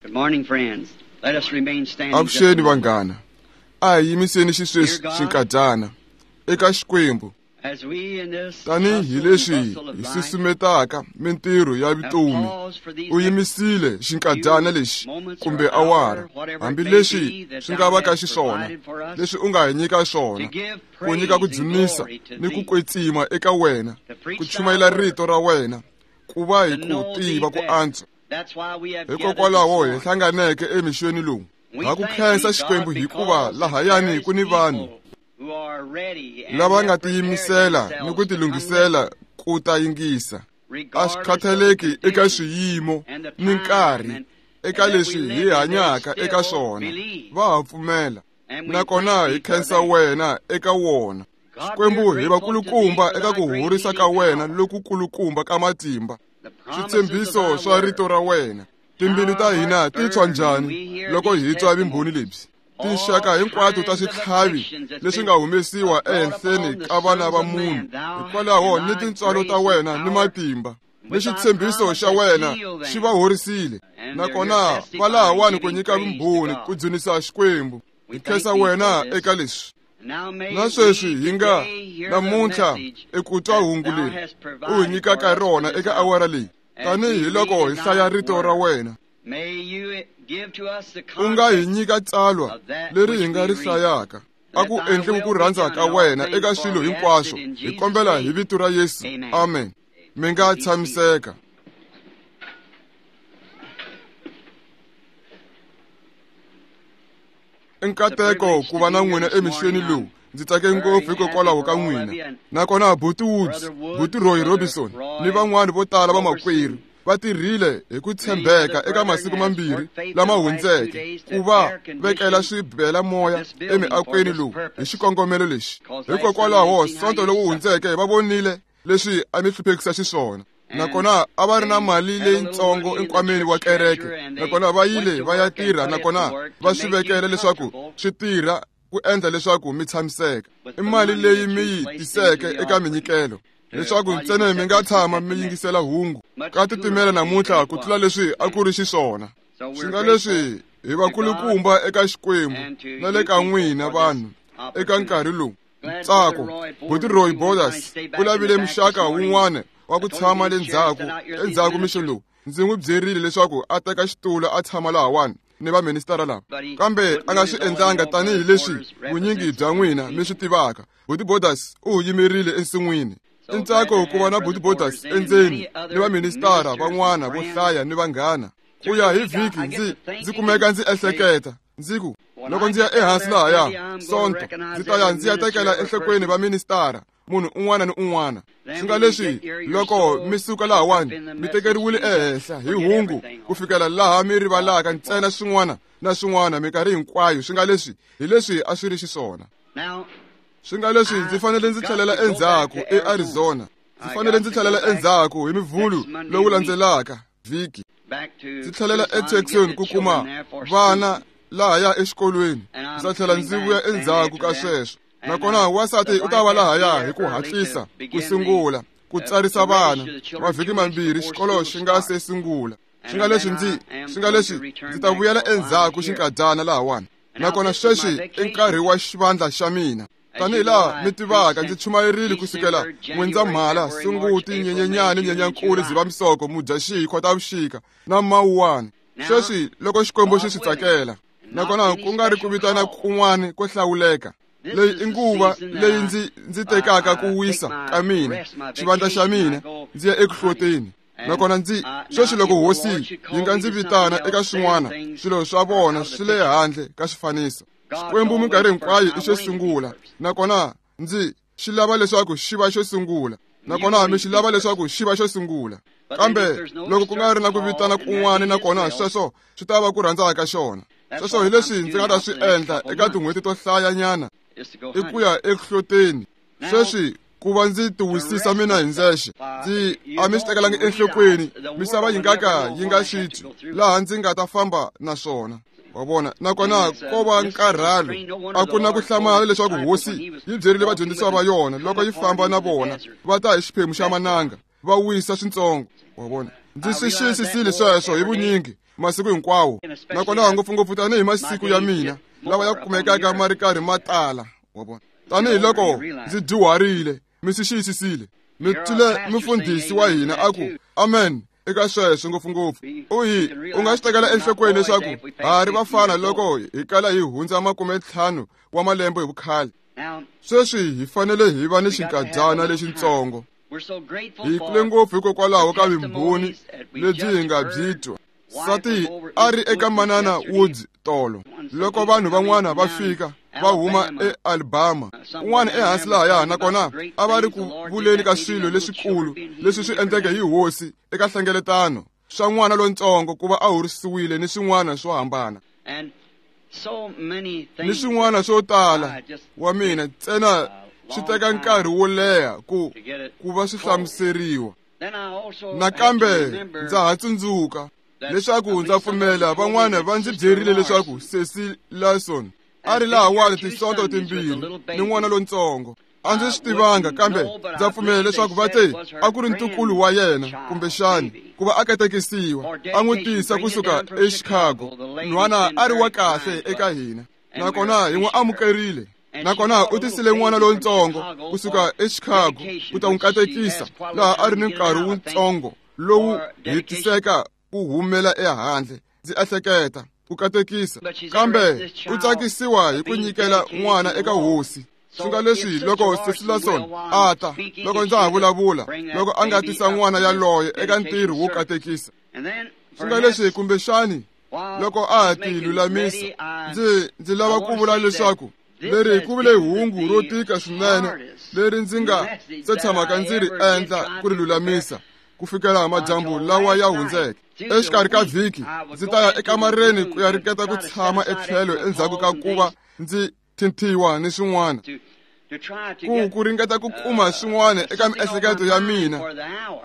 Good morning, friends. Let us remain standing. Avuxeni vanghana. A hi yimiseni xisweswi xinkadyana eka Xikwembu. As we in this Tanihi leswi hi susumetaka mintirho ya vutomi, u yimisile xinkadyana lexi kumbe awara, hambileswi swi nga va ka xiswona, leswi u nga hi nyika swona, ku nyika ku dzunisa ni ku kwetsima eka wena, ku chumayela rito ra wena, ku va hi ku tiva ku antswa. Hikokwalaho hi hlanganeke emixweni lowu. Ha ku khensa Xikwembu hikuva lahayani ku ni vanhu lava nga tiyimisela ni ku tilunghisela ku ta yingisa. A swi khathaleki eka swiyimo ni nkarhi eka leswi hi hanyaka eka swona, va ha pfumela. Nakona hi khensa wena eka wona. Xikwembu hi va kulukumba eka ku horisa ka wena loku kulukumba ka matimba, switshembiso swa rito ra wena. Timbilu ta hina ti tshwa njhani loko hi twa vumbhoni lebyi? Tinxaka hinkwato ta switlhavi leswi nga humesiwa ehenhleni ka vana va munhu, hikwalaho ni tintswalo ta wena ni matimba ni xitshembiso xa wena xi va horisile. Nakona va lahawani ku nyika vumbhoni ku dzunisa Xikwembu. Hi khensa wena eka leswi. Na sweswi hi nga namuntlha eku twa hungu leri u hi nyikaka rona eka awara leyi, tanihi loko hi hlaya rito ra wena. U nga hi nyika tsalwa leri hi nga ri hlayaka. A ku endliwi ku rhandza ka wena eka swilo hinkwaswo. Hi kombela hi vito ra Yesu. Amen. Mi nga tshamiseka. I nkateko ku va na n'wina emixweni lowu. Ndzi tsake ngopfu hikokwalaho ka n'wina. Nakona Buti Woods, Buti Roy Robinson ni van'wana vo tala vamakwerhu va tirhile hi ku tshembeka eka masiku mambirhi lama hundzeke ku va vekela swibela moya emiakweni lowu hi xikongomelo lexi. Hikokwalaho Sonto lowu hundzeke va vonile leswi a mi hluphekisa xiswona. Nakona a va ri na mali leyitsongo enkwameni wa kereke, nakona va yile va ya tirha, nakona va swi vekela leswaku swi tirha ku endla leswaku mi tshamiseka. I mali leyi mi yi tiseke eka minyikelo, leswaku ntsena mi nga tshama mi yingisela hungu. Ka titimela namuntlha ku tlula leswi a ku ri xiswona. Swi nga leswi hi va kulukumba eka Xikwembu na le ka n'wina vanhu eka nkarhi lowu. Ntsako, Buti Roy Borders u lavile muxaka wun'wana wa ku tshama le ndzhaku endzhaku mixo lowu. Ndzi n'wi byerile leswaku a teka xitulu a tshama lahawani ni vaministara lava, kambe a nga swi endlanga tanihileswi vunyingi bya n'wina mi swi tivaka. Buti Borders u yimerile ensin'wini. I ntsako ku va na Buti Borders endzeni ni vaministara van'wana vo hlaya ni vanghana. Ku ya hi vhiki ndzi kumeka ndzi ehleketa ndzi ku, loko ndzi ya ehansi lahaya Sonto, ndzi ta ya ndzi ya tekela enhlokweni vaministara, munhu un'wana ni un'wana. Swi nga leswi loko mi suka lahawani mi tekeriwile ehenhla hi hungu ku fikela laha mi rivalaka ntsena swin'wana na swin'wana minkarhi hinkwayo. Swi nga leswi hi leswi a swi ri xiswona. Swi nga leswi ndzi fanele ndzi tlhelela endzhaku eArizona. Ndzi fanele ndzi tlhelela endzhaku hi Mivhulu lowu landzelaka vhiki. Ndzi tlhelela eTucson ku kuma vana lahaya exikolweni. Ndzi ta tlhela ndzi vuya endzhaku ka sweswo. Nakona wansati u ta va lahaya hi ku hatlisa ku sungula ku tsarisa vana mavhiki mambirhi xikolo xi nga se sungula. Swi nga leswi ndzi ta vuyela endzhaku xinkadyana lahawani. Nakona sweswi i nkarhi wa xivandla xa mina. Tanihi laha mi tivaka, ndzi chumayerile kusukela N'wendzamhala, Sunguti, Nyenyenyani, Nyenyankulu, Dzivamisoko, Mudyaxihi, Khotavuxika na Mawuwani. Sweswi loko Xikwembu xi swi tsakela, nakona ku nga ri ku vitana kun'wana ko hlawuleka. Leyi i nguva leyi ndzi tekaka ku wisa ka mina, xivandla xa mina, ndzi ya eku hloteni. Nakona ndzi sweswi loko Hosi yi nga ndzi vitana eka swin'wana, swilo swa vona swi le handle ka xifaniso. Xikwembu minkarhi hinkwayo i xo sungula, nakona ndzi xi lava leswaku xi va xo sungula, nakona mi xi lava leswaku xi va xo sungula. Kambe loko ku nga ri na ku vitana kun'wana, nakona sweswo swi ta va ku rhandza ka xona. Sweswo hi leswi ndzi nga ta swi endla eka tin'hweti to hlayanyana, i ku ya eku hloteni. Sweswi ku va ndzi tiwisisa mina hi ndzexe, ndzi a mi swi tekelangi enhlokweni, misava yi nga ka yi nga swi twi laha ndzi nga ta famba na swona. Wa vona? Nakona ko va nkarhalo. A ku na ku hlamala leswaku Hosi yi byerile vadyondzisiwa va yona loko yi famba na vona va ta hi xiphemu xa mananga va wisa swintsongo. Wa vona? Ndzi swi xiyisisile sweswo hi vunyingi. masiku hinkwawo, nakona ngopfungopfu tanihi masiku ya mina lawa ya kumekaka ma ri karhi ma tala, wa vona, tanihiloko ndzi dyuharile, mi swi xiyisisile. Mi twile mufundhisi wa hina a ku amen eka sweswo ngopfungopfu. U nga swi tekela enhlokweni leswaku ha ri vafana loko hi kala hi hundza 50 wa malembe hi vukhale. Sweswi hi fanele hi va ni xinkadyana lexitsongo. Hi kule ngopfu hikokwalaho ka vumbhoni lebyi hi nga byi twa. Sati a ri eka Manana Woods tolo loko vanhu van'wana va fika va huma eAlabama, un'wana ehansi lahaya, nakona a va ri ku vuleni ka swilo leswikulu leswi swi endleke hi hosi eka hlengeletano swa n'wana lontsongo ku va a horisiwile ni swin'wana swo hambana ni swin'wana swo tala. Wa mina ntsena swi teka nkarhi wo leha ku va swi hlamuseriwa. Nakambe ndza ha tsundzuka leswaku ndza pfumela van'wana va ndzi byerile leswaku Cecil Larson a ri lahawani tisonto timbirhi ni n'wana lontsongo. A ndzi swi tivanga, kambe ndza pfumela leswaku va te a ku ri ntukulu wa yena kumbexani ku va a katekisiwa, a n'wi tisa kusuka eChicago. Nhwana a ri wa kahle eka hina, nakona hi n'wi amukerile. Nakona u tisile n'wana lontsongo kusuka eChicago ku ta n'wi katekisa, laha a ri ni nkarhi wutsongo lowu hetiseka ku humela ehandle, ndzi ehleketa ku katekisa, kambe u tsakisiwa hi ku nyikela n'wana eka hosi. Swi nga leswi loko Cecil Larson a ta, loko ndza ha vulavula, loko a nga tisa n'wana yaloye eka ntirho wo katekisa. Swi nga leswi kumbexani loko a ha ti lulamisa, ndzi lava ku vula leswaku leri ku vile hungu ro tika swinene leri ndzi nga se tshamaka ndzi ri endla ku ri lulamisa ku fikela madyambu lawa ya hundzeke. Exikarhi ka vhiki ndzi ta ya ekamareni ku ya ringeta ku tshama etlhelo endzhaku ka ku va ndzi thinthiwa ni swin'wana, ku ringeta ku kuma swin'wana eka miehleketo ya mina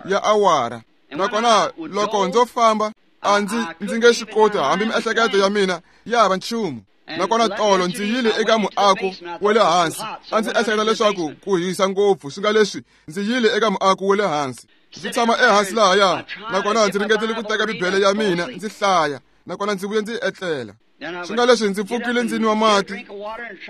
ya awara. Nakona loko ndzo famba a ndzi nge swi koti, hambi miehleketo ya mina ya hava nchumu. Nakona tolo ndzi yile eka muako wa le hansi, a ndzi ehleketa leswaku ku hisa ngopfu, swi nga leswi ndzi yile eka muako wa le hansi, ndzi tshama ehansi lahaya, nakona ndzi ringetile ku teka Bibele ya mina ndzi hlaya, nakona ndzi vuye ndzi etlela. Swi nga leswi ndzi pfukile ndzi nwa mati,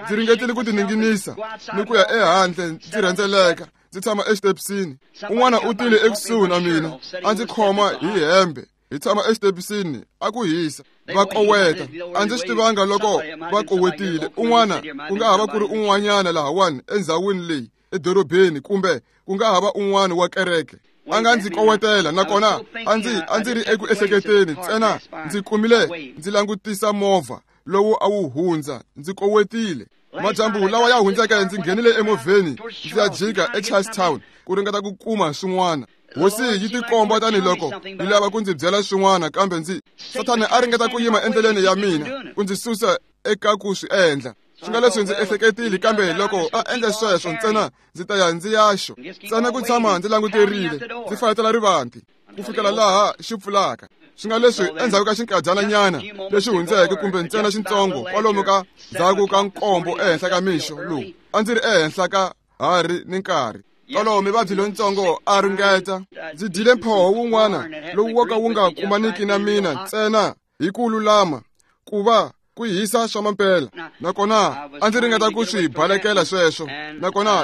ndzi ringetile ku tininginisa ni ku ya ehandle ndzi rhendzeleka, ndzi tshama exitepisini. Un'wana u tile ekusuhi na mina a ndzi khoma hi hembe, hi tshama exitepisini a ku hisa, va koweta. A ndzi swi tivanga loko va kowetile. Un'wana ku nga ha va ku ri un'wanyana lahawani endzhawini leyi edorobeni, kumbe ku nga ha va un'wana wa kereke a nga ndzi kowetela. Nakona a ndzi ri eku ehleketeni ntsena, ndzi kumile ndzi langutisa movha lowu a wu hundza, ndzi kowetile. Madyambu lawa ya hundzeke ndzi nghenile emovheni ndzi ya jika eCharlestown ku ringeta ku kuma swin'wana. Hosi yi tikomba tanihiloko yi lava ku ndzi byela swin'wana, kambe ndzi Sathana a ringeta ku yima endleleni ya mina ku ndzi susa eka ku swi endla. Swi nga leswi ndzi ehleketile, kambe loko a endla sweswo ntsena ndzi ta ya ndzi yaxo ntsena ku tshama ndzi languterile, ndzi fayetela rivanti ku fikela laha xi pfulaka. Swi nga leswi endzhaku ka xinkadyana lexi hundzeke, kumbe ntsena xintsongo kwalomu ka ndzhaku ka 7 ehenhla ka mixo lowu, a ndzi ri ehenhla ka hari ni nkarhi. Tolo mivabyi lontsongo a ringeta, ndzi dyile mphoho wun'wana lowu wo ka wu nga kumaniki na mina ntsena hi ku lulama ku va ku hisa swa mampela. Nakona a ndzi ringeta ku swi balekela sweswo.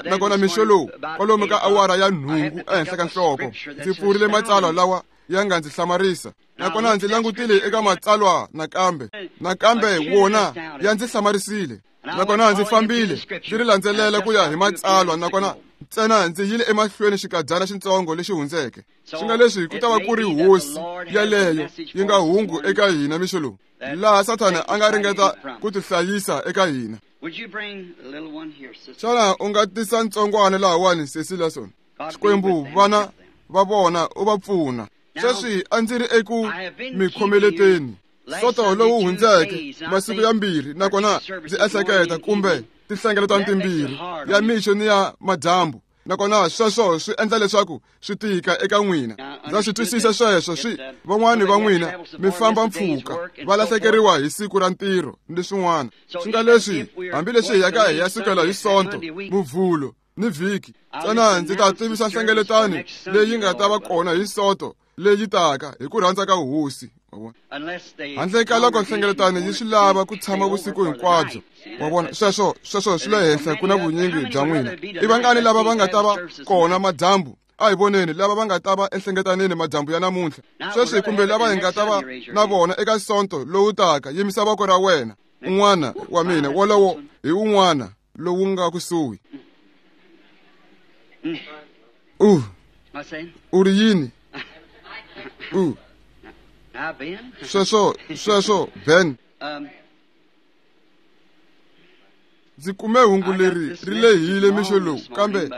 Nakona mixo lowu kwalomu ka awara ya 8 ehenhla ka nhloko, ndzi pfurile matsalwa lawa ya nga ndzi hlamarisa. Nakona ndzi langutile eka matsalwa nakambe wona ya ndzi hlamarisile. Nakona ndzi fambile ndzi ri landzelela ku ya hi matsalwa, nakona ntsena ndzi yile emahlweni xikadyana xintsongo lexi hundzeke. Swi nga leswi ku ta va ku ri hosi yaleyo yi nga hungu eka hina mixo lowu, laha Sathana a nga ringeta ku tihlayisa eka hina. Xana u nga tisa ntsongwana lahawani, Cecil Larson? Xikwembu, vana va vona u va pfuna. Sweswi a ndzi ri eku mi khomeleteni soto lowu hundzeke masiku ya 2, nakona ndzi ehleketa kumbe tinhlengeletano timbirhi, ya mixo ni ya madyambu. Nakona sweswo swi endla leswaku swi tika eka n'wina. Ndza swi twisisa sweswo. Swi van'wani va n'wina mi famba mpfhuka, va lahlekeriwa hi siku ra ntirho ni swin'wana. Swi nga leswi hambileswi hi yaka hi ya sukela hi Sonto, Muvhulo ni vhiki, ntsena ndzi ta tivisa nhlengeletano leyi nga ta va kona hi Sonto leyi taka hi ku rhandza ka hosi. Wa vona, handle ka loko nhlengeletano yi swi lava ku tshama vusiku hinkwabyo. Wa vona, sweswo swi le henhla ku na vunyingi bya n'wina. I vangani lava va nga ta va kona madyambu? A hi voneni lava va nga ta va enhlengetanini madyambu ya namuntlha sweswi, kumbe lava hi nga ta va na vona eka sonto lowu taka. Yimisa voko ra wena. Un'wana wa mina wolowo hi un'wana lowu nga kusuhi. U ri yini? Sweswo Ben, ndzi kume hungu leri ri lehile mixo lowu, kambe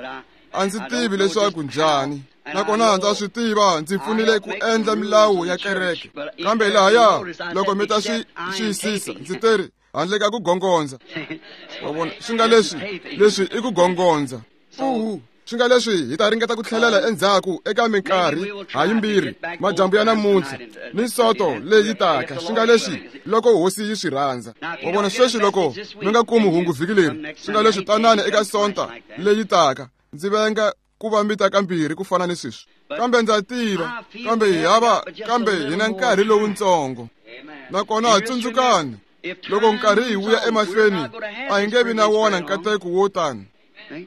a ndzi tivi leswaku njhani. Nakona ndza swi tiva ndzi pfunile ku endla milawu ya kereke, kambe lahaya loko mi ta swi xiyisisa ndzi teri handle ka ku gongondza. Wa vona, swi nga leswi i ku gongondza. Swi nga leswi hi ta ringeta ku tlhelela endzhaku eka minkarhi hayimbirhi madyambu ya namuntlha ni soto leyi taka. Swi nga leswi loko hosi yi swi rhandza. Wa vona, sweswi loko mi nga kumi hungu vhiki leri, swi nga leswi tanani eka sonta leyi taka. Ndzi venga ku va mi ta kambirhi ku fana ni sweswi, kambe ndza tiva, kambe hi hava, kambe hi na nkarhi lowuntsongo. Nakona tsundzukani, loko nkarhi hi wuya emahlweni a hi nge vi na wona nkateko wo tani.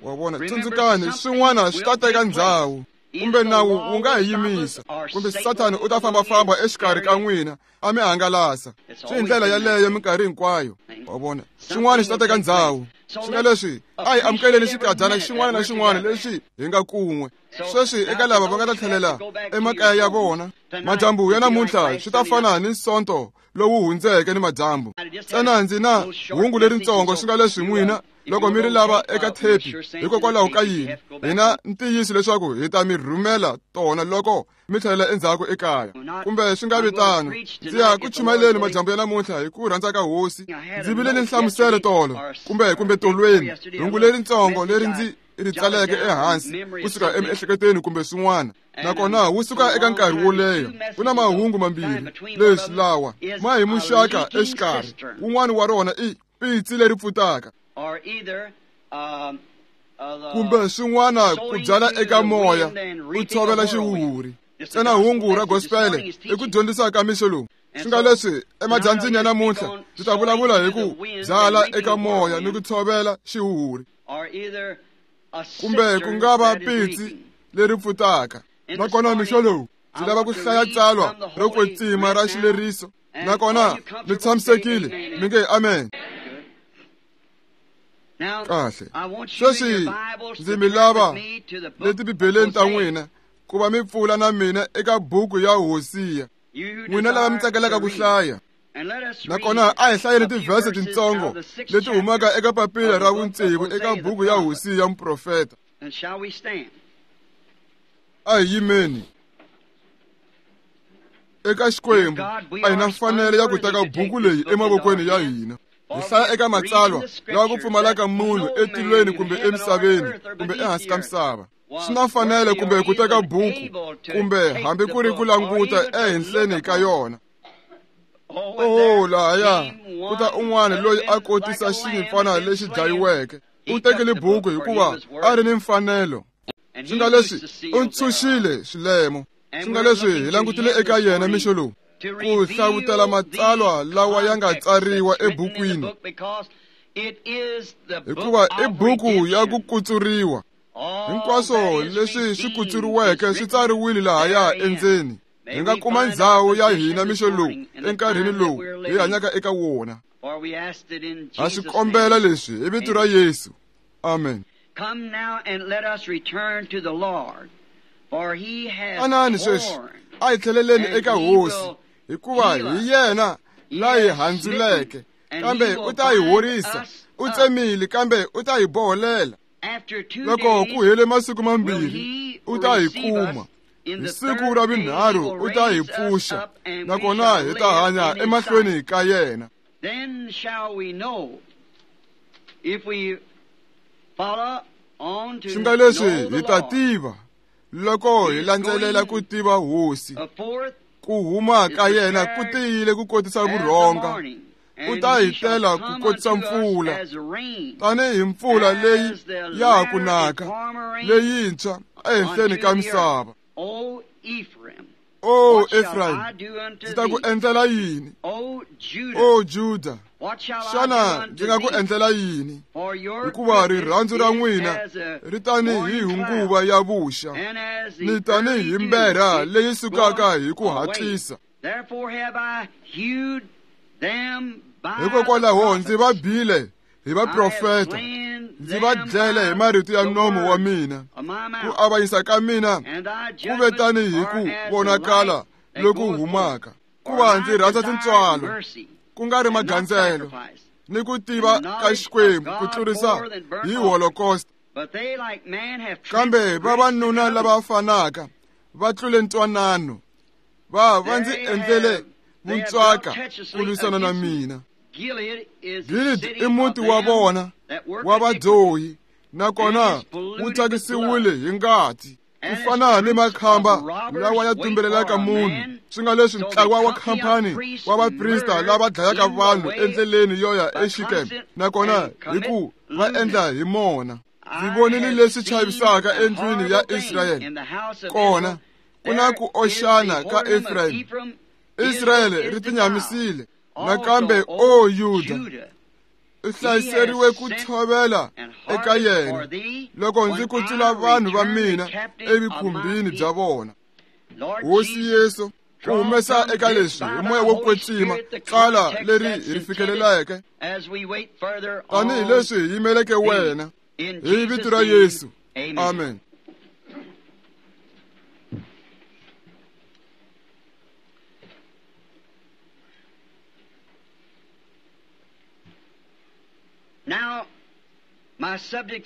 Wa vona, tsundzukani, swin'wana swi ta teka ndzhawu, kumbe nawu wu nga hi yimisa, kumbe Sathani u ta fambafamba exikarhi ka n'wina a mi hangalasa. Swi hi ndlela yaleyo minkarhi hinkwayo. Wa vona, swin'wana swi ta teka ndzhawu. Swi nga leswi a hi amukeleni xikadyana xin'wana na xin'wana lexi hi nga kun'we. Sweswi eka lava va nga ta tlhelela emakaya ya vona madyambu ya namuntlha swi ta fana ni sonto lowu hundzeke ni madyambu. Ntsena ndzi na hungu leritsongo. Swi nga leswi n'wina loko mi ri lava eka thepi, hikokwalaho ka yini, hi na ntiyiso leswaku hi ta mi rhumela tona loko mi tlhelela endzhaku ekaya. Kumbe swi nga vi tano, ndzi ya ku chumayeleni madyambu ya namuntlha hi ku rhandza ka hosi. Ndzi vile ni nhlamuselo tolo kumbe tolweni, hungu leritsongo leri ndzi ri tsaleke ehansi kusuka emiehleketweni kumbe swin'wana. Nakona wu suka eka nkarhi wo leha. Ku na mahungu mambirhi leswi lawa ma hi muxaka exikarhi. Wun'wana wa rona i pitsi leri pfutaka, kumbe swin'wana ku byala eka moya u tshovela xihuhuri. Ntsena hungu ra gospele i ku dyondzisa ka mixo lowu. Swi nga leswi emadyambyini ya namuntlha ndzi ta vulavula hi ku byala eka moya ni ku tshovela xihuhuri, kumbe ku nga va pitsi leri pfutaka. Nakona mixo lowu ndzi lava ku hlaya tsalwa ro kwetsima ra xileriso. Nakona mi tshamisekile, mi nge amen. Kahle. Sweswi ndzi mi lava leti Bibeleni ta n'wina ku va mi pfula na mina eka buku ya Hosiya, n'wina lava mi tsakelaka ku hlaya. Nakona a hi hlayeni tivhese tintsongo leti humaka eka papila ra vutsevu eka buku ya Hosiya muprofeta. A hi yimeni. Eka Xikwembu a hi na mfanelo ya ku teka buku leyi emavokweni ya hina. Hi hlaya eka matsalwa lawa ku pfumalaka munhu etilweni kumbe emisaveni kumbe ehansi ka misava. Swi na mfanelo kumbe ku teka buku kumbe hambi ku ri ku languta ehenhleni ka yona. Oh, lahaya ku ta un'wana loyi a kotisa xinyimpfana lexi dlayiweke. U tekile buku hikuva a ri ni mfanelo. Swi nga leswi u ntshunxile swilemo. Swi nga leswi hi langutile eka yena mixo lowu ku hlavutela matsalwa lawa ya nga tsariwa ebukwini, hikuva i buku ya ku kutsuriwa. Hinkwaswo leswi swi kutsuriweke swi tsariwile lahaya endzeni. Hi nga kuma ndzhawu ya hina mixo lowu enkarhini lowu hi hanyaka eka wona. Ha swi kombela leswi hi vito ra Yesu. Amen. Anani sweswi a hi tlheleleni eka hosi, hikuva hi yena la hi handzuleke, kambe u ta hi horisa. U tsemile, kambe u ta hi boholela. Loko ku hele masiku mambirhi u ta hi kuma. Hi siku ra vunharhu u ta hi pfuxa, nakona hi ta hanya emahlweni ka yena. Swi nga leswi hi ta tiva loko hi landzelela ku tiva hosi. Ku huma ka yena ku tiyile ku kotisa vurhonga. U ta hi tela ku kotisa mpfula, tanihi mpfula leyi ya ha ku naka leyintshwa ehenhleni ka misava. O Efrayim, ndzi ta ku endlela yini? O Juda, xana ndzi nga ku endlela yini? Hikuva rirhandzu ra n'wina ri tanihi hunguva ya vuxa, ni tanihi mberha leyi sukaka hi ku hatlisa. Hikokwalaho ndzi va bile hi vaprofeta, ndzi va dlele hi marito ya nomo wa mina. Ku avanyisa ka mina ku ve tanihi ku vonakala loku humaka. Ku va ndzi rhandza tintswalo, ku nga ri magandzelo, ni ku tiva ka Xikwembu ku tlurisa hi holocaust. Kambe vavanuna lava fanaka va tlule ntwanano, va ndzi endlele vuntswaka ku lwisana na mina. Gilead i muti wa vona wa vadyohi, nakona wu thyakisiwile hi ngati. Ku fana ni makhamba lawa ya tumbelelaka munhu, swi nga leswi ntlawa wa khampani wa vaprista lava dlayaka vanhu endleleni yo ya eXikem, nakona hi ku va endla hi mona. Ndzi vonile leswi chavisaka endlwini ya Israyele. Kona ku na ku oxana ka Efrayim. Israyele ri tinyamisile. Nakambe o Yuda, u hlayiseriwe ku tshovela eka yena loko ndzi kutsula vanhu va mina evikhumbini bya vona. Hosi Yesu, ku humesa eka leswi hi moya wo kwetsima tsala leri hi ri fikeleleke tanihi leswi hi yimeleke wena, hi vito ra Yesu. Amen.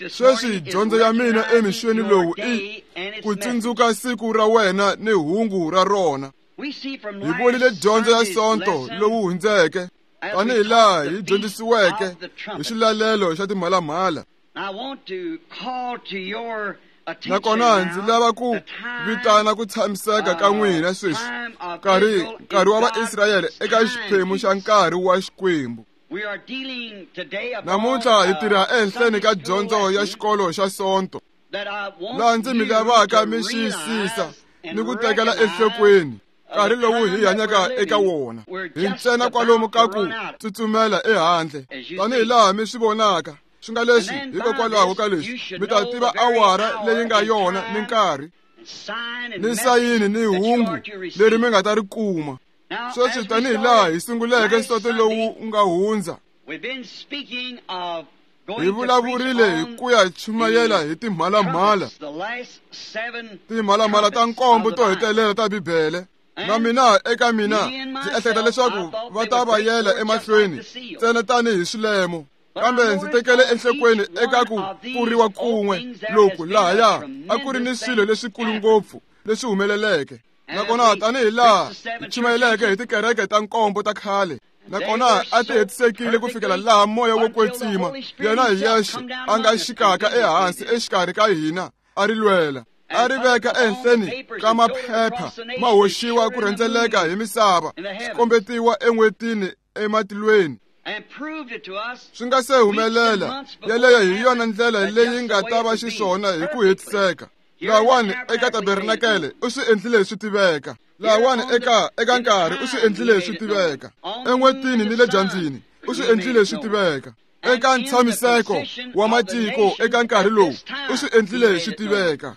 Sweswi dyondzo ya mina emixweni lowu i ku tsundzuka siku ra wena ni hungu ra rona. Hi vonile dyondzo ya Sonto lowu hundzeke tanihi laha hi dyondzisiweke hi xilalelo xa timhalamhala. Nakona ndzi lava ku vitana ku tshamiseka ka n'wina sweswi, nkarhi wa Vaisrayele eka xiphemu xa nkarhi wa Xikwembu. Namuntlha hi tirha ehenhleni ka dyondzo ya xikolo xa Sonto, laha ndzi mi lavaka mi xiyisisa ni ku tekela enhlokweni nkarhi lowu hi hanyaka eka wona. Hi ntsena kwalomu ka ku tsutsumela ehandle, tanihi laha mi swi vonaka. Swi nga leswi hikokwalaho ka leswi mi ta tiva awara leyi nga yona ni nkarhi, ni sayini ni hungu leri mi nga ta ri kuma. Sweswi tanihi laha hi sunguleke nsoto lowu nga hundza, hi vulavurile hi ku ya chumayela hi timhalamhala, timhalamhala ta nkombo to hetelela ta Bibele. Na mina eka mina ndzi ehleketa leswaku va ta va yela emahlweni ntsena tanihi swilemo. Kambe ndzi tekele enhlokweni eka ku pfuriwa kun'we loku lahaya a ku ri ni swilo leswikulu ngopfu leswi humeleleke. Nakona tanihi laha hi chumayeleke hi tikereke ta nkombo ta khale, nakona a ti hetisekile ku fikela laha moya wo kwetsima yena hi yexe a nga xikaka ehansi exikarhi ka hina, a ri lwela, a ri veka ehenhleni ka maphepha ma hoxiwa ku rhendzeleka hi misava, swi kombetiwa en'hwetini ematilweni. Swi nga se humelela, yeleyo hi yona ndlela leyi nga ta va xiswona hi ku hetiseka. Lawani eka tabernakele u swi endlile swi tiveka. Lawani eka nkarhi u swi endlile swi tiveka. En'hwetini ni le dyambyini u swi endlile swi tiveka. Eka ntshamiseko wa matiko eka nkarhi lowu u swi endlile swi tiveka.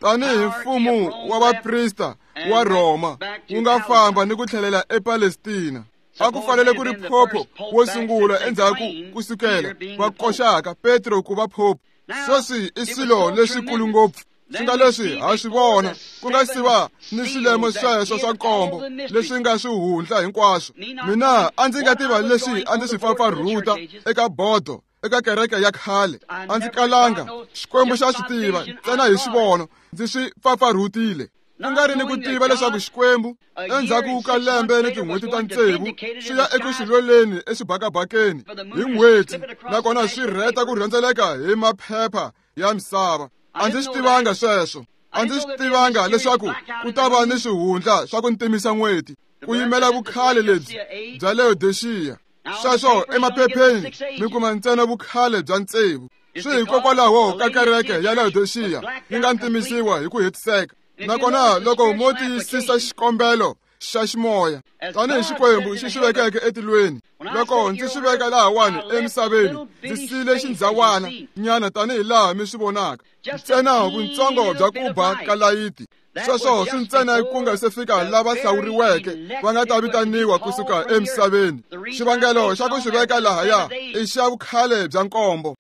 Tanihi mfumo wa vaprista wa Rhoma wu nga famba ni ku tlhelela ePalestina. A ku fanele ku ri phopho wo sungula endzhaku ku sukela va koxaka Petro ku va phopho. Sweswi i swilo leswikulu ngopfu. Swi nga leswi ha swi vona ku nga si va ni swilemo sweswo swa nkombo leswi nga swihundla hinkwaswo. Mina a ndzi nga tiva leswi a ndzi swi pfapfarhuta eka bodo eka kereke ya khale. A ndzi kalanga, Xikwembu xa swi tiva ntsena hi xivono ndzi swi pfapfarhutile. Ku nga ri ni ku tiva leswaku Xikwembu endzhaku ka lembe ni tin'hweti ta tsevu swi ya eku swi lweleni exibakabakeni hi n'hweti, nakona swi rheta ku rhendzeleka hi maphepha ya misava. A ndzi swi tivanga sweswo. A ndzi swi tivanga leswaku ku ta va ni swihundla swa ku ntimisa n'hweti ku yimela vukhale lebyi bya Laodicea. Sweswo emaphepheni mi kuma ntsena vukhale bya tsevu. Swi hikokwalaho ka kereke ya Laodicea yi nga ntimisiwa hi ku hetiseka. Nakona loko mo tiyisisa xikombelo xa ximoya tanihi Xikwembu xi xi vekeke etilweni, loko ndzi xi veka lahawani emisaveni, ndzi siyile xindzhawana nyana tanihi laha mi swi vonaka, ntsena vuntsongo bya ku ba ka layiti. Sweswo swi ntsena ku nga se fika lava hlawuriweke va nga ta vitaniwa kusuka emisaveni. Xivangelo xa ku xi veka lahaya i xa vukhale bya nkombo.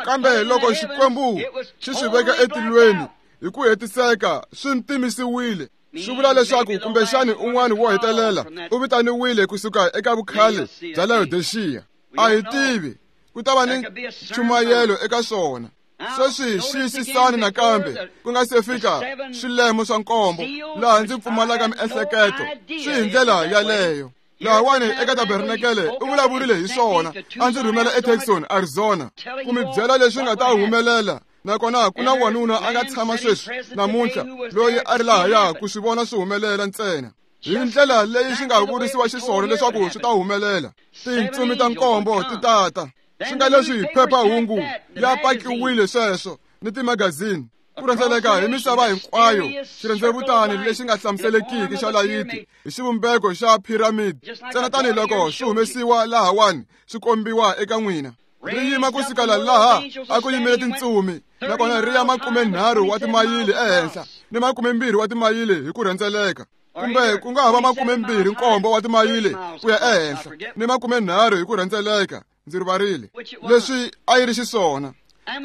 Kambe loko Xikwembu xi swi veka etilweni hi ku hetiseka, swi ntimisiwile. Swi vula leswaku kumbexani un'wana wo hetelela u vitaniwile kusuka eka vukhale bya Laodicea. A hi tivi, ku ta va ni nchumayelo eka swona. Sweswi xiyisisani nakambe ku nga se fika swilemo swa nkombo laha ndzi pfumalaka miehleketo, swi hi ndlela yaleyo. Lahawani eka tabernakele u vulavurile hi swona, a ndzi rhumela eTucson, Arizona, ku mi byela leswi nga ta humelela. Nakona ku na wanuna a nga tshama sweswi namuntlha loyi a ri lahaya ku swi vona swi humelela ntsena hi ndlela leyi swi nga vurisiwa xiswona leswaku swi ta humelela. Tintsumi ta nkombo ti tata, swi nga leswi phephahungu ya pakiwile sweswo ni timagazini ku rhendzeleka hi misava hinkwayo, xirhendzevutani lexi nga hlamuselekiki xa layiti hi xivumbeko xa piramidi, ntsena tanihiloko swi humesiwa lahawani swi kombiwa eka n'wina. Ri yima ku sukela laha a ku yimile tintsumi, nakona ri ya 30 wa timayili ehenhla ni 20 wa timayili hi ku rhendzeleka, kumbe ku nga ha va 27 wa timayili ku ya ehenhla ni 30 hi ku rhendzeleka. Ndzi rivarile leswi a yi ri xiswona.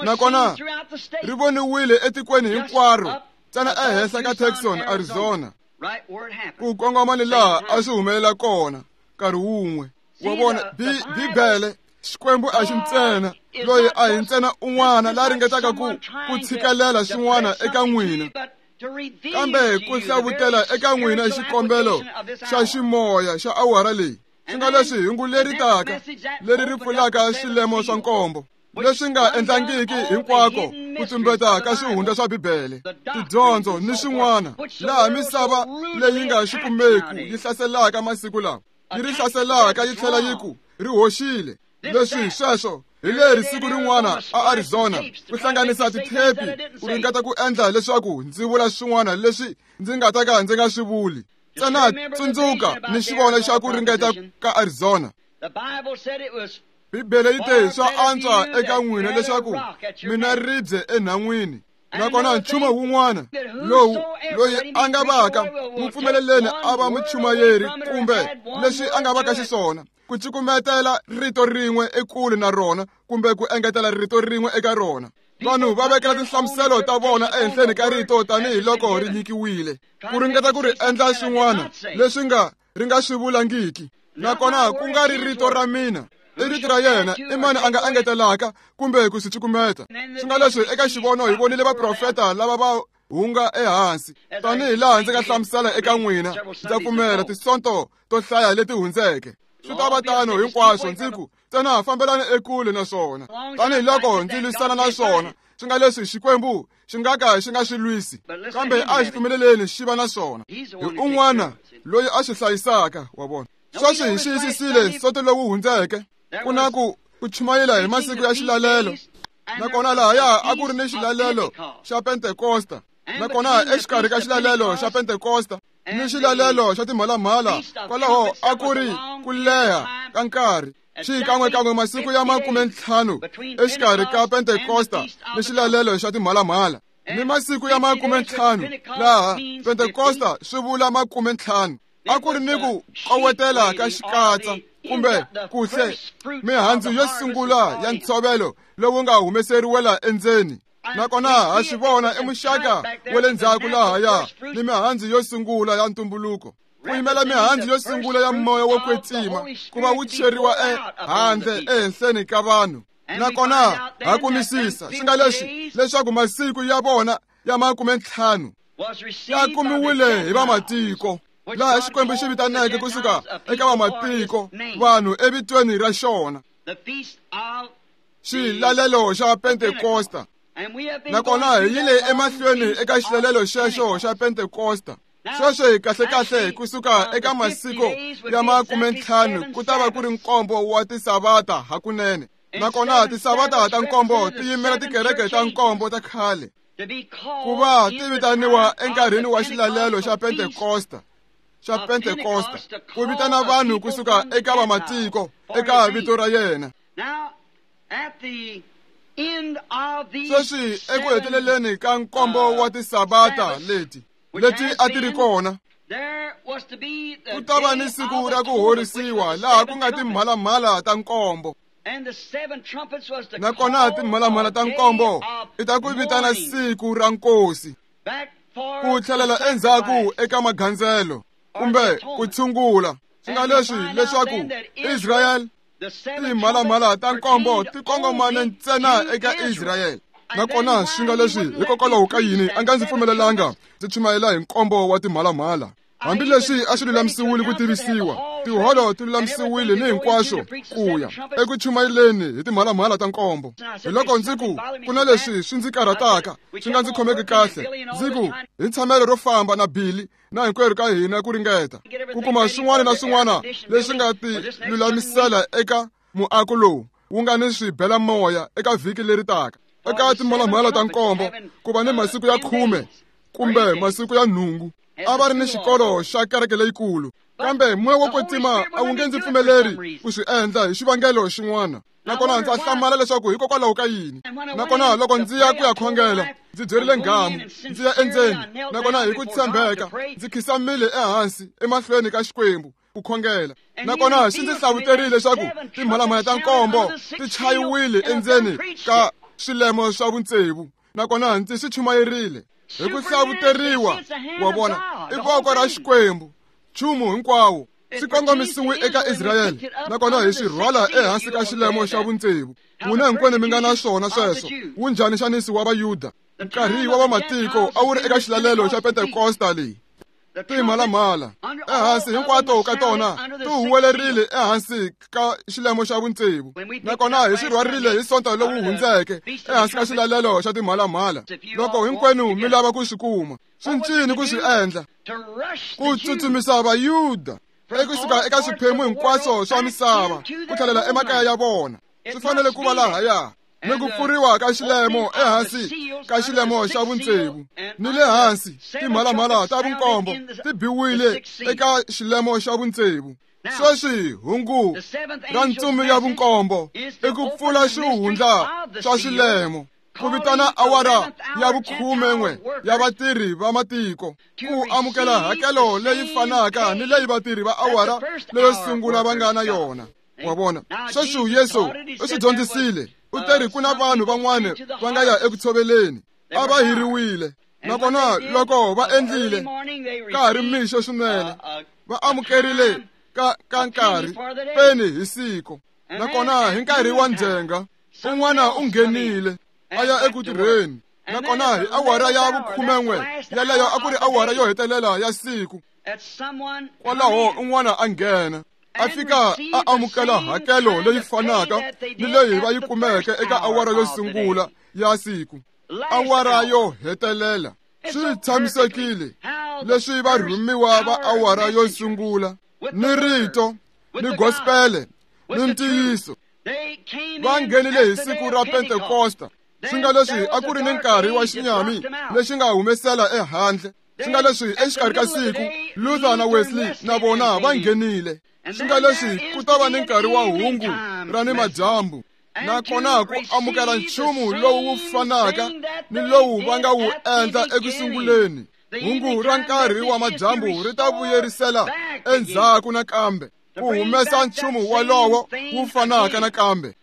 Nakona ri voniwile etikweni hinkwaro, ntsena ehenhla ka Tucson, Arizona, ku kongoma ni laha a swi humelela kona nkarhi wun'we. Wa vona, Bibele, Xikwembu a xi ntsena loyi a hi ntsena un'wana la ringetaka ku tshikelela swin'wana eka n'wina, kambe ku hlavutela eka n'wina xikombelo xa ximoya xa awara leyi, swi nga leswi hungu leri taka leri ri pfulaka swilemo swa nkombo leswi nga endlangiki hinkwako ku tumbeta ka swihundla swa Bibele, tidyondzo ni swin'wana, laha misava leyi nga swi kumeki yi hlaselaka masiku lawa, yi ri hlaselaka yi tlhela yi ku ri hoxile. Leswi sweswo hi leri siku rin'wana a Arizona ku hlanganisa tithepi ku ringeta ku endla leswaku ndzi vula swin'wana leswi ndzi nga ta ka ndzi nga swi vuli. Ntsena tsundzuka ni xivono xa ku ringeta ka Arizona. Bibele yi te swa antswa eka n'wina leswaku mina ribye enhan'wini, nakona nchumu wun'wana lowu loyi a nga vaka n'wi pfumeleleni a va muchumayeri kumbe leswi a nga vaka xiswona, ku cukumetela rito rin'we ekule na rona kumbe ku engetela rito rin'we eka rona. Vanhu va vekela tinhlamuselo ta vona ehenhleni ka rito tanihiloko ri nyikiwile, ku ringeta ku ri endla swin'wana leswi nga ri nga swi vulangiki. Nakona ku nga ri rito ra mina, i rito ra yena, i mani a nga engetelaka kumbe ku swi cukumeta. Swi nga leswi eka xivono hi vonile vaprofeta lava va hunga ehansi, tanihi laha ndzi nga hlamusela eka n'wina, ndza pfumela tisonto to hlaya leti hundzeke. Swi ta va tano hinkwaswo, ndzi ku ntsena fambelani ekule na swona, tanihiloko ndzi lwisana na swona. Swi nga leswi Xikwembu xi nga ka xi nga swi lwisi, kambe a xi pfumeleleni xi va na swona. Hi un'wana loyi a swi hlayisaka, wa vona. Sweswi hi xiyisisile nsoto lowu hundzeke, ku na ku chumayela hi masiku ya xilalelo. Nakona lahaya a ku ri ni xilalelo xa Pentekosta, nakona exikarhi ka xilalelo xa Pentekosta ni xilalelo xa timhalamhala, kwalaho a ku ri ku leha ka nkarhi, xikan'wekan'we masiku ya 50 exikarhi ka Pentekosta ni xilalelo xa timhalamhala, ni masiku ya 50 laha Pentekosta swi vula 50. A ku ri ni ku kowetela ka xikatsa kumbe kuhle mihandzu yo sungula ya ntshovelo lowu nga humeseriwela endzeni. Nakona ha swi vona i muxaka wa le ndzhaku lahaya ni mihandzu yo sungula ya ntumbuluko, ku yimela mihandzu yo sungula ya moya wo kwetsima ku va wu cheriwa ehandle ehenhleni ka vanhu. Nakona ha kumisisa swi nga leswi leswaku masiku ya vona ya 50 ya kumiwile hi vamatiko, laha Xikwembu xi vitaneke kusuka eka vamatiko vanhu evitweni ra xona, xilalelo xa Pentekosta. Nakona hi yile emahlweni eka xilalelo xexo xa Pentekosta. Sweswi kahlekahle kusuka eka masiku ya 50 ku ta va ku ri nkombo wa tisavata hakunene. Nakona tisavata ta nkombo ti yimela tikereke ta nkombo ta khale. Ku va ti vitaniwa enkarhini wa xilalelo xa Pentekosta, xa Pentekosta, ku vitana vanhu kusuka eka vamatiko eka vito ra yena. Sweswi eku heteleleni ka nkombo wa tisabata leti a ti ri kona, ku ta va ni siku ra ku horisiwa laha ku nga timhalamhala ta nkombo. Nakona timhalamhala ta nkombo i ta ku vitana siku ra nkosi, ku tlhelela endzhaku eka magandzelo kumbe ku tshungula. Swi nga leswi leswaku Israel timhalamhala ta nkombo ti kongomane ntsena eka Israel. Nakona swi nga leswi hikokwalaho ka yini a nga ndzi pfumelelanga ndzi chumayela hi nkombo wa timhalamhala, hambileswi a swi lulamisiwile ku tivisiwa, tiholo ti lulamisiwile ni hinkwaswo ku ya eku chumayeleni hi timhalamhala ta nkombo. Hi loko ndzi ku ku na leswi swi ndzi karhataka swi nga ndzi khomeki kahle, ndzi ku hi tshamelo ro famba na Billy na hinkwerhu ka hina ku ringeta ku kuma swin'wana na swin'wana leswi nga ti lulamisela eka muako lowu wu nga ni swibelamoya eka vhiki leri taka. Eka timhalamhala ta nkombo ku va ni masiku ya 10 kumbe masiku ya 8 a va ri ni xikolo xa kereke leyikulu, kambe moya wo kwetsima a wu nge ndzi pfumeleri ku swi endla hi xivangelo xin'wana. Nakona ndza hlamala leswaku hikokwalaho ka yini. Nakona loko ndzi ya ku ya khongela, ndzi byerile nghamu, ndzi ya endzeni, nakona hi ku tshembeka ndzi khisamile ehansi emahlweni ka Xikwembu ku khongela. Nakona xi ndzi hlavuterile leswaku timhalamhala ta nkombo ti chayiwile endzeni ka swilemo swa vutsevu, nakona ndzi swi chumayerile hi ku hlavuteriwa. Wa vona, i voko ra Xikwembu, nchumu hinkwawo swi kongomisiwe eka Israyele, nakona hi swi rhwala ehansi ka xilemo xa vutsevu. N'wina hinkwenu mi nga na swona sweswo. Wu njhani nxaniso wa Vayuda? Nkarhi wa vamatiko a wu ri eka xilalelo xa Pentekosta leyi. Timhalamhala ehansi hinkwato ka tona ti huwelerile ehansi ka xilemo xa vutsevu, nakona hi swi rhwarile hi Sonto lowu hundzeke ehansi ka xilalelo xa timhalamhala. Loko hinkwenu mi lava ku swi kuma, swi ncini ku swi endla? Ku tsutsumisa Vayuda ekusuka eka swiphemu hinkwaswo swa misava ku tlhelela emakaya ya vona. Swi fanele ku va lahaya ni ku pfuriwa ka xilemo ehansi ka xilemo xa vutsevu, ni le hansi timhalamhala ta vunkombo ti biwile eka xilemo xa vutsevu. Sweswi hungu ra ntsumi ya vunkombo i ku pfula xihundla xa xilemo, ku vitana awara ya vukhumen'we ya vatirhi va matiko ku amukela hakelo leyi fanaka ni leyi vatirhi va awara leyo sungula va nga na yona. Wa vona, sweswi Yesu u swi dyondzisile. U teri ku na vanhu van'wana va nga ya eku tshoveleni, a va hiriwile, nakona loko va endlile ka ha ri mixo swinene, va amukerile ka nkarhi peni hi siku. Nakona hi nkarhi wa ndzhenga un'wana u nghenile a ya eku tirheni, nakona hi awara ya vukhumen'we yaleyo a ku ri awara yo hetelela ya siku. Kwalaho un'wana a nghena a fika a amukela hakelo leyi fanaka ni leyi va yi kumeke eka awara yo sungula ya siku, awara yo hetelela. Swi tshamisekile leswi varhumiwa va awara yo sungula ni rito ni gospele ni ntiyiso va nghenile hi siku ra Pentekosta. Swi nga leswi a ku ri ni nkarhi wa xinyami lexi nga humesela ehandle. Swi nga leswi exikarhi ka siku Luther na Wesley na vona va nghenile. Swi nga leswi ku ta va ni nkarhi wa hungu ra ni madyambu, nakona ku amukela nchumu lowu wu fanaka ni lowu va nga wu endla eku sunguleni. Hungu ra nkarhi wa madyambu ri ta vuyerisela endzhaku nakambe ku humesa nchumu walowo wu fanaka nakambe.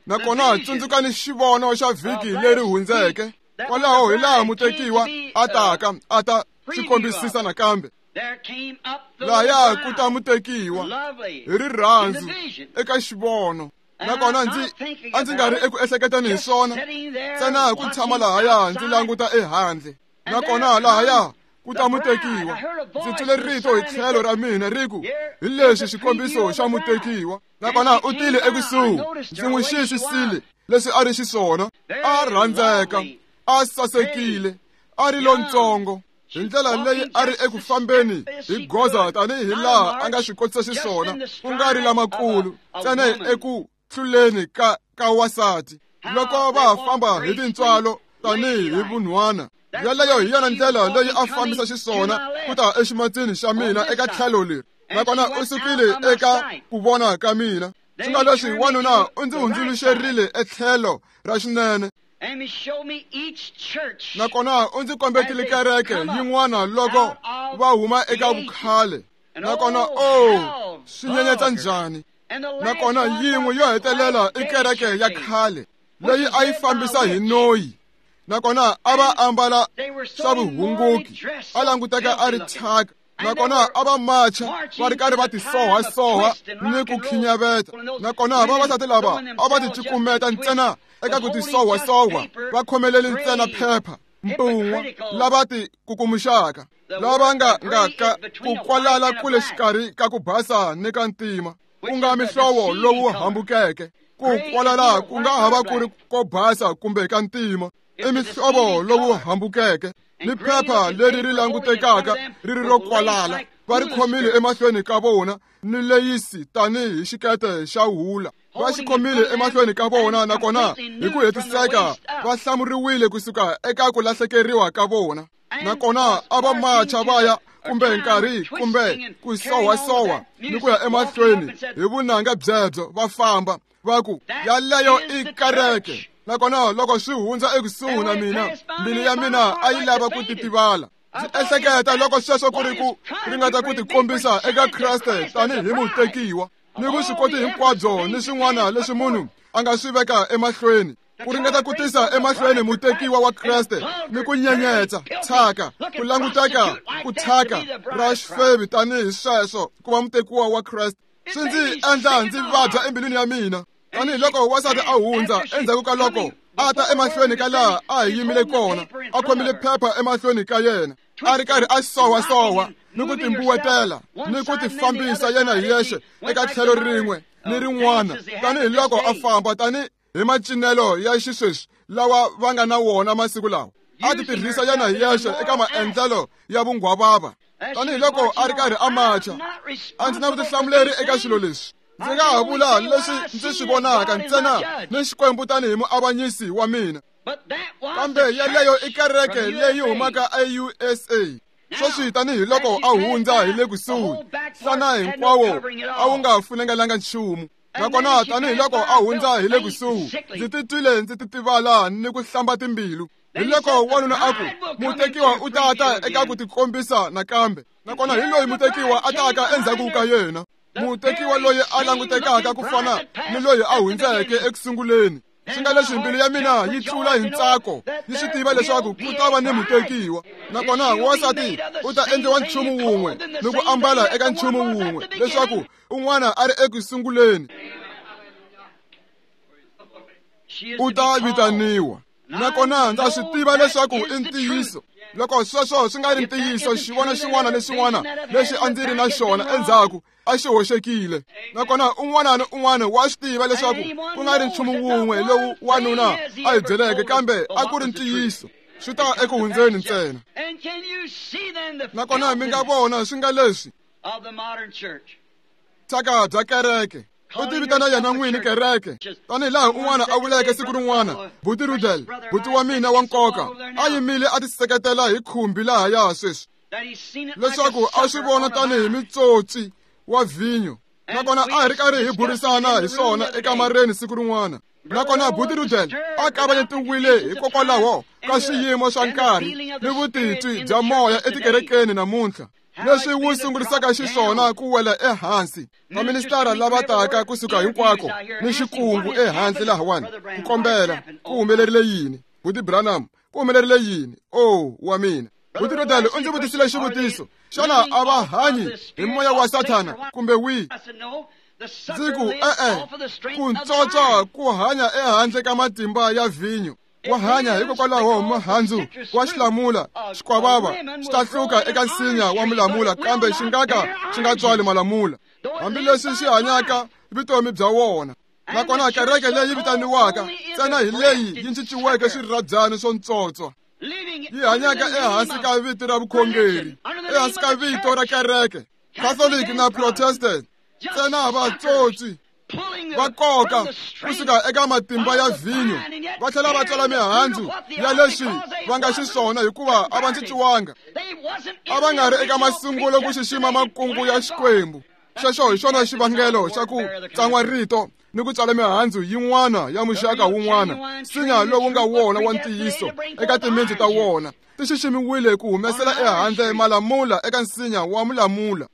Nakona tsundzukani xivono xa vhiki leri hundzeke. Kwalaho hi laha mutekiwa a taka a ta swi kombisisa nakambe. Lahaya ku ta mutekiwa hi rirhandzu eka xivono. Nakona a ndzi nga ri eku ehleketeni hi swona, ntsena ku tshama lahaya ndzi languta ehandle. Nakona lahaya ku ta mutekiwa, ndzi twile rito hi tlhelo ra mina ri ku, hi leswi xikombiso xa mutekiwa. Nakona u tile ekusuhi, ndzi n'wi xiyisisile leswi a ri xiswona. A rhandzeka, a sasekile, a ri lontsongo hi ndlela leyi a ri eku fambeni hi goza tanihi laha a nga swi kotisa xiswona, ku nga ri lamakulu ntsena eku hluleni ka wasati. Loko va famba hi tintswalo tanihi hi vunhwana. Yaleyo hi yona ndlela leyi a fambisa xiswona ku ta eximatsini xa mina eka tlhelo leri, nakona u sukile eka ku vona ka mina. Swi nga leswi wanuna u ndzi hundzuluxerile etlhelo ra xinene, nakona u ndzi kombetile kereke yin'wana loko va huma eka vukhale, nakona o swi nyenyetsa njhani. Nakona yin'we yo hetelela i kereke ya khale leyi a yi fambisa hi noyi, nakona a va ambala swa vuhunguki, a languteka a ri thyaka, nakona a va macha va ri karhi va tisohasoha ni ku khinyaveta, nakona vavasati lava a va ticukumeta ntsena eka ku tisohasoha, va khomeleli ntsena phepha mpun'wa, lava ti kukumuxaka, lava nga nga ka ku kwalala kule xikarhi ka ku basa ni ka ntima, ku nga mihlovo lowu hambukeke. Ku kwalala ku nga hava ku ri ko basa kumbe ka ntima, i mihlovo lowu hambukeke. Ni phepha leri ri langutekaka ri ri ro kwalala va ri khomile emahlweni ka vona, ni leyisi tanihi xikete xa hula va xi khomile emahlweni ka vona, nakona hi ku hetiseka va hlamuriwile kusuka eka ku lahlekeriwa ka vona. Nakona a va macha va ya kumbe nkarhi kumbe ku sohasoha ni ku ya emahlweni hi vunanga byebyo, va famba va ku yaleyo i kereke. Nakona loko swi hundza ekusuhi na mina, mbilu ya mina a yi lava ku titivala. Ndzi ehleketa loko sweswo ku ri ku ringeta ku tikombisa eka Kreste tanihi mutekiwa, ni vuswikoti hinkwabyo ni swin'wana leswi munhu a nga swi veka emahlweni, ku ringeta ku tisa emahlweni mutekiwa wa Kreste ni ku nyenyetsa thyaka, ku languteka ku thyaka ra xifevi tanihi sweswo ku va mutekiwa wa Kreste. Swi ndzi endla ndzi vabya embilwini ya mina, tanihiloko wansati a hundza endzhaku ka loko a ta emahlweni ka laha a hi yimile kona, a khomile phepha emahlweni ka yena, a ri karhi a sohasoha ni ku timbuwetela ni ku tifambisa yena hi yexe eka tlhelo rin'we ni rin'wana, tanihiloko a famba tani hi macinelo ya xisweswi lawa va nga na wona masiku lawa. A ti tirhisa yena hi yexe eka maendlelo ya vunghwavava, tanihiloko a ri karhi a macha. A ndzi na vutihlamuleri eka swilo leswi. Ndzi nga ha vula leswi ndzi swi vonaka ntsena ni Xikwembu tanihi muavanyisi wa mina. Kambe yaleyo i kereke leyi humaka eUSA. Sweswi tanihiloko a hundza hi le kusuhi, nhlana hinkwawo a wu nga funengelanga nchumu. Nakona tanihiloko a hundza hi le kusuhi, ndzi titwile ndzi titivala ni ku hlamba timbilu. Hiloko wanuna a ku, mutekiwa u ta ta eka ku tikombisa nakambe. Nakona hi loyi mutekiwa a taka endzhaku ka yena, mutekiwa loyi a langutekaka ku fana ni loyi a hundzeke ekusunguleni. Swi nga leswi mbilu ya mina yi tlula hi ntsako, yi swi tiva leswaku ku ta va ni mutekiwa. Nakona wansati u ta endliwa nchumu wun'we ni ku ambala eka nchumu wun'we leswaku un'wana a ri ekusunguleni u ta vitaniwa. Nakona ndza swi tiva leswaku i ntiyiso. Loko sweswo swi nga ri ntiyiso, xivono xin'wana ni xin'wana lexi a ndzi ri na xona endzhaku a xi hoxekile. Nakona un'wana ni un'wana wa swi tiva leswaku ku nga ri nchumu wun'we lowu wanuna a hi byeleke, kambe a ku ri ntiyiso. Swi ta eku hundzeni ntsena. Nakona mi nga vona swi nga leswi thyaka bya kereke. U ti vitana yena n'wini kereke, tanihi laha un'wana a vuleke siku rin'wana, Buti Rudel, buti wa mina wa nkoka, a yimile a tiseketela hi khumbi lahaya sweswi, leswaku a swi vona tanihi mitsotsi wa vhinyo. Nakona a hi ri karhi hi burisana hi swona ekamareni siku rin'wana. Nakona Buti Rudel a kavanyetiwile hikokwalaho ka swiyimo swa nkarhi ni vutitwi bya moya etikerekeni namuntlha, leswi wu sungurisaka xiswona ku wela ehansi. Vaministara lava taka kusuka hinkwako ni xikungu ehansi lahawani ku kombela ku humelerile yini, Buti Branham, ku humelerile yini? O wa mina. Buti Rudel u ndzi vutisile xivutiso, xana a va hanyi hi moya wa Sathana kumbe wihi? Ndzi ku e-e, ku ntswotswa ku hanya ehandle ka matimba ya vhinyo. Wa hanya hikokwalaho muhandzu wa xilamula xikwavava xi ta hluka eka nsinya wa mulamula, kambe xi nga ka xi nga tswali malamula, hambileswi xi hanyaka vutomi bya wona. Nakona kereke leyi vitaniwaka ntsena hi leyi yi cinciweke swirhabyani swo ntswotswa, yi hanyaka ehansi ka vito ra vukhongeri, ehansi ka vito ra kereke, Catholic na Protestant, ntsena vatsotsi Va koka kusuka eka matimba ya vhinyo, va tlhela va tswala mihandzu ya leswi va nga xiswona, hikuva a va cinciwanga. A va nga ri eka masungulo ku xixima makungu ya Xikwembu. Xexo hi xona xivangelo xa ku tsan'wa rito ni ku tswala mihandzu yin'wana ya muxaka wun'wana, nsinya lowu nga wona wa ntiyiso eka timintsu ta wona. Ti xiximiwile ku humesela ehandle malamula eka nsinya wa mulamula.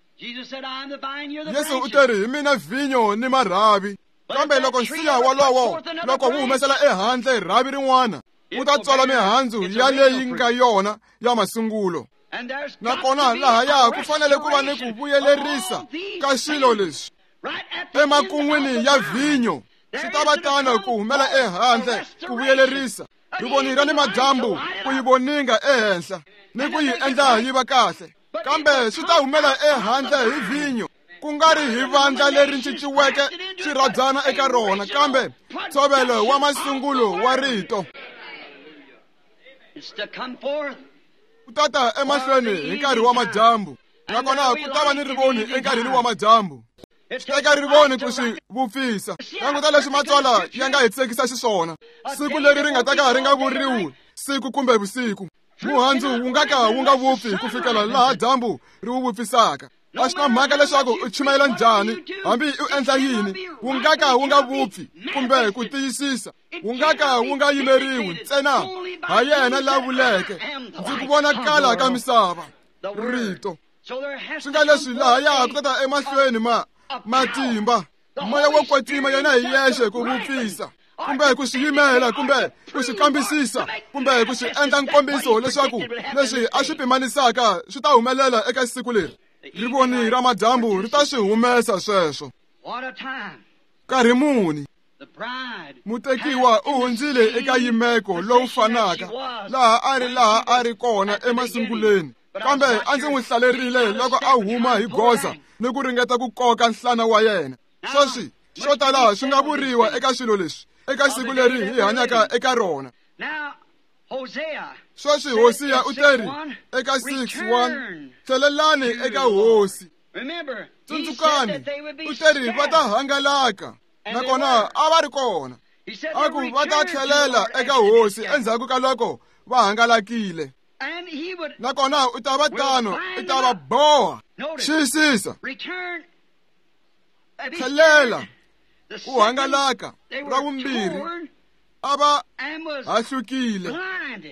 Yesu u teri hi mina vhinyo ni marhavi, kambe loko nsinya wolowo loko wu humesela ehandle rhavi rin'wana, wu ta tswala mihandzu ya leyi nga yona ya masungulo. Nakona lahaya ku fanele ku va ni ku vuyelerisa ka swilo leswi emakun'wini ya vhinyo. Swi ta va tano ku humela ehandle ku vuyelerisa rivoni ra ni madyambu, ku yi voninga ehenhla ni ku yi endla yi va kahle, kambe swi ta humela ehandle hi vhinyo, ku nga ri hi vandla leri cinciweke xirhabyana eka rona, kambe ntshovelo wa masungulo wa rito. Ku tata emahlweni hi nkarhi wa madyambu, nakona ku ta va ni rivoni enkarhini wa madyambu. Teka rivoni ku swi vupfisa. Languta leswi matsalwa ya nga hi tsekisa xiswona. Siku leri ri nga ta ka ri nga vuriwi siku kumbe vusiku. Muhandzu wu nga ka wu nga vupfi ku fikela laha dyambu ri wu vupfisaka. A swi na mhaka leswaku u chumayela njhani, hambi u endla yini, wu nga ka wu nga vupfi kumbe ku tiyisisa, wu nga ka wu nga yimeriwi ntsena ha yena la vuleke, ndzi ku vonakala ka misava. Rito. Swi nga leswi lahaya ku tata emahlweni ma matimba, moya wo kwetsima yena hi yexe ku vupfisa, kumbe ku swi yimela, kumbe ku swi kambisisa, kumbe ku swi endla nkombiso leswaku leswi a swi pimanisaka swi ta humelela eka siku leri. Rivoni ra madyambu ri ta swi humesa sweswo. Nkarhi muni mutekiwa u hundzile eka yimeko lowu fanaka laha a ri laha a ri kona emasunguleni, kambe a ndzi n'wi hlalerile loko a huma hi goza ni ku ringeta ku koka nhlana wa yena. Sweswi swo tala swi nga vuriwa eka swilo leswi eka siku leri hi hanyaka eka rona. Sweswi Hosiya u teri eka 6:1, tlhelelani eka Hosi. Tsundzukani, u teri va ta hangalaka, nakona a va ri kona. A ku va ta tlhelela eka Hosi endzhaku ka loko va hangalakile, nakona u ta va tano, u ta va boha. Xiyisisa, tlhelela, ku hangalaka ra vumbirhi, a va hahlukile,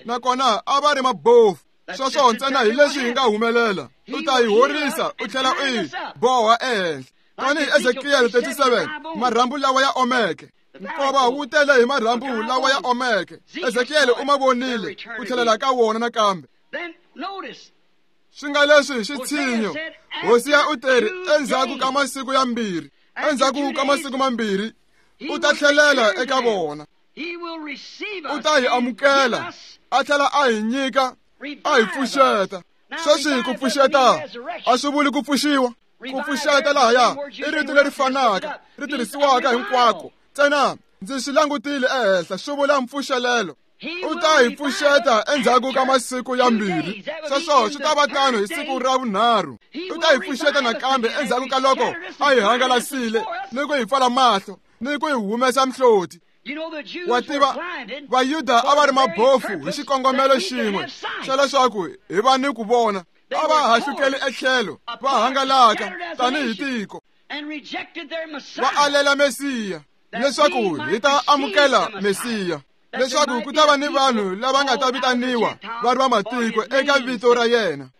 nakona a va ri mabofu. Sweswo ntsena hi leswi hi nga humelela. U ta yi horisa u tlhela u yi boha ehenhla. Tanihi Ezekiel 37, marhambu lawa ya omeke. Nkova wu tele hi marhambu lawa ya omeke. Ezekiel u ma vonile ku tlhelela ka wona nakambe. Swi nga leswi xitshinyo, Hosiya u teri endzhaku ka masiku ya mbirhi, endzhaku ka masiku mambirhi u ta tlhelela eka vona. U ta hi amukela, a tlhela a hi nyika, a hi pfuxeta. Sweswi ku pfuxeta a swi vuli ku pfuxiwa. Ku pfuxeta lahaya i rito leri fanaka ri tirhisiwaka hinkwako. Ntsena ndzi swi langutile ehenhla, swi vula mpfuxelelo. U ta hi pfuxeta endzhaku ka masiku ya mbirhi. Sweswo swi ta va tano hi siku ra vunharhu. U ta hi pfuxeta nakambe endzhaku ka loko a hi hangalasile ni ku hi pfala mahlo ni ku hi humesa mihloti. Wa tiva, Vayuda a va ri mabofu hi xikongomelo xin'we xa leswaku hi va ni ku vona. A va hahlukeli etlhelo, va hangalaka tanihi tiko, va alela Mesiya leswaku hi ta amukela Mesiya, leswaku ku ta va ni vanhu lava nga ta vitaniwa va ri va matiko eka vito ra yena.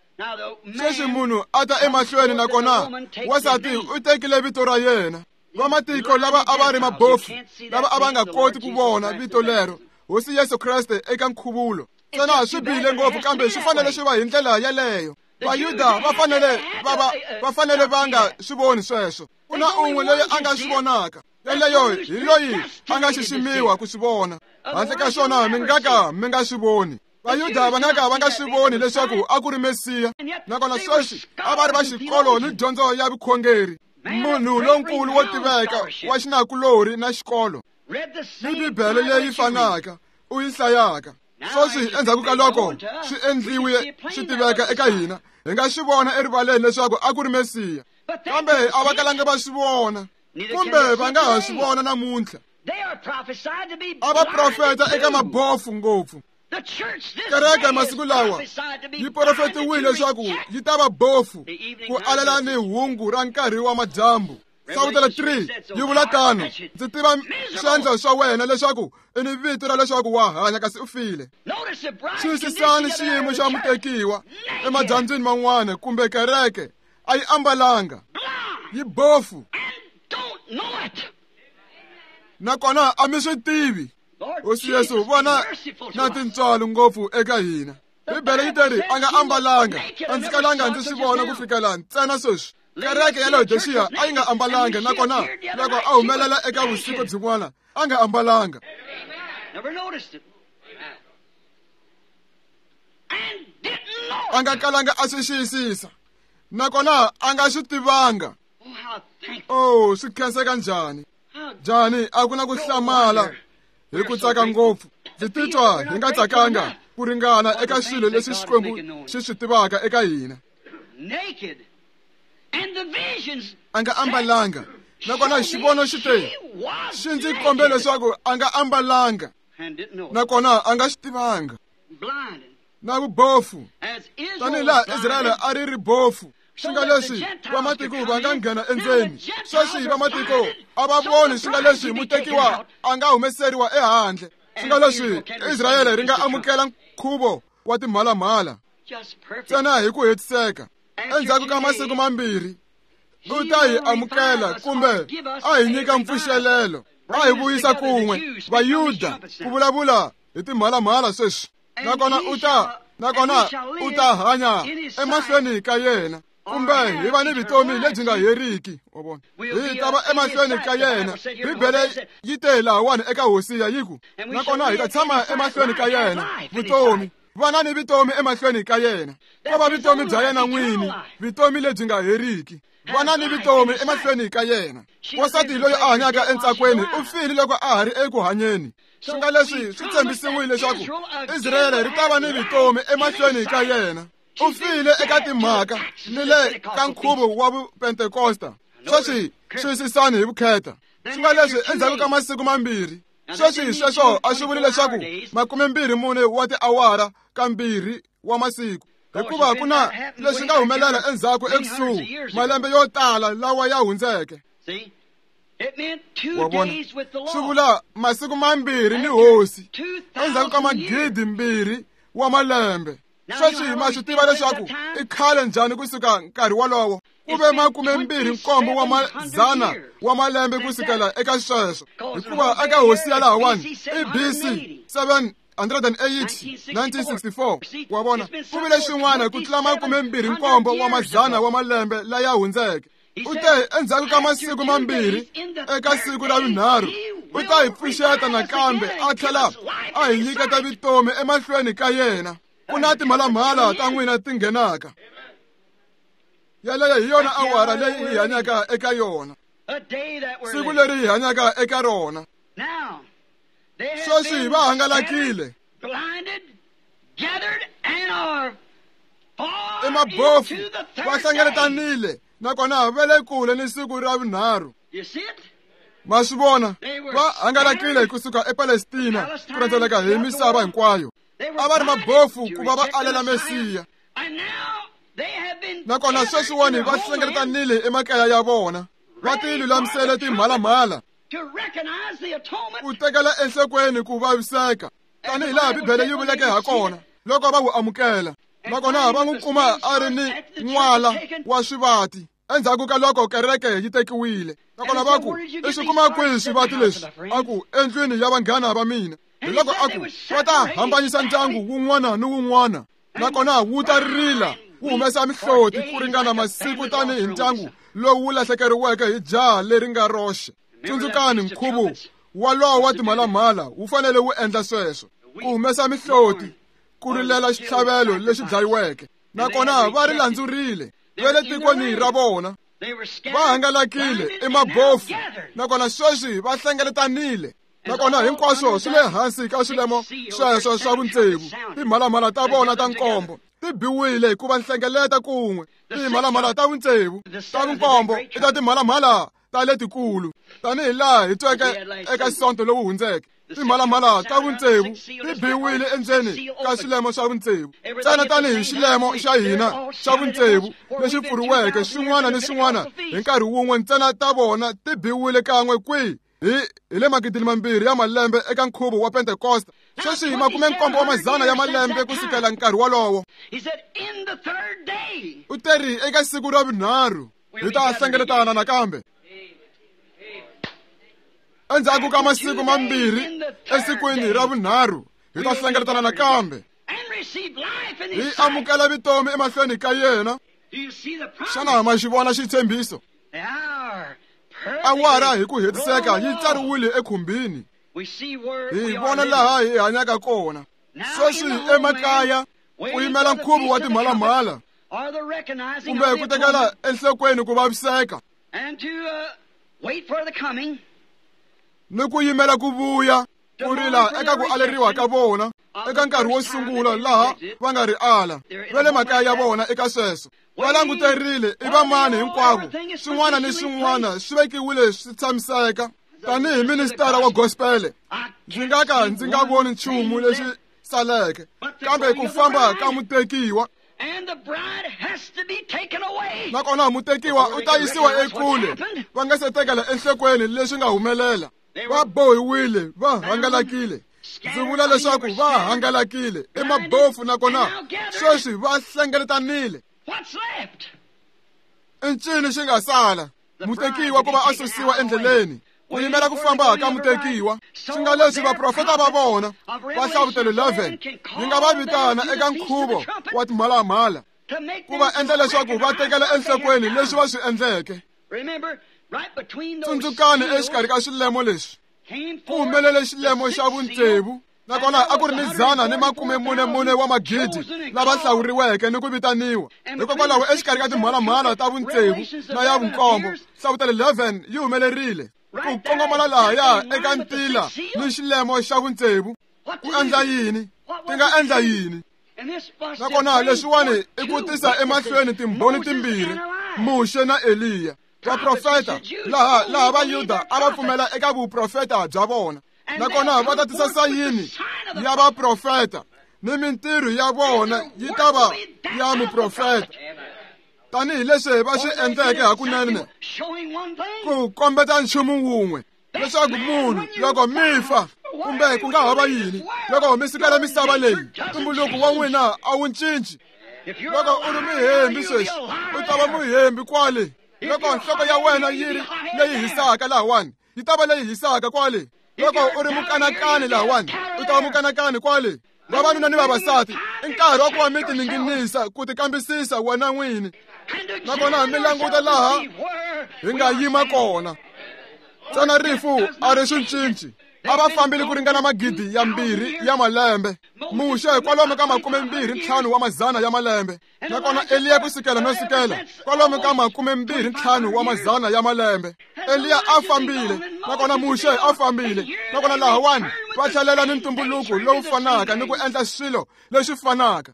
Sweswi munhu a ta emahlweni, nakona wansati u tekile vito ra yena. Vamatiko lava a va ri mabofu, lava a va nga koti ku vona vito lero, Hosi Yesu Kreste eka nkhuvulo. Ntsena swi bihile ngopfu, kambe swi fanele swi va hi ndlela yeleyo. Vayuda va fanele va fanele va nga swi voni sweswo. Ku na un'we loyi a nga swi vonaka, yeleyo hi loyi a nga xiximiwa ku swi vona. Handle ka swona mi nga ka mi nga swi voni. Vayuda va nga ka va nga swi voni leswaku a ku ri Mesiya, nakona sweswi a va ri va xikolo ni dyondzo ya vukhongeri. Munhu lonkulu wo tiveka wa xinakulorhi na xikolo ni Bibele leyi fanaka u yi hlayaka. Sweswi endzhaku ka loko swi endliwe swi tiveka eka hina, hi nga swi vona erivaleni leswaku a ku ri Mesiya, kambe a va kalanga va swi vona. Kumbe va nga ha swi vona namuntlha. A va profeta eka mabofu ngopfu. Kereke masiku lawa yi profetiwile leswaku yi ta va bofu ku alela ni hungu ra nkarhi wa madyambu. Sawutela 3 yi vula tano, ndzi tiva swendlo swa wena leswaku i ni vito ra leswaku wa hanya kasi u file. Xiyisisani xiyimo xa mutekiwa emadyambyini man'wana kumbe kereke a yi ambalanga, yi bofu nakona a mi swi tivi. Hosi Yesu vona na tintswalo ngopfu eka hina. Bibele yi teri a nga ambalanga, a ndzi kalanga ndzi swi vona ku fikela ntsena sweswi. Kereke ya Laodicea a yi nga ambalanga, nakona loko a humelela eka vusiku byin'wana a nga ambalanga. A nga kalanga a swi xiyisisa, nakona a nga swi tivanga. Oh, swi khenseka njhani? Njhani a ku na ku hlamala hi ku tsaka ngopfu. Ndzi titwa hi nga tsakanga ku ringana eka swilo leswi Xikwembu xi swi tivaka eka hina. A nga ambalanga, nakona xivono xi te xi ndzi kombe leswaku a nga ambalanga, nakona a nga xi tivanga. Na vubofu, tanihi laha Israyele a ri ri bofu, swi nga leswi vamatiko va nga nghena endzeni. Sweswi vamatiko a va voni swi nga leswi mutekiwa a nga humeseriwa ehandle. Swi nga leswi Israyele ri nga amukela nkhuvo wa timhalamhala ntsena hi ku hetiseka. Endzhaku ka masiku mambirhi u ta hi amukela kumbe a hi nyika mpfuxelelo, a hi vuyisa kun'we Vayuda ku vulavula hi timhalamhala sweswi. Nakona u ta hanya emahlweni ka yena, kumbe hi va ni vutomi lebyi nga heriki. Wa vona, hi ta va emahlweni ka yena. Bibele yi te lahawani eka Hosiya yi ku, nakona hi ta tshama emahlweni ka yena vutomi. Vana ni vutomi emahlweni ka yena, ko va vutomi bya yena n'wini, vutomi lebyi nga heriki. Vana ni vutomi emahlweni ka yena. Wansati loyi a hanyaka entsakweni u file loko a ha ri eku hanyeni. Swi nga leswi swi tshembisiwile leswaku Israyele ri ta va ni vutomi emahlweni ka yena. U file eka timhaka ni le ka nkhuvo wa Vupentekosta. Sweswi xiyisisani hi vukheta. Swi nga leswi endzhaku ka masiku mambirhi. Sweswi sweswo a swi vuli leswaku 24 wa tiawara ka 2 wa masiku, hikuva ku na leswi nga humelela endzhaku ekusuhi malembe yo tala lawa ya hundzeke. Wa vona, swi vula masiku mambirhi ni hosi endzhaku ka 2,000 wa malembe. Sweswi ma swi tiva leswaku i khale njhani kusuka nkarhi wolowo. Ku ve 27 wa mazana wa malembe kusukela eka sweswo, hikuva eka hosi ya lahawani i BC 780 1964. Wa vona, ku vile xin'wana ku tlula 27 wa mazana wa malembe laya hundzeke. U te endzhaku ka masiku mambirhi eka siku ra vunharhu u ta hi pfuxeta nakambe a tlhela a hi nyiketa vutomi emahlweni ka yena. Ku na timhalamhala ta n'wina ti nghenaka. Yaleyo hi yona awara leyi hi hanyaka eka yona, siku leri hi hanyaka eka rona. Sweswi va hangalakile i mabofu, va hlengeletanile nakona va le kule ni siku ra vunharhu. Ma swi vona, va hangalakile kusuka ePalestina ku rhendzeleka hi misava hinkwayo. A va ri mabofu ku va va alela Mesiya, nakona sweswiwani va hlengeletanile emakaya ya vona, va ti lulamisele timhalamhala ku tekela enhlokweni ku vaviseka tanihi laha Bibele yi vuleke ha kona loko va wu amukela. Nakona va n'wi kuma a ri ni n'wala wa swivati endzhaku ka loko kereke yi tekiwile. Nakona va ku, i swi kuma kwihi swivati leswi? A ku, endlwini ya vanghana va mina. Hi loko a ku, va ta hambanyisa ndyangu wun'wana ni wun'wana, nakona wu ta rila wu humesa mihloti ku ringana masiku tanihi ndyangu lowu wu lahlekeriweke hi jaha leri nga roxe. Tsundzukani, nkhuvo walowo wa timhalamhala wu fanele wu endla sweswo, ku humesa mihloti, ku rilela xitlhavelo lexi dlayiweke. Nakona va ri landzurile va le tikweni ra vona, va hangalakile i mabofu, nakona sweswi va hlengeletanile. Nakona hinkwaswo swi le hansi ka swilemo sweswo swa vutsevu. Timhalamhala ta vona ta nkombo ti biwile hikuva nhlengeleta kun'we. Timhalamhala ta vutsevu ta vunkombo i ta timhalamhala ta letikulu tanihi laha hi tweke eka sonto lowu hundzeke. Timhalamhala ta vutsevu ti biwile endzeni ka xilemo xa vutsevu ntsena tanihi xilemo xa hina xa vutsevu lexi pfuriweke xin'wana ni xin'wana hi nkarhi wun'we ntsena ta vona ti biwile kan'we kwihi hi le 2000 ya malembe eka nkhuvo wa Pentekosta. Sweswi hi 17 ya malembe ku sukela nkarhi wolowo. U teri eka siku ra vunharhu hi ta hlengeletana nakambe. Endzhaku ka masiku mambirhi esikwini ra vunharhu hi ta hlengeletana nakambe hi amukela vutomi emahlweni ka yena. Xana ma xi vona xitshembiso? Awara hi ku hetiseka yi tsariwile ekhumbini. Hi vona laha hi hanyaka kona sweswi emakaya ku yimela nkhuvo wa timhalamhala kumbe ku tekela enhlokweni ku vaviseka ni ku yimela ku vuya ku rila eka ku aleriwa ka vona eka nkarhi wo sungula laha va nga ri ala va le makaya ya vona eka sweswo va languterile i vamani hinkwavo swin'wana ni swin'wana swi vekiwile swi tshamiseka. Tanihi ministara wa gospele ndzi nga ka ndzi nga voni nchumu lexi saleke kambe ku famba ka mutekiwa. Nakona mutekiwa u ta yisiwa ekule va nga se tekela enhlokweni leswi nga humelela. Va bohiwile, va hangalakile. Ndzi vula leswaku va hangalakile i mabofu nakona sweswi va hlengeletanile. I ncini xi nga sala? Mutekiwa ku va a susiwa endleleni ku yimela ku famba ka mutekiwa. Swi nga leswi vaprofeta va vona va Hlavutelo 11 yi nga va vitana eka nkhuvo wa timhalamhala ku va endla leswaku va tekela enhlokweni leswi va swi endleke. Tsundzukani exikarhi ka swilemo leswi ku humelele xilemo xa vutsevu nakona a ku ri ni 144 wa magidi lava hlawuriweke ni ku vitaniwa. Hikokwalaho exikarhi ka timhalamhala ta vutsevu na ya vunkombo Hlavutelo 11 yi humelerile ku kongomana lahaya eka ntila ni xilemo xa vutsevu. Ku endla yini? Ti nga endla yini? Nakona leswiwani i ku tisa emahlweni timbhoni timbirhi, Muxe na Eliya. Vaprofeta laha Vayuda a va pfumela eka vuprofeta bya vona nakona va ta tisa sayini ya vaprofeta ni mintirho ya vona yi ta va ya muprofeta tanihi leswi va swi endleke hakunene ku kombeta nchumu wun'we leswaku munhu loko mi fa kumbe ku nga ha va yini loko mi sukela misava leyi ntumbuluko wa n'wina a wu cinci. Loko u ri muhembi sweswi u ta va muhembi kwale. Loko nhloko ya wena yi ri leyi hisaka lahawani yi ta va leyi hisaka kwale. Loko u ri mukanakani lahawani u ta va mukanakani kwale. Vavanuna ni vavasati i nkarhi wa ku va mi tininginisa ku tikambisisa wena n'wini nakona mi languta laha hi nga yima kona. Ntsena rifu a ri swi cinci. A va fambile ku ringana 2,000 ya malembe. Muxe kwalomu ka 25 wa mazana ya malembe nakona Eliya ku sukela no sukela kwalomu ka 25 wa mazana ya malembe. Eliya a fambile nakona Muxe a fambile nakona lahawani va tlhelela ni ntumbuluko lowu fanaka ni ku endla swilo leswi fanaka.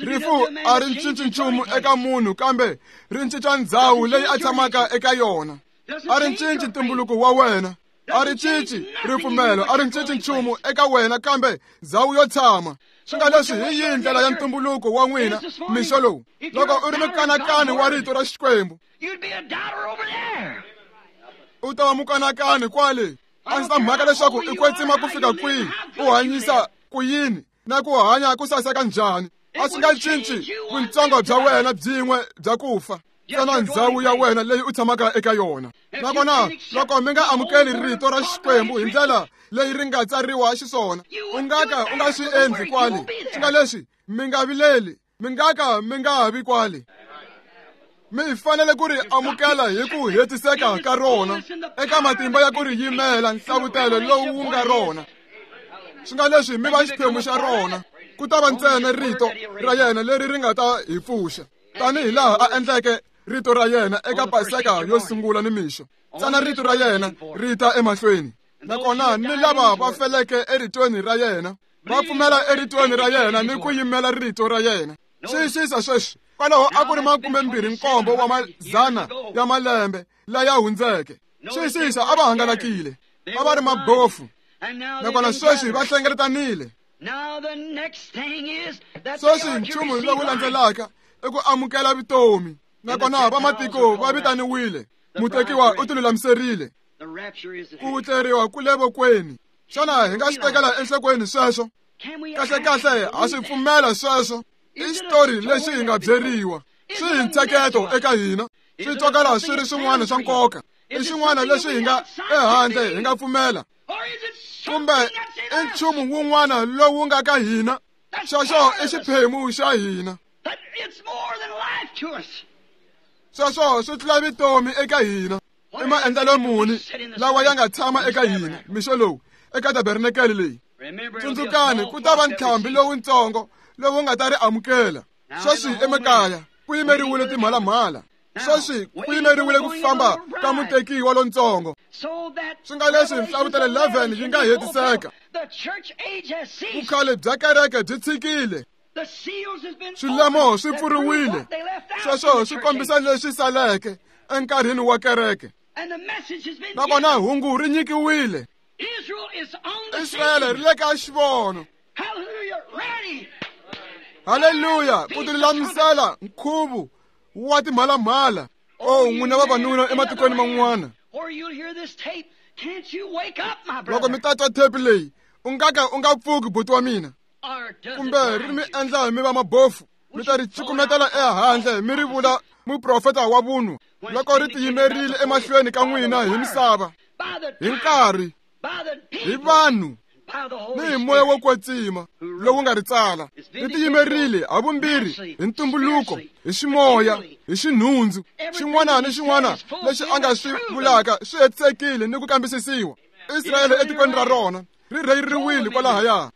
Rifu a ri cinci nchumu eka munhu kambe ri cinca ndhawu leyi a tshamaka eka yona. A ri cinci ntumbuluko wa wena, a ri cinci ripfumelo, a ri cinci nchumu eka wena kambe ndhawu yo tshama. Swi nga leswi hi yihi ndlela ya ntumbuluko wa n'wina mixo lowu? Loko u ri mukanakani wa rito ra Xikwembu u ta va mukanakani kwale. A ndzi ta mhaka leswaku i kwetsima ku fika kwihi, u hanyisa ku yini na ku hanya ku saseka njhani. A swi nga cinci vuntsongo bya wena byin'we bya ku fa ntsena ndhawu ya wena leyi u tshamaka eka yona. Nakona loko mi nga amukeli rito ra Xikwembu hi ndlela leyi ri nga tsariwa xiswona u nga ka u nga swi endli kwale. Swi nga leswi mi nga vileli, mi nga ka mi nga vi kwale. Mi fanele ku ri amukela hi ku hetiseka ka rona eka matimba ya ku ri yimela nhlavutelo lowu wu nga rona. Swi nga leswi mi va xiphemu xa rona ku ta va ntsena rito ra yena leri ri nga ta hi pfuxa tanihi laha a endleke rito ra yena eka Paseka yo sungula ni mixo. Ntsena rito ra yena ri ta emahlweni nakona ni lava va feleke eritweni ra yena va pfumela eritweni ra yena ni ku yimela rito ra yena. Xiyisisa sweswi Kwalaho a ku ri 27 wa mazana ya malembe laya hundzeke. Xiyisisa a va hangalakile, a va ri mabofu, nakona sweswi va hlengeletanile. Sweswi nchumu lowu landzelaka i ku amukela vutomi, nakona vamatiko va vitaniwile. Mutekiwa u tilulamiserile. Ku vutleriwa ku le vokweni. Xana hi nga swi tekela enhlokweni sweswo? Kahlekahle ha swi pfumela sweswo. I xitori lexi hi nga byeriwa. Swi hi ntsheketo eka hina. Swi twakala swi ri swin'wana swa nkoka. I xin'wana lexi hi nga ehandle hi nga pfumela. Kumbe i nchumu wun'wana lowu nga ka hina. Xexo i xiphemu xa hina. Sweswo swi tlula vutomi eka hina. I maendlelo muni lawa ya nga tshama eka hina mixo lowu eka tabernakele leyi. Tsundzukani ku ta va ntlhambi lowutsongo lowu nga ta ri amukela. Sweswi emakaya ku yimeriwile timhalamhala. Sweswi ku yimeriwile ku famba ka mutekiwa lontsongo. Swi nga leswi Nhlavutelo 11 yi nga hetiseka. Vukhale bya kereke byi tshikile. Swilemo swi pfuriwile. Sweswo swi kombisa leswi saleke enkarhini wa kereke. Nakona hungu ri nyikiwile. Israyele ri le ka xivono. Haleluya! Ku tilulamisela nkhuvo wa timhalamhala. Oh, n'wina vavanuna ematikweni man'wana, loko mi ta twa thepi leyi, u nga ka u nga pfuki buti wa mina, kumbe ri mi endla mi va mabofu, mi ta ri cukumetela ehandle mi ri vula muprofeta wa vunwa loko ri tiyimerile emahlweni ka n'wina hi misava, hi nkarhi, hi vanhu, ni hi moya wo kwetsima lowu nga ri tsala. Ri tiyimerile havumbirhi hi ntumbuluko, hi ximoya, hi xinhundzu. Xin'wana ni xin'wana lexi a nga swi vulaka swi hetisekile ni ku kambisisiwa. Israyele etikweni ra rona ri rheyiriwile kwalahaya,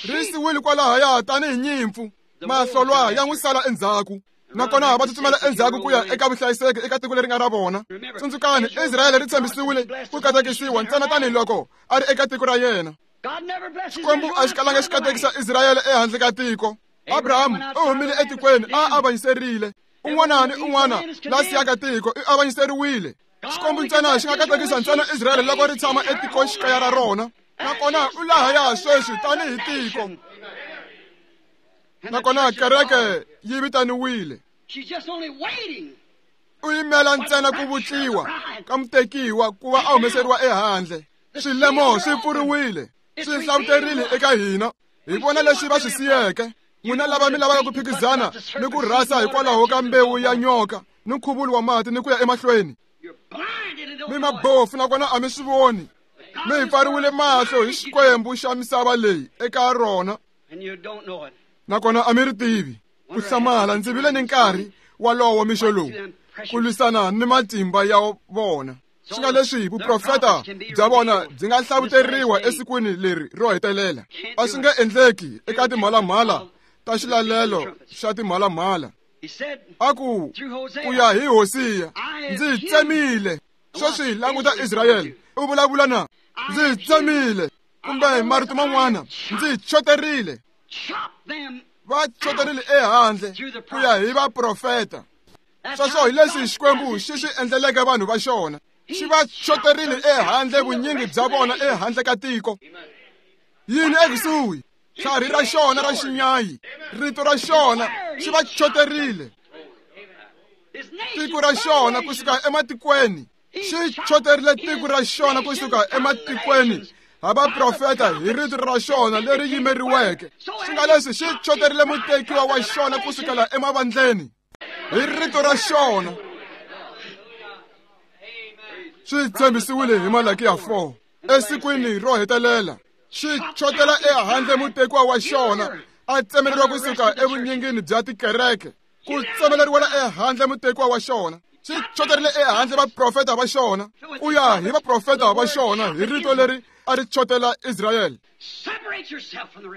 ri siwile kwalahaya tanihi nyimpfu. Mahlolwa ya n'wi sala endzhaku, nakona va tsutsumela endzhaku ku ya eka vuhlayiseki eka tiko leri nga ra vona. Tsundzukani, Israyele ri tshembisiwile ku katekisiwa ntsena tanihiloko a ri eka tiko ra yena. Xikwembu a xi kalanga xi katekisa Israyele ehandle ka tiko. Abrahamu u humile etikweni a avanyiserile. Un'wana ni un'wana la siyaka tiko i avanyiseriwile. Xikwembu ntsena xi nga katekisa ntsena Israyele loko ri tshama etikoxikaya ra rona. Nakona u lahaya sweswi tanihi tiko. Nakona kereke yi vitaniwile. U yimela ntsena ku vutliwa ka mutekiwa ku va a humeseriwa ehandle. Swilemo swi pfuriwile, swi hlavuterile eka hina. Hi vona leswi va swi siyeke. N'wina lava mi lavaka ku phikizana ni ku rhasa hikwalaho ka mbewu ya nyoka ni nkhuvulo wa mati ni ku ya emahlweni, mi mabofu nakona a mi swi voni. Mi hi pfariwile mahlo hi Xikwembu xa misava leyi eka rona, nakona a mi ri tivi. Ku hlamala, ndzi vile ni nkarhi walowo mixo lowu ku lwisana ni matimba ya vona. Swi nga leswi vuprofeta bya vona byi nga hlavuteriwa esikwini leri ro hetelela. A swi nge endleki eka timhalamhala ta xilalelo xa timhalamhala. A ku ku ya hi Hosiya, ndzi tsemile. Sweswi languta Israyele, u vulavula na ndzi tsemile, kumbe marito man'wana, ndzi choterile. Va choterile ehandle ku ya hi vaprofeta. Sweswo hi leswi Xikwembu xi swi endleleke vanhu va xona. Xi va choterile ehandle vunyingi bya vona ehandle ka tiko. Yini ekusuhi? Tlhari ra xona ra xinyayi, rito ra xona xi va choterile. Tiko ra xona kusuka ematikweni, xi choterile tiko ra xona kusuka ematikweni ha vaprofeta hi rito ra xona leri yimeriweke. Swi nga leswi xi choterile mutekiwa wa xona kusukela emavandleni hi rito ra xona. Swi tshembisiwile hi Malakiya 4 esikwini ro hetelela. Xi chotela ehandle mutekiwa wa xona a tsemeleriwa kusuka evunyingini bya tikereke, ku tsemeleriwela ehandle mutekiwa wa xona. Xi choterile ehandle vaprofeta va xona ku ya hi vaprofeta va xona hi rito leri a ri chotela Israyele.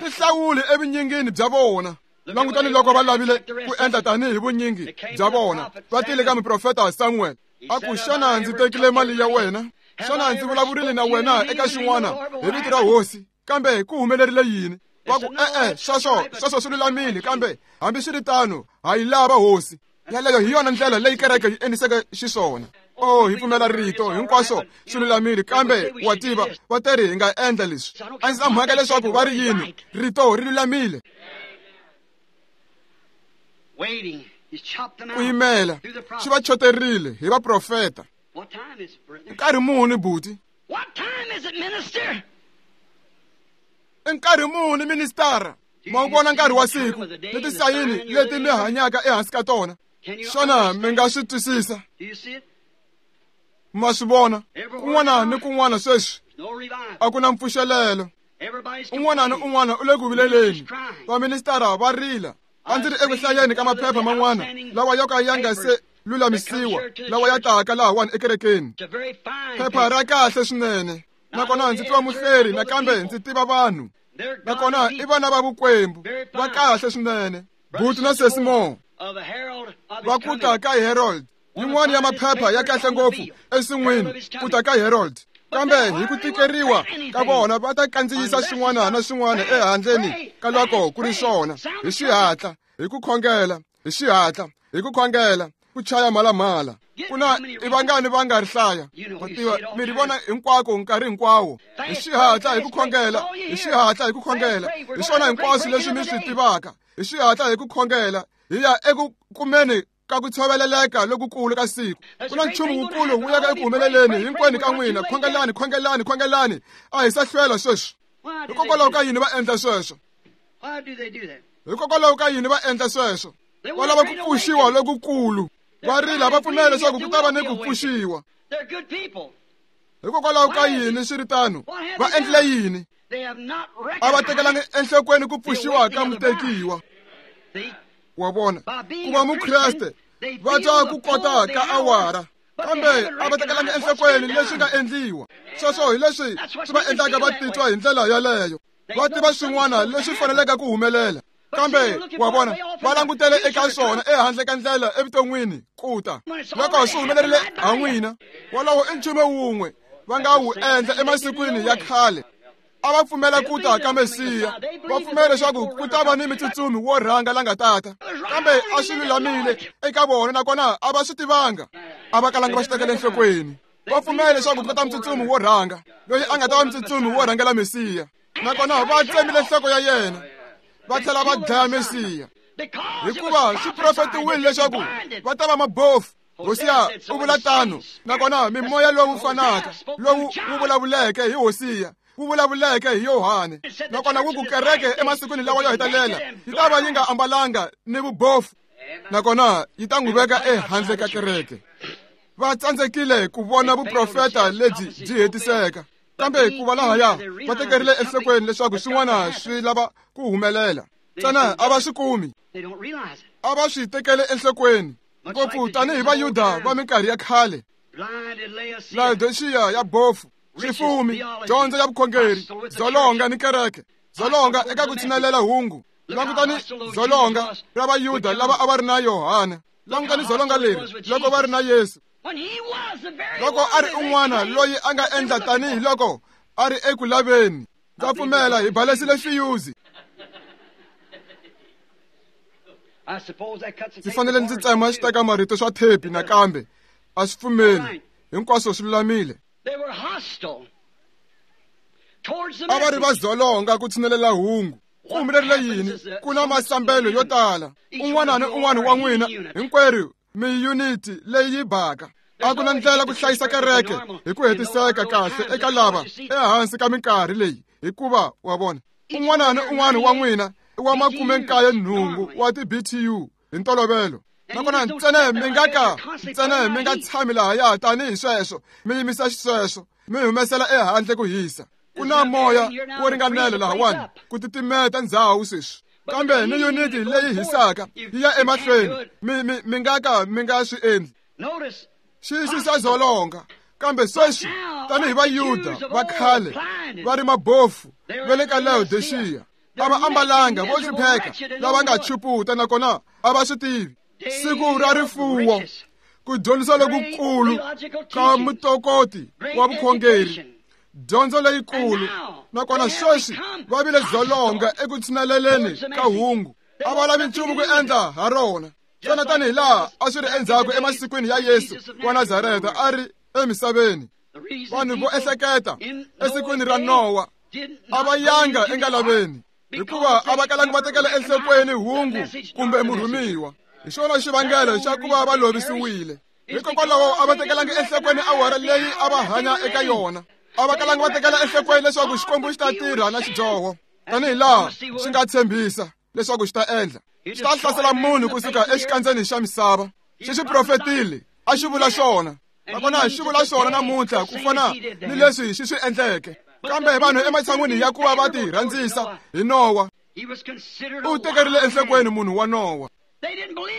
Tihlawuli evunyingini bya vona. Langutani loko va lavile ku endla tanihi vunyingi bya vona, va tile ka muprofeta Samuel. A ku, xana ndzi tekile mali ya wena? Xana ndzi vulavurile na wena eka xin'wana hi vito ra hosi? Kambe ku humelerile yini? Va ku e-e, sweswo swi lulamile, kambe hambiswiritano ha yi lava hosi. Yaleyo hi yona ndlela leyi kereke yi endliseke xiswona. Oh, hi pfumela rito hinkwaswo swi lulamile, kambe wa tiva va teri hi nga endla leswi. A ndzi na mhaka leswaku va ri yini, rito ri lulamile. Ku yimela swi va choterile hi vaprofeta. Nkarhi muni buti? I nkarhi muni ministara? Ma wu vona nkarhi wa siku ni tisayini leti mi hanyaka ehansi ka tona? Xana mi nga swi twisisa? Ma swi vona kun'wana ni kun'wana sweswi a ku na mpfuxelelo. Un'wana ni un'wana u le ku vileleni. Vaministara va rila. A ndzi ri eku hlayeni ka maphepha man'wana lawa yo ka ya nga se lulamisiwa, lawa ya taka lahawani ekerekeni. Phepha ra kahle swinene. Nakona ndzi tiva muhleri, nakambe ndzi tiva vanhu. Nakona i vana va vukwembu va kahle swinene. Buti na Sesi Mo va ku ta ka Herald, yin'wana ya maphepha ya kahle ngopfu ensin'wini, ku ta ka Herald. Kambe hi ku tikeriwa ka vona va ta kandziyisa swin'wana na swin'wana ehandleni ka loko ku ri swona, hi xihatla, hi ku khongela, hi xihatla, hi ku khongela, ku chaya mhalamhala. Ku na i vangani va nga ri hlaya? Ma tiva, mi ri vona hinkwako nkarhi hinkwawo. Hi xihatla, hi ku khongela, hi xihatla, hi ku khongela. Hi swona hinkwaswo leswi mi swi tivaka. Hi xihatla, hi ku khongela, hi ya eku kumeni ka ku tshoveleleka lokukulu ka siku. Ku na nchumu wukulu wu yaka eku humeleleni hinkwenu ka n'wina. Khongelani, khongelani, khongelani. A hi sa hlwela sweswi. Hikokwalaho ka yini va endla sweswo? Hikokwalaho ka yini va endla sweswo? Va lava ku pfuxiwa lokukulu. Va rila, va pfumela leswaku ku ta va ni ku pfuxiwa. Hikokwalaho ka yini swi ri tano? Va endlile yini? A va tekelanga enhlokweni ku pfuxiwa ka mutekiwa. Wa vona, ku va Mukreste va twa ku kota ka awara, kambe a va tekelanga enhlokweni leswi nga endliwa. Sweswo hi leswi swi va endlaka va titwa hi ndlela yaleyo. Va tiva swin'wana leswi faneleke ku humelela, kambe wa vona va langutele eka swona ehandle ka ndlela evuton'wini ku ta. Loko swi humelerile ha n'wina, wolowo i nchumu wun'we va nga wu endla emasikwini ya khale. A va pfumela ku ta ka Mesiya, va pfumela leswaku ku ta va ni mitsutsumi wo rhanga la nga tata, kambe a swi lulamile eka vona, nakona a va swi tivanga. A va kalanga va swi tekela enhlokweni. Va pfumela leswaku ku ta mutsutsumi wo rhanga loyi a nga ta va mutsutsumi wo rhangela Mesiya, nakona va tsemile nhloko ya yena, va tlhela va dlaya Mesiya, hikuva swi profetiwile leswaku va ta va mabofu. Hosiya u vula tano, nakona mimoya lowu fanaka lowu wu vulavuleke hi Hosiya wu vulavuleke hi Yohane, nakona wu ku kereke emasikwini lawa yo hetelela yi ta va yi nga ambalanga ni vubofu, nakona yi ta n'wi veka ehandle ka kereke. Va tsandzekile ku vona vuprofeta lebyi byi hetiseka, kambe ku va lahaya va tekerile enhlokweni leswaku swin'wana swi lava ku humelela, ntsena a va swi kumi. A va swi tekele enhlokweni ngopfu tanihi Vayuda va minkarhi ya khale. Laodiceya ya bofu, swifumi, dyondzo ya vukhongeri, dzolonga ni kereke, dzolonga eka ku tshinelela hungu. Langutani dzolonga ra Vayuda lava a va ri na Yohane. Langutani dzolonga leri loko va ri na Yesu. Loko a ri un'wana loyi a nga endla tanihi loko a ri eku laveni. Ndza pfumela hi balesile fiyuzi. Ndzi fanele ndzi tsema xiteka marito swa thepi nakambe. A swi pfumeli. Hinkwaswo swi lulamile. A va ri va dzolonga ku tshinelela hungu. Ku humelerile yini? Ku na masambelo yo tala. Un'wana ni un'wana wa n'wina hinkwerhu mi yuniti leyi yi baka. A ku na ndlela ku hlayisa kereke hi ku hetiseka kahle eka lava ehansi ka minkarhi leyi, hikuva wa vona un'wana ni un'wana wa n'wina i wa 98 wa ti-BTU hi ntolovelo. Nakona ntsena mi nga ka ntsena mi nga tshami lahaya tanihi sweswo, mi yimisa xisweswo, mi humesela ehandle ku hisa. Ku na moya wo ringanela lahawani ku titimeta ndzhawu sweswi, kambe ni yuniti leyi hisaka yi ya emahlweni. Mi nga ka mi nga swi endli. Xixi xa dzolonga. Kambe sweswi tanihi Vayuda va khale va ri mabofu va le ka Laodiceya, a va ambalanga vo hlupheka lava nga chuputa, nakona a va swi tivi. Siku ra rifuwo, ku dyondzisa lokukulu ka mutokoti wa vukhongeri, Dyondzo leyikulu. Nakona sweswi va vile dzolonga eku tshineleleni ka hungu. A va lavi nchumu ku endla ha rona. Xana tanihi laha a swi ri endzhaku emasikwini ya Yesu wa Nazareta a ri emisaveni. Vanhu vo ehleketa esikwini ra Nowa a va yanga engalaveni hikuva a va kalanga va tekela enhlokweni hungu kumbe murhumiwa. Hi xona xivangelo xa ku va va lovisiwile. Hikokwalaho a va tekelanga enhlokweni awara leyi a va hanya eka yona. A va kalanga va tekela enhlokweni leswaku Xikwembu xi ta tirha na xidyoho tanihi laha xi nga tshembisa leswaku xi ta endla. Xi ta hlasela munhu kusuka exikandzeni xa misava. Xi xi profetile, a xi vula xona. Nakona xi vula xona namuntlha ku fana ni leswi xi swi endleke. Kambe vanhu ematshan'wini ya ku va va ti rhandzisa hi Nowa, u tekerile enhlokweni munhu wa Nowa.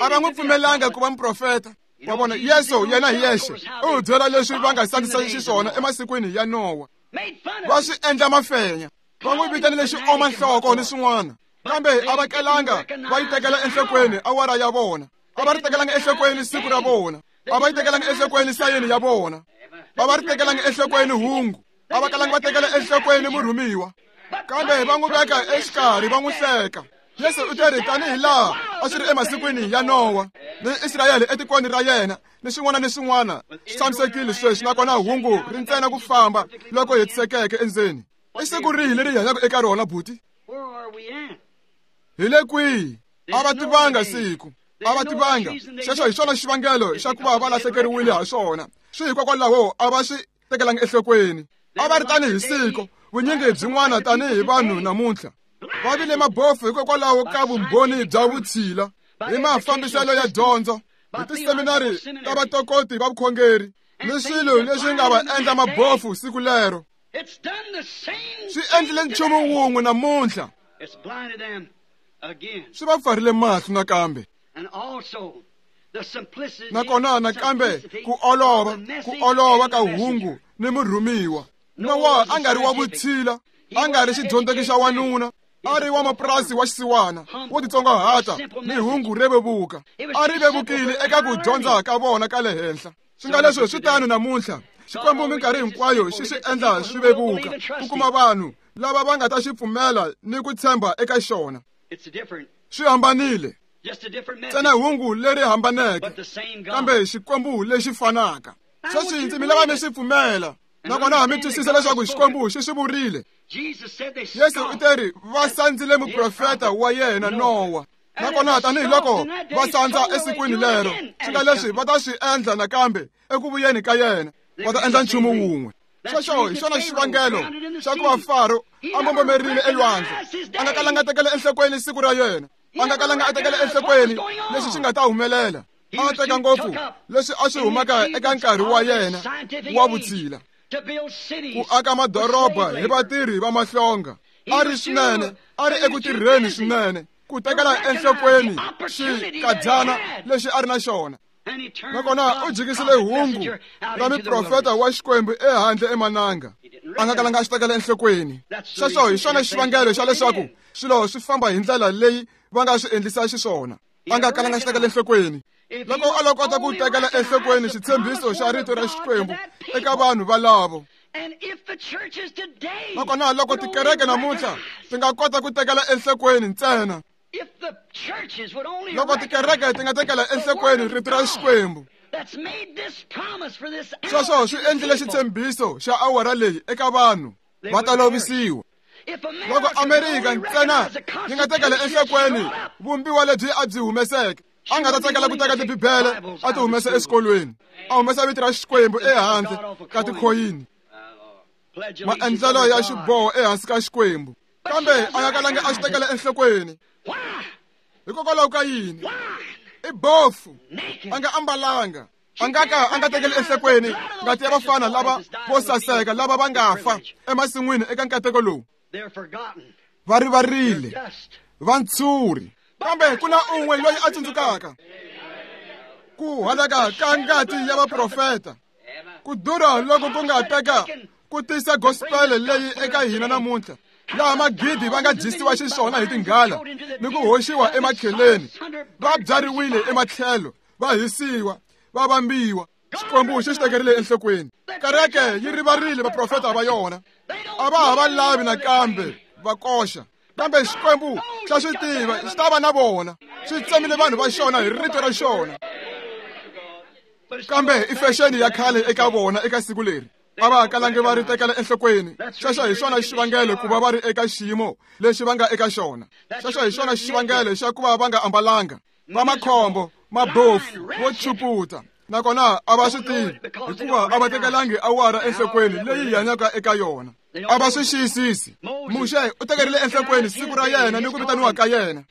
A va n'wi pfumelanga ku va muprofeta. Wa vona, Yesu yena hi yexe u byela leswi va nga sandzisa xiswona emasikwini ya Nowa. Va swi endla mafenya, va n'wi vitanile xioma nhloko ni swin'wana. Kambe a va kelanga va yi tekela enhlokweni awara ya vona. A va ri tekelanga enhlokweni siku ra vona. A va yi tekelanga enhlokweni sayeni ya vona. A va ri tekelanga enhlokweni hungu. A va kalanga va tekela enhlokweni murhumiwa. Kambe va n'wi veka exikarhi va n'wi hleka. Yesu u te ri tanihi laha a swi ri emasikwini ya Nowa ni Israyele etikweni ra yena ni swin'wana ni swin'wana swi tshamisekile sweswi, nakona hungu ri ntsena ku famba loko hetisekeke endzeni. I siku rihi leri hi hanyaka eka rona, buti? Hi le kwihi? A va tivanga siku. A va tivanga. Xexo hi xona xivangelo xa ku va va lahlekeriwile ha xona. Swi hikokwalaho a va swi tekelanga enhlokweni. A va ri tanihi siku, vunyingi byin'wana tanihi vanhu namuntlha. Va vile mabofu hikokwalaho ka vumbhoni bya vutshila hi mafambiselo ya dyondzo, hi tiseminari ta vatokoti va vukhongeri ni swilo leswi nga va endla mabofu siku lero. Swi endlile nchumu wun'we namuntlha. Swi va pfarile mahlo nakambe. Nakona nakambe ku olova ka hungu ni murhumiwa. Nowa a nga ri wa vutshila, a nga ri xidyondzeki xa wanuna, a ri wa mapurasi wa xisiwana wo titsongahata ni hungu re vevuka. A ri vevukile eka ku dyondza ka vona ka le henhla. Swi nga leswi swi tano namuntlha. Xikwembu minkarhi hinkwayo xi swi endla swi vevuka ku kuma vanhu lava va nga ta xi pfumela ni ku tshemba eka xona. Swi hambanile. Ntsena hungu leri hambaneke, kambe Xikwembu lexi fanaka. Sweswi ndzi mi lava mi swi pfumela. Nakona mi twisisa leswaku Xikwembu xi swi vurile. Yesu u te ri va sandzile muprofeta wa yena Nowa. Nakona tanihiloko va sandza esikwini lero, swi nga leswi va ta swi endla nakambe eku vuyeni ka yena. Va ta endla nchumu wun'we. Xexo hi xona xivangelo xa ku va Faro a mbombomerile elwandle. A nga kalanga a tekela enhlokweni siku ra yena. A nga kalanga a tekela enhlokweni leswi swi nga ta humelela. A teka ngopfu leswi a swi humaka eka nkarhi wa yena wa vutshila. Ku aka madoroba hi vatirhi va mahlonga. A ri swinene, a ri eku tirheni swinene ku tekela enhlokweni xikadyana lexi a ri na xona. Nakona u jikisile hungu ra muprofeta wa Xikwembu ehandle emananga. A nga kalanga a xi tekela enhlokweni. Xexo hi xona xivangelo xa leswaku swilo swi famba hi ndlela leyi va nga swi endlisa xiswona. A nga kalanga xi tekela enhlokweni. Loko a lo kota ku tekela enhlokweni xitshembiso xa rito ra Xikwembu eka vanhu valavo. Nakona loko tikereke namuntlha ti nga kota ku tekela enhlokweni ntsena. Loko tikereke ti nga tekela enhlokweni rito ra Xikwembu. Sweswo swi endlile xitshembiso xa awara leyi eka vanhu va ta lovisiwa. Loko Amerika ntsena yi nga tekela enhlokweni vumbiwa lebyi a byi humeseke, a nga ta tsakela ku teka tibibele a ti humesa exikolweni, a humesa vito ra Xikwembu ehandle ka tikhoyini, maendlelo ya xiboho ehansi ka Xikwembu. Kambe a nga kalanga a swi tekela enhlokweni. Hikokwalaho ka yini? I bofu, a nga ambalanga. A nga ka a nga tekeli enhlokweni ngati ya vafana lava vo saseka lava va nga fa emasin'wini eka nkateko lowu. Va rivarile, va ntshuri. Kambe ku na un'we loyi a tsundzukaka ku halaka ka ngati ya vaprofeta. Ku durha loko ku nga teka ku tisa gospel leyi eka hina namuntlha, laha magidi va nga dyisiwa xiswona hi tinghala ni ku hoxiwa emakheleni, va byariwile ematlhelo, va hisiwa, va vambiwa. Xikwembu xi xi tekerile enhlokweni. Kereke yi rivarile vaprofeta va yona. A va ha va lavi nakambe va koxa. Kambe Xikwembu xa swi tiva, xi ta va na vona. Xi tsemile vanhu va xona hi rito ra xona. Kambe i fexeni ya khale eka vona eka siku leri. A va kalangi va ri tekela enhlokweni. Xexo hi xona xivangelo ku va va ri eka xiyimo lexi va nga eka xona. Xexo hi xona xivangelo xa ku va va nga ambalanga. Va makhombo, mabofu, vo chuputa. Nakona a va swi tivi hikuva a va tekelangi awara enhlokweni leyi hi hanyaka eka yona. A va swi xiyisisi. Muxe u tekerile enhlokweni siku ra yena ni ku vitaniwa ka yena.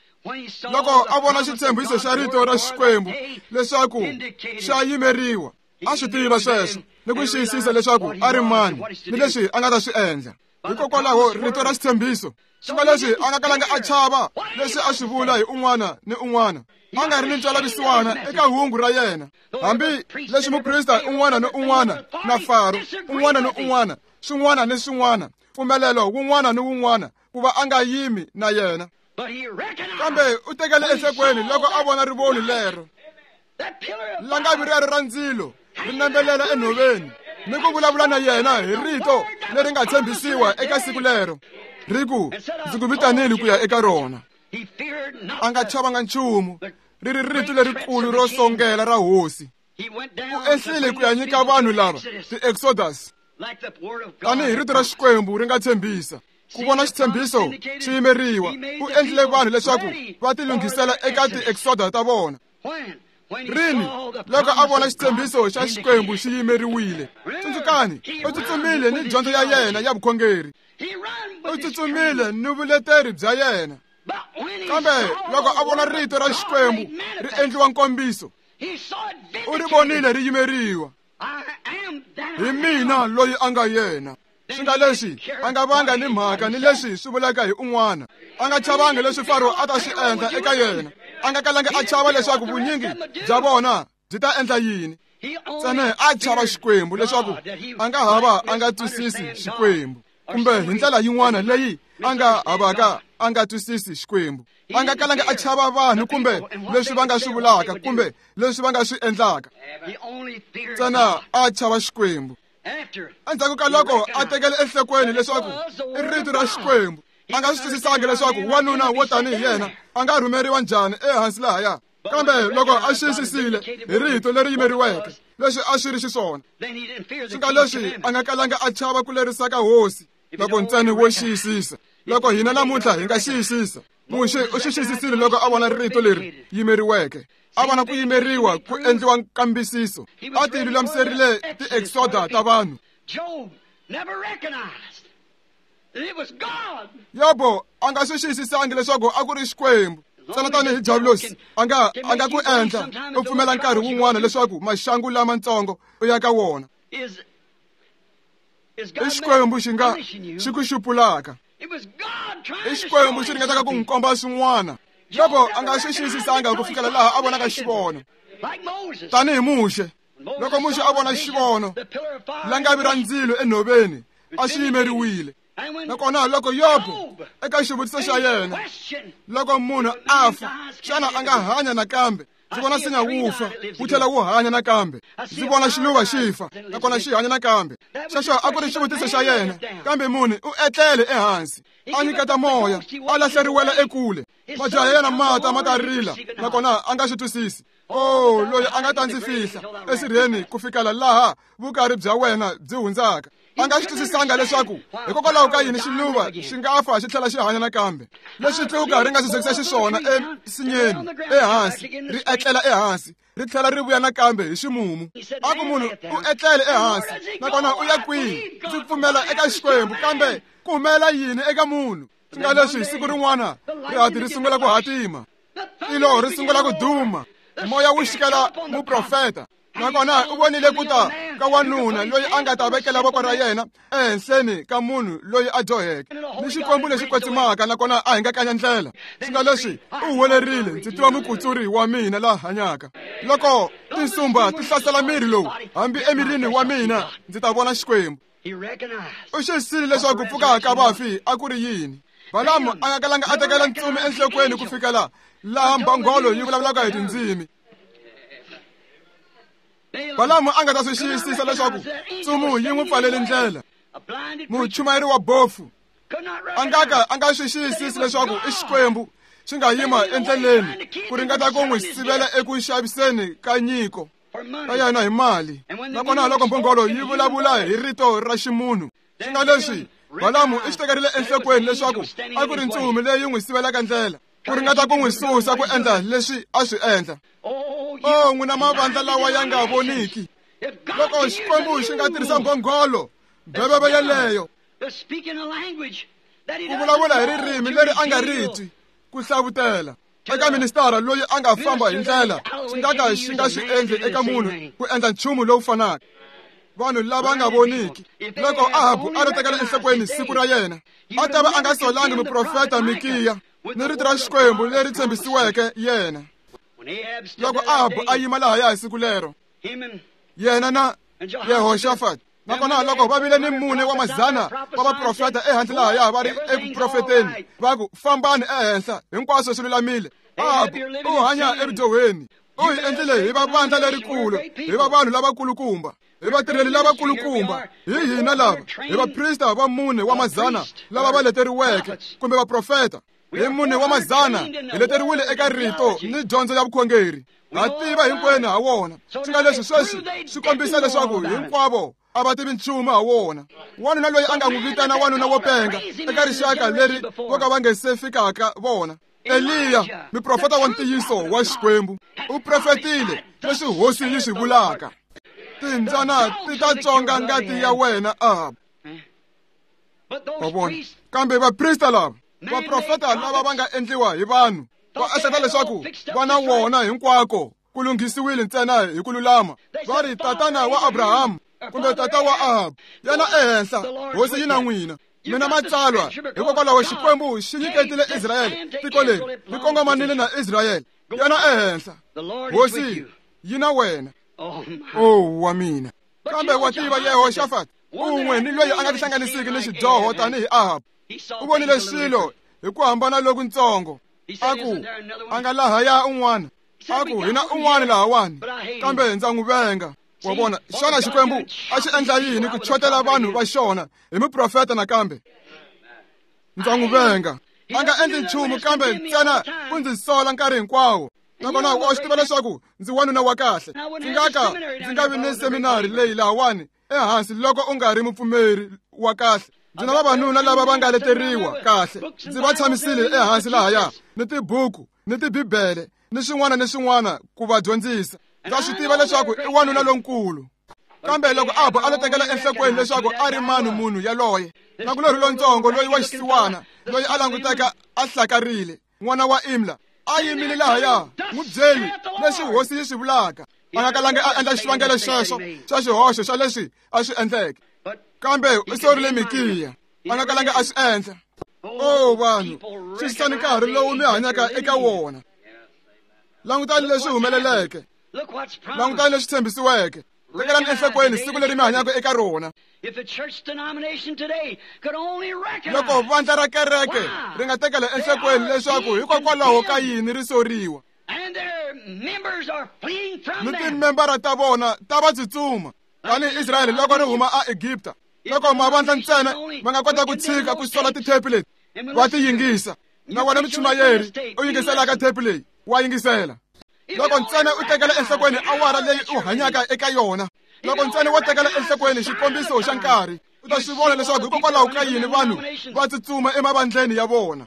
Loko a vona xitshembiso xa rito ra Xikwembu leswaku xa yimeriwa, a swi tiva sweswo ni ku xiyisisa leswaku a ri mani ni leswi a nga ta swi endla. Hikokwalaho rito ra xitshembiso, swi nga leswi a nga kalanga a chava leswi a swi vula hi un'wana ni un'wana, a nga ri ni ntwelavusiwana eka hungu ra yena. Hambi leswi muprista un'wana ni un'wana na Faro un'wana ni un'wana, swin'wana ni swin'wana, mpfumelelo wun'wana ni wun'wana ku va a nga yimi na yena. Kambe u tekele enhlokweni loko a vona rivoni lero, langavi rero ra ndzilo ri nembelela enhoveni ni ku vulavula na yena hi rito leri nga tshembisiwa eka siku lero, ri ku, ndzi ku vitanile ku ya eka rona. A nga chavanga nchumu, ri ri rito lerikulu ro songela ra hosi. U ehlile ku ya nyika vanhu lava ti-Exodus tanihi rito ra Xikwembu ri nga tshembisa. Ku vona xitshembiso xi yimeriwa, u endlile vanhu leswaku va tilunghisela eka ti-Exodus ta vona. Rini loko a vona xitshembiso xa Xikwembu xi yimeriwile. Tsundzukani, u tsutsumile ni dyondzo ya yena ya vukhongeri. U tsutsumile ni vuleteri bya yena. Kambe loko a vona rito ra Xikwembu ri endliwa nkombiso, u ri vonile ri yimeriwa. Hi mina loyi a nga yena. Swi nga leswi a nga vanga ni mhaka ni leswi swi vulaka hi un'wana. A nga chavangi leswi Faro a ta swi endla eka yena. A nga kalangi a chava leswaku vunyingi bya vona byi ta endla yini. Ntsena a chava Xikwembu leswaku a nga hava a nga twisisi Xikwembu, kumbe hi ndlela yin'wana leyi a nga havaka a nga twisisi Xikwembu. A nga kalangi a chava vanhu kumbe leswi va nga swi vulaka kumbe leswi va nga swi endlaka. Ntsena a chava Xikwembu. Endzhaku ka loko a tekele enhlokweni leswaku i rito ra Xikwembu, a nga swi twisisangi leswaku wanuna wo tanihi yena a nga rhumeriwa njhani ehansi lahaya. Kambe loko a xiyisisile hi rito leri yimeriweke leswi a swi ri xiswona, swi nga leswi a nga kalanga a chava ku lerisa ka hosi loko ntsena wo xiyisisa. Loko hina namuntlha hi nga xiyisisa, Muxe u xi xiyisisile loko a vona rito leri yimeriweke. A vona ku yimeriwa ku endliwa nkambisiso. A ti lulamiserile ti-Exoda ta vanhu. Yobo a nga swi xiyisisangi leswaku a ku ri Xikwembu. Ntsena tanihi Diabulosi a nga ku endla u pfumela nkarhi wun'wana leswaku maxangu lamatsongo u ya ka wona. I Xikwembu xi nga xi ku xupulaka. I Xikwembu xi ringetaka ku n'wi komba swin'wana. Yobo a nga swi xiyisisanga ku fikela laha a vonaka xivono. Tanihi Muxe, loko Muxe a vona xivono, langavi ra ndzilo enhoveni a xi yimeriwile. Nakona loko Yobo eka xivutiso xa yena, loko munhu a fa, xana a nga hanya nakambe? Ndzi vona nsinya wu fa, wu tlhela wu hanya nakambe. Ndzi vona xiluva xi fa, nakona xi hanya nakambe. Xexo a ku ri xivutiso xa yena, kambe munhu u etlele ehansi, a nyiketa moya, a lahleriwela ekule. Majaha ya yena mata ma ta rila, nakona a nga swi twisisi. Oh, loyi a nga ta ndzi fihla esirheni ku fikela laha vukari bya wena byi hundzaka. A nga swi twisisanga leswaku hikokwalaho ka yini xiluva xi nga fa xi tlhela xi hanya nakambe. Leswi tluka ri nga swi zekisa xiswona ensinyeni ehansi, ri etlela ehansi, ri tlhela ri vuya nakambe hi ximumu. A ku munhu u etlele ehansi, nakona u ya kwihi? Ndzi pfumela eka Xikwembu, kambe ku humelela yini eka munhu? Swi nga leswi siku rin'wana rihati ri sungula ku hatima, tilo ri sungula ku duma, moya wu xikela muprofeta. Nakona u vonile ku ta ka wanuna loyi a nga ta vekela voko ra yena ehenhleni ka munhu loyi a dyoheke ni Xikwembu lexi kwetsimaka, nakona a hingakanya ndlela. Swi nga leswi u huwelerile, ndzi tiva mukutsuri wa mina la hanyaka. Loko tinsumba ti hlasela miri lowu, hambi emirini wa mina ndzi ta vona Xikwembu. U xiyisisile leswaku ku pfuka ka vafi a ku ri yini. Balamu a nga kalanga a tekela ntsumi enhlokweni ku fikela laha mbhongolo yi vulavulaka hi tindzimi. Balamu a nga ta swi xiyisisa leswaku tsumu yi n'wi pfalele ndlela. Muchumayeri wa bofu a nga ka a nga swi xiyisisi leswaku i Xikwembu xi nga yima endleleni ku ringeta ku n'wi sivela eku xaviseni ka nyiko ka yena hi mali. Nakona loko mbhongolo yi vulavula hi rito ra ximunhu, swi nga leswi Balamu i xi tekerile enhlokweni leswaku a ku ri ntsumi leyi n'wi sivelaka ndlela ku ringeta ku n'wi susa ku endla leswi a swi endla. O n'wina mavandla lawa ya nga voniki, loko Xikwembu xi nga tirhisa mbhongolo mbheveve yeleyo ku vulavula hi ririmi leri a nga ri twi, ku hlavutela eka ministara loyi a nga famba hi ndlela xi nga ka xi nga swi endli eka munhu ku endla nchumu lowu fanaka. Vanhu lava nga voniki, loko Ahabu a ri tekela enhlokweni siku ra yena, a ta va a nga solangi muprofeta Mikiya ni rito ra Xikwembu leri tshembisiweke yena. Loko Ahabu a yima lahaya hi siku lero, yena na Yehoshafat, nakona loko va vile ni mune wa mazana wa vaprofeta ehandle lahaya va ri eku profeteni, va ku fambani ehenhla, hinkwaswo swi lulamile. Ahabu u hanya evudyohweni, u hi endlile hi va vandla lerikulu, hi va vanhu lavakulukumba, hi vatirheli lavakulukumba, hi hina lava, hi vaprista va mune wa mazana lava va leteriweke kumbe vaprofeta. Hi mune wa mazana hi leteriwile eka rito ni dyondzo ya vukhongeri, ha tiva hinkwenu ha wona. Swi nga leswi sweswi swi kombisa leswaku hinkwavo a va tivi nchumu ha wona. Wanuna loyi a nga n'wi vitana wanuna wo penga eka rixaka leri vo ka va nge se fikaka vona, Eliya, muprofeta wa ntiyiso wa Xikwembu, u profetile leswi hosi yi swi vulaka. Timbyana ti ta tsonga ngati ya wena, Ahabu. Wa vona? Kambe vaprista lava, vaprofeta lava va nga endliwa hi vanhu, va ehleketa leswaku va na wona hinkwako ku lunghisiwile ntsena hi ku lulama. Va ri tatana wa Abrahamu kumbe tata wa Ahabu, yena ehenhla, hosi yi na n'wina. Mina matsalwa, hikokwalaho Xikwembu xi nyiketile Israyele tiko leri ri kongomanile na Israyele. Yena ehenhla, hosi yi na wena. O wa mina. Kambe wa tiva Yehoshafat, un'we ni loyi a nga tihlanganisiki ni xidyoho tanihi Ahabu, u vonile swilo hi ku hambana lokuntsongo. A ku a nga lahaya un'wana, a ku hina un'wana lahawani, kambe ndza n'wi venga. Wa vona, xana Xikwembu a xi endla yini ku chotela vanhu va xona hi muprofeta nakambe? Ndza n'wi venga. A nga endli nchumu kambe ntsena ku ndzi sola nkarhi hinkwawo. Nakona wa swi tiva leswaku ndzi wanuna wa kahle. Ndzi nga ka ndzi nga vi ni seminari leyi lahawani ehansi loko u nga ri mupfumeri wa kahle. Ndzi na vavanuna lava va nga leteriwa kahle, ndzi va tshamisile ehansi lahaya ni tibuku ni tibibele ni swin'wana ni swin'wana ku va dyondzisa. Ndza swi tiva leswaku i wanuna lonkulu. Kambe loko Ahabu a lo tekela enhlokweni leswaku a ri mani munhu yaloye, nakulorhi lontsongo loyi wa xisiwana loyi a languteka a hlakarile, n'wana wa Imla, a yimile lahaya, n'wi byeli leswi hosi yi swi vulaka. A nga kalangi a endla xivangelo xexo xa xihoxo xa leswi a swi endleke, kambe u sorile Mikiya. A nga kalangi a swi endla. O vanhu, xisani nkarhi lowu mi hanyaka eka wona. Langutani leswi humeleleke, langutani leswi tshembisiweke. Tekelani enhlokweni siku leri mi hanyaka eka rona. Loko vandla ra kereke ri nga tekela enhlokweni leswaku hikokwalaho ka yini ri soriwa, ni timembara ta vona ta va tsutsuma tanihi Israyele loko ri huma aEgipta. Loko mavandla ntsena va nga kota ku tshika ku sola tithepi leti va ti yingisa, na wena muchumayeri u yingiselaka thepi leyi wa yingisela. Loko ntsena u tekela enhlokweni awara leyi u hanyaka eka yona, loko ntsena wo tekela enhlokweni xikombiso xa nkarhi, u ta swi vona leswaku hikokwalaho ka yini vanhu va tsutsuma emavandleni ya vona.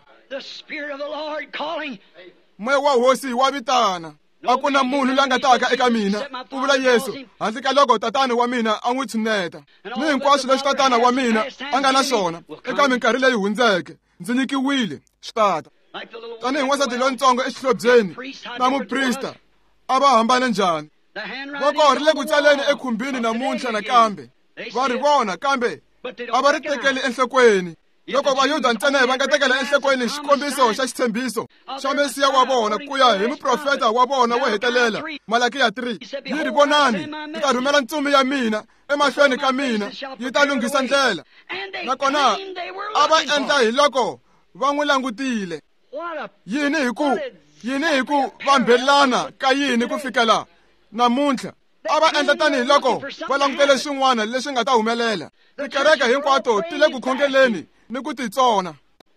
Moya wa hosi wa vitana. A ku na munhu la nga taka eka mina, ku vula Yesu, handle ka loko tatana wa mina a n'wi tshuneta. Ni hinkwaswo leswi tatana wa mina a nga na swona eka minkarhi leyi hundzeke, ndzi nyikiwile swi tata. Tanihi n'wansati lontsongo exihlobyeni na muprista a va hambane njhani? Voko ri le ku tsaleni ekhumbini namuntlha nakambe. Va ri vona kambe a va ri tekeli enhlokweni. Loko Vayuda ntsena va nga tekela enhlokweni xikombiso xa xitshembiso xa Mesiya wa vona ku ya hi muprofeta wa vona wo hetelela, Malakiya 3, yi ri, vonani, ndzi ta rhumela ntsumi ya mina emahlweni ka mina, yi ta lunghisa ndlela. Nakona a va endla hi loko va n'wi langutile. Yini hi ku vambelana ka yini ku fikela namuntlha? A va endla tanihiloko va langutele swin'wana leswi nga ta humelela. Tikereke hinkwato ti le ku khongeleni ni ku titsona.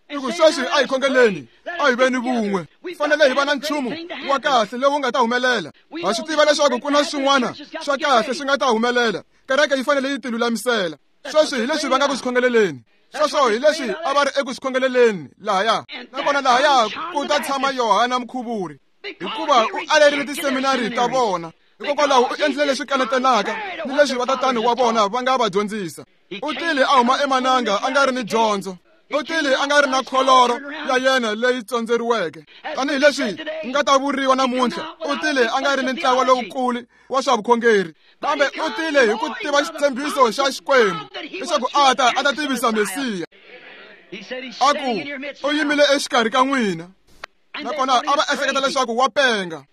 I ku sweswi a hi khongeleni, a hi veni vun'we. Fanele hi va na nchumu wa kahle lowu nga ta humelela. Ha swi tiva leswaku ku na swin'wana swa kahle swi nga ta humelela. Kereke yi fanele yi tilulamisela. Sweswi hi leswi va nga ku swi khongeleleni. Sweswo hi leswi a va ri eku swi khongeleleni lahaya. Nakona lahaya ku ta tshama Yohana Mukhuvuri, hikuva u alerile tiseminari ta vona. Hikokwalaho u endlile leswi kanetanaka ni leswi vatatani wa vona va nga va dyondzisa. U tile a huma emananga a nga ri ni dyondzo. U tile a nga ri na kholoro ya yena leyi tsondzeriweke. Tanihileswi nga ta vuriwa namuntlha, u tile a nga ri ni ntlawa lowukulu wa swa vukhongeri, kambe u tile hi ku tiva xitshembiso xa Xikwembu leswaku a ta tivisa Mesiya. A ku u yimile exikarhi ka n'wina. Nakona a va ehleketa leswaku wa penga,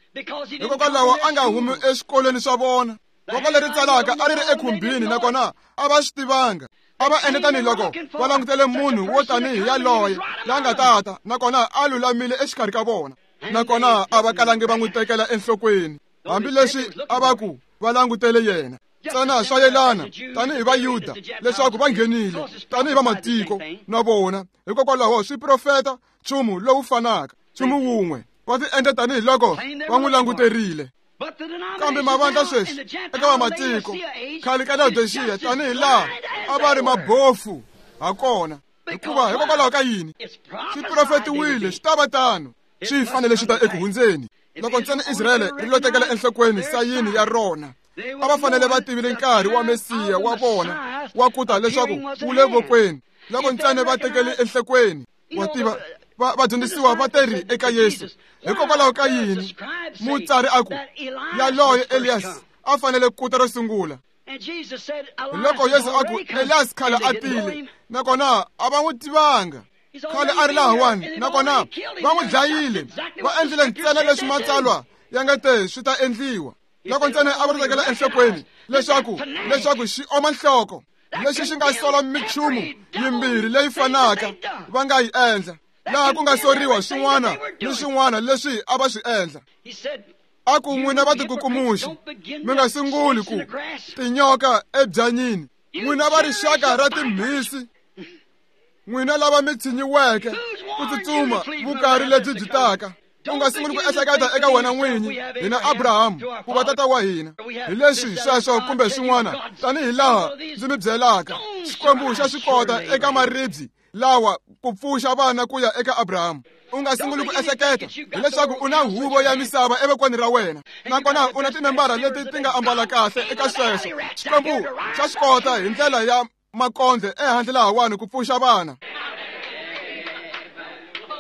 hikokwalaho a nga humi exikolweni swa vona. Voko leri tsalaka a ri ri ekhumbini, nakona a va swi tivanga. A va endla tanihiloko va langutele munhu wo tanihi yaloye la nga tata, nakona a lulamile exikarhi ka vona. Nakona a va kalangi va n'wi tekela enhlokweni, hambileswi a va ku va langutele yena. Ntsena swa yelana tanihi Vayuda leswaku va nghenile tanihi vamatiko na vona. Hikokwalaho swi profeta nchumu lowu fanaka, nchumu wun'we. Va ti endla tanihiloko va n'wi languterile. Kambe mavandla sweswi eka vamatiko khale ka Laodiceya tanihi laha a va ri mabofu hakona, hikuva hikokwalaho ka yini? Swi profetiwile swi ta va tano, swi fanele swi ta eku hundzeni. Loko ntsena Israyele ri lo tekela enhlokweni sayini ya rona, a va fanele va tivile nkarhi wa Mesiya wa vona wa ku ta leswaku wu le vokweni. Loko ntsena va tekele enhlokweni, wa tiva vadyondzisiwa va teri eka Yesu, hikokwalaho ka yini mutsari a ku yaloye Elias a fanele ku ta ro sungula? Loko Yesu a ku Elias khale a tile, nakona a va n'wi tivanga. Khale a ri lahawani, nakona va n'wi dlayile. Va endlile ntsena leswi matsalwa ya nga te swi ta endliwa. Loko ntsena a va ri tekela enhlokweni leswaku xi oma nhloko, lexi xi nga sola minchumu yimbirhi leyi fanaka va nga yi endla, laha ku nga soriwa swin'wana ni swin'wana leswi a va swi endla. A ku n'wina va tikukumuxi, mi nga sunguli ku tinyoka ebyanyini. N'wina va rixaka ra timhisi, n'wina lava mi tshinyiweke ku tsutsuma vukarhi lebyi byi taka. U nga sunguli ku ehleketa eka wena n'winyi, hina Abrahamu ku va tata wa hina. Hi leswi sweswo kumbe swin'wana, tanihi laha ndzi mi byelaka, Xikwembu xa swi kota eka maribye lawa ku pfuxa vana ku ya eka Abrahamu. U nga sunguli ku ehleketa hileswaku u na huvo ya misava evokweni ra wena, nakona u na timembara leti ti nga ambala kahle eka sweswo. Xikwembu xa swi kota hi ndlela ya makondle ehandle lahawani ku pfuxa vana,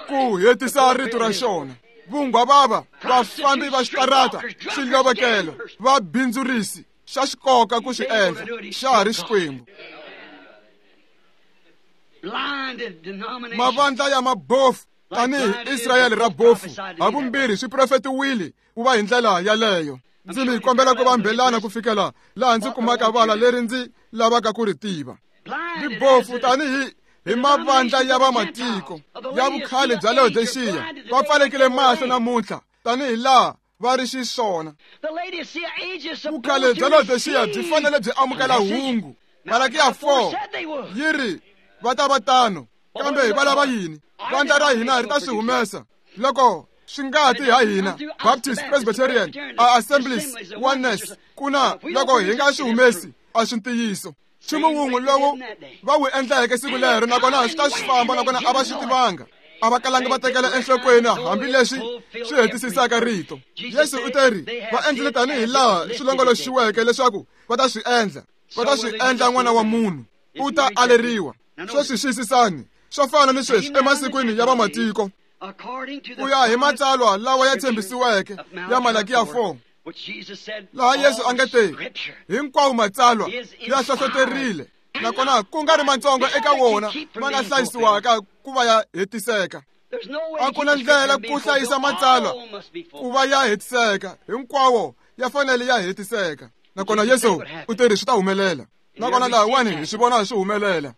ku hetisa rito ra xona. Vunghwavava, vafambi va xitarata, swilovekelo, vabindzurisi, xa xikoka ku swi endla, xa ha ri Xikwembu. Mavandla ya mabofu tanihi Israyele ra bofu havumbirhi swi profetiwile ku va hi ndlela yaleyo. Ndzi mi kombela ku vambelana ku fikela laha ndzi kumaka vala leri ndzi lavaka ku ri tiva. Vibofu tanihi hi mavandla ya vamatiko ya vukhale bya Laodiceya va pfalekile mahlo namuntlha tanihi laha va ri xiswona. Vukhale bya Laodiceya byi fanele byi amukela hungu. Malakiya 4 yi ri va ta va tano, kambe va lava yini? Vandla ra hina ri ta swi humesa loko swi nga ti ha hina. Baptist, Presbyterian, Assemblies, Oneness, kuna loko hi nga swi humesi a swi ntiyiso. Nchumu wun'we lowu va wu endleke siku lero, nakona swi ta swi famba, nakona a va swi tivanga. A va kalangi va tekela enhlokweni hambileswi swi hetisisaka rito. Yesu u teri va endlile tanihi laha swi longoloxiweke leswaku va ta swi endla. Va ta swi endla n'wana wa munhu u ta aleriwa. Sweswi xiyisisani, swo fana ni sweswi emasikwini ya vamatiko, ku ya hi matsalwa lawa ya tshembisiweke ya Malakiya 4, laha Yesu a nga te hinkwawo matsalwa ya hlohloterile, nakona ku nga ri matsongo eka wona ma nga hlayisiwaka ku va ya hetiseka. A ku na ndlela ku hlayisa matsalwa ku va ya hetiseka, hinkwawo ya fanele ya hetiseka. Nakona Yesu u teri swi ta humelela. Nakona lahawani hi swi vona swi humelela.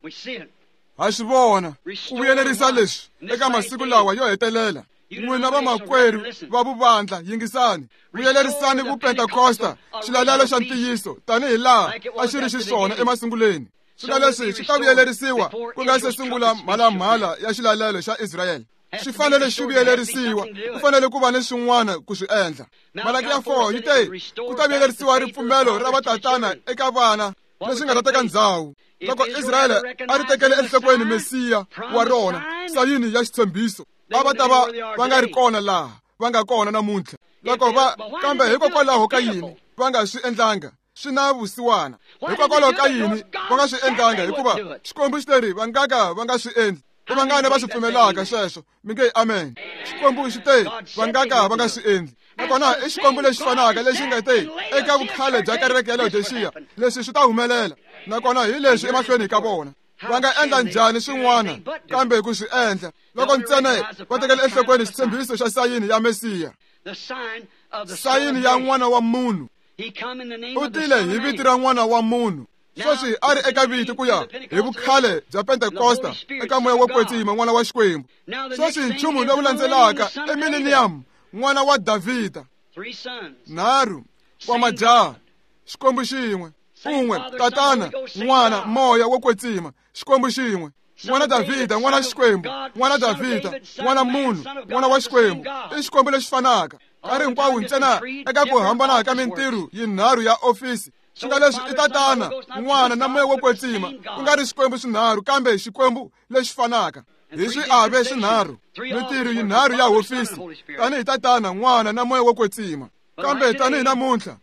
Ha swi vona ku vuyelerisa leswi eka masiku lawa yo hetelela. N'wina vamakwerhu va vuvandla, yingisani. Vuyelerisani vupentekosta, xilalelo xa ntiyiso, tanihi laha a xi ri xiswona emasunguleni. Swilo leswi swi ta vuyelerisiwa ku nga se sungula mhalamhala ya xilalelo xa Israyele. Swi fanele xi vuyelerisiwa, ku fanele ku va ni swin'wana ku swi endla. Malakiya 4 yi te ku ta vuyelerisiwa ripfumelo ra vatatana eka vana, leswi nga ta teka ndzhawu. Loko Israyele a ri tekele enhlokweni Mesiya wa rona, sayini ya xitshembiso, a va ta va va nga ri kona laha va nga kona namuntlha. Loko va kambe hikokwalaho ka yini va nga swi endlanga? Swi na vusiwana. Hikokwalaho ka yini va nga swi endlanga? Hikuva Xikwembu xi teri va nga ka va nga swi endli. I vangani va swi pfumelaka sweswo? Mi nge amen. Xikwembu xi te va nga ka va nga swi endli. Nakona i Xikwembu lexi fanaka lexi nga te eka vukhale bya kereke ya Laodiceya, leswi swi ta humelela. Nakona hi leswi emahlweni ka vona. Va nga endla njhani swin'wana kambe ku swi endla loko ntsena va tekela enhlokweni xitshembiso xa sayini ya Mesiya, sayini ya n'wana wa munhu. U tile hi vito ra n'wana wa munhu. Sweswi a ri eka vito ku ya hi vukhale bya Pentekosta eka moya wo kwetsima, n'wana wa Xikwembu. Sweswi nchumu lowu landzelaka i millennium, n'wana wa Davhida. 3 wa majaha, Xikwembu xin'we, un'we, Tatana, N'wana, Moya wo kwetsima, Xikwembu xin'we. N'wana Davhida, n'wana Xikwembu, n'wana Davhida, n'wana munhu, n'wana wa Xikwembu. I Xikwembu lexi fanaka. Nkarhi hinkwawo ntsena eka ku hambana ka mintirho yinharhu ya ofisi. Swi nga leswi i Tatana, N'wana na Moya wo kwetsima, ku nga ri Xikwembu swinharhu kambe Xikwembu lexi fanaka. Hi swiave swinharhu, mintirho yinharhu ya hofisi, tanihi Tatana, N'wana na Moya wo kwetsima. Kambe tanihi namuntlha,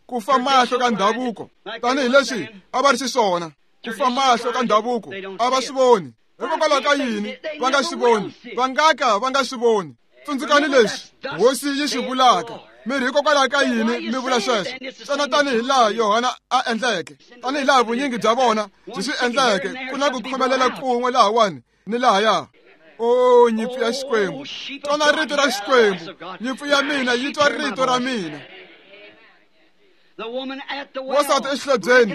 ku fa mahlo ka ndhavuko, tanihi leswi a va ri xiswona, ku fa mahlo ka ndhavuko, a va swi voni. Hikokwalaho ka yini va nga swi voni? Va nga ka va nga swi voni. Tsundzukani leswi Hosi yi swi vulaka. Mi ri hikokwalaho ka yini mi vula sweswo? Ntsena tanihi laha Yohana a endleke, tanihi laha vunyingi bya vona byi swi endleke, ku na ku khomelela kun'we lahawani ni lahaya. O nyimpfu ya Xikwembu, twana rito ra Xikwembu. Nyimpfu ya mina yi twa rito ra mina. Wansati exihlobyeni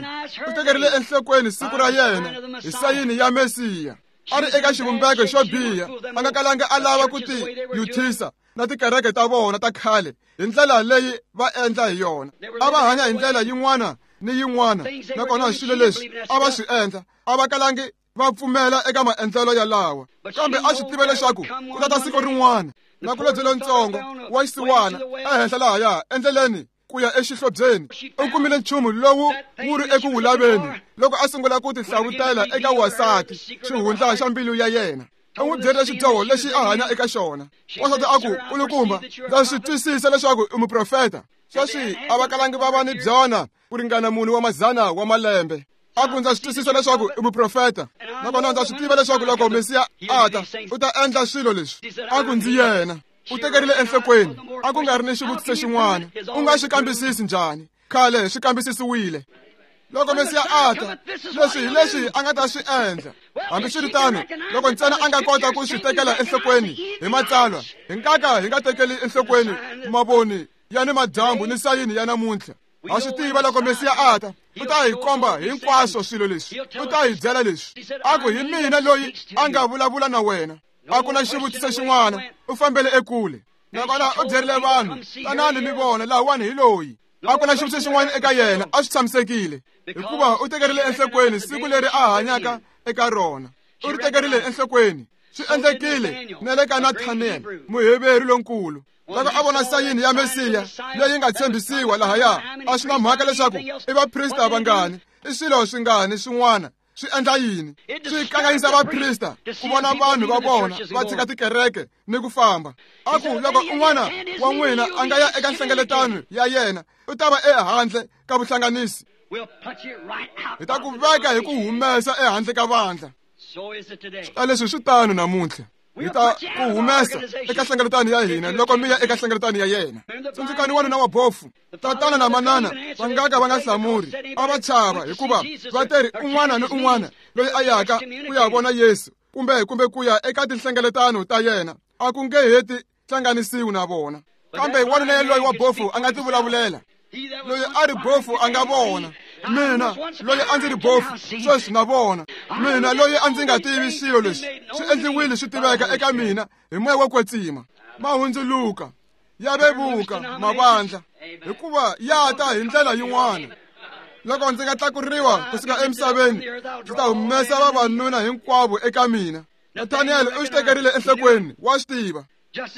u tekerile enhlokweni siku ra yena hi sayini ya Mesiya. A ri eka xivumbeko xo biha, a nga kalanga a lava ku ti yuthisa na tikereke ta vona ta khale hi ndlela leyi va endla hi yona. A va hanya hi ndlela yin'wana ni yin'wana, nakona swilo leswi a va swi endla a va kalangi va pfumela eka maendlelo yalawa. Kambe a swi tiva leswaku ku ta ta siku rin'wana na kulobye lontsongo wa xisiwana ehenhla lahaya endleleni ku ya exihlobyeni, u kumile nchumu lowu wu ri eku wu laveni loko a sungula ku tihlavutela eka wansati xihundla xa mbilu ya yena. U n'wi byerile xidyoho lexi a hanya eka xona. Wansati a ku, "Kulukumba, ndza swi twisisa leswaku i muprofeta." Sweswi a va kalangi va va ni byona ku ringana 4 wa mazana wa malembe. A ku, "Ndza swi twisisa leswaku i muprofeta, nakona ndza swi tiva leswaku loko Mesiya a ta, u ta endla swilo leswi." A ku, "Ndzi yena." U tekerile enhlokweni, a ku nga ri ni xivutiso xin'wana. U nga swi kambisisi njhani? Khale swi kambisisiwile. Loko Mesiya a ta, leswi hi leswi a nga ta swi endla. Hambiswiritano, loko ntsena a nga kota ku swi tekela enhlokweni hi matsalwa, hi nga ka hi nga tekeli enhlokweni mavoni ya ni madyambu ni sayini ya namuntlha. Ha swi tiva loko Mesiya a ta, u ta hi komba hinkwaswo swilo leswi, u ta hi byela leswi. A ku, "Hi mina loyi a nga vulavula na wena." A ku na xivutiso xin'wana, u fambele ekule. Nakona u byerile vanhu, "Tanani mi vona, lahawani hi loyi." A ku na xivutiso xin'wana eka yena, a swi tshamisekile, hikuva u tekerile enhlokweni siku leri a hanyaka eka rona. U ri tekerile enhlokweni. Swi endlekile na le ka Nathaniel, Muheveru lonkulu. Loko a vona sayini ya Mesiya leyi nga tshembisiwa lahaya, a swi na mhaka leswaku i vaprista vangani, i swilo swingani swin'wana, swi endla yini? Swi kanganyisa vaprista ku vona vanhu va vona va tshika tikereke ni ku famba. A ku, loko un'wana wa n'wina a nga ya eka nhlengeletano ya yena, u ta va ehandle ka vuhlanganisi. Hi ta ku veka hi ku humesa ehandle ka vandla. Ta leswi swi tano namuntlha. Hi ta ku humesa eka nhlengeletano ya hina loko mi ya eka nhlengeletano ya yena. Tsundzukani wanuna wa bofu, tatana na manana va nga ka va nga hlamuri, a va chava, hikuva va teri un'wana ni un'wana loyi a yaka ku ya vona Yesu kumbe ku ya eka tinhlengeletano ta yena, a ku nge heti hlanganisiwi na vona. Kambe wanuna yaloyi wa bofu a nga ti vulavulela. Loyi a ri bofu a nga vona. Mina loyi a ndzi ri bofu sweswi na vona. Mina loyi a ndzi nga tivi swilo leswi swi endliwile swi tiveka eka mina hi moya wo kwetsima. Ma hundzuluka ya vevuka mavandla hikuva ya ta hi ndlela yin'wana. Loko ndzi nga tlakuriwa kusuka emisaveni, ndzi ta humesa vavanuna hinkwavo eka mina. Nathaniel u xi tekerile enhlokweni, wa swi tiva.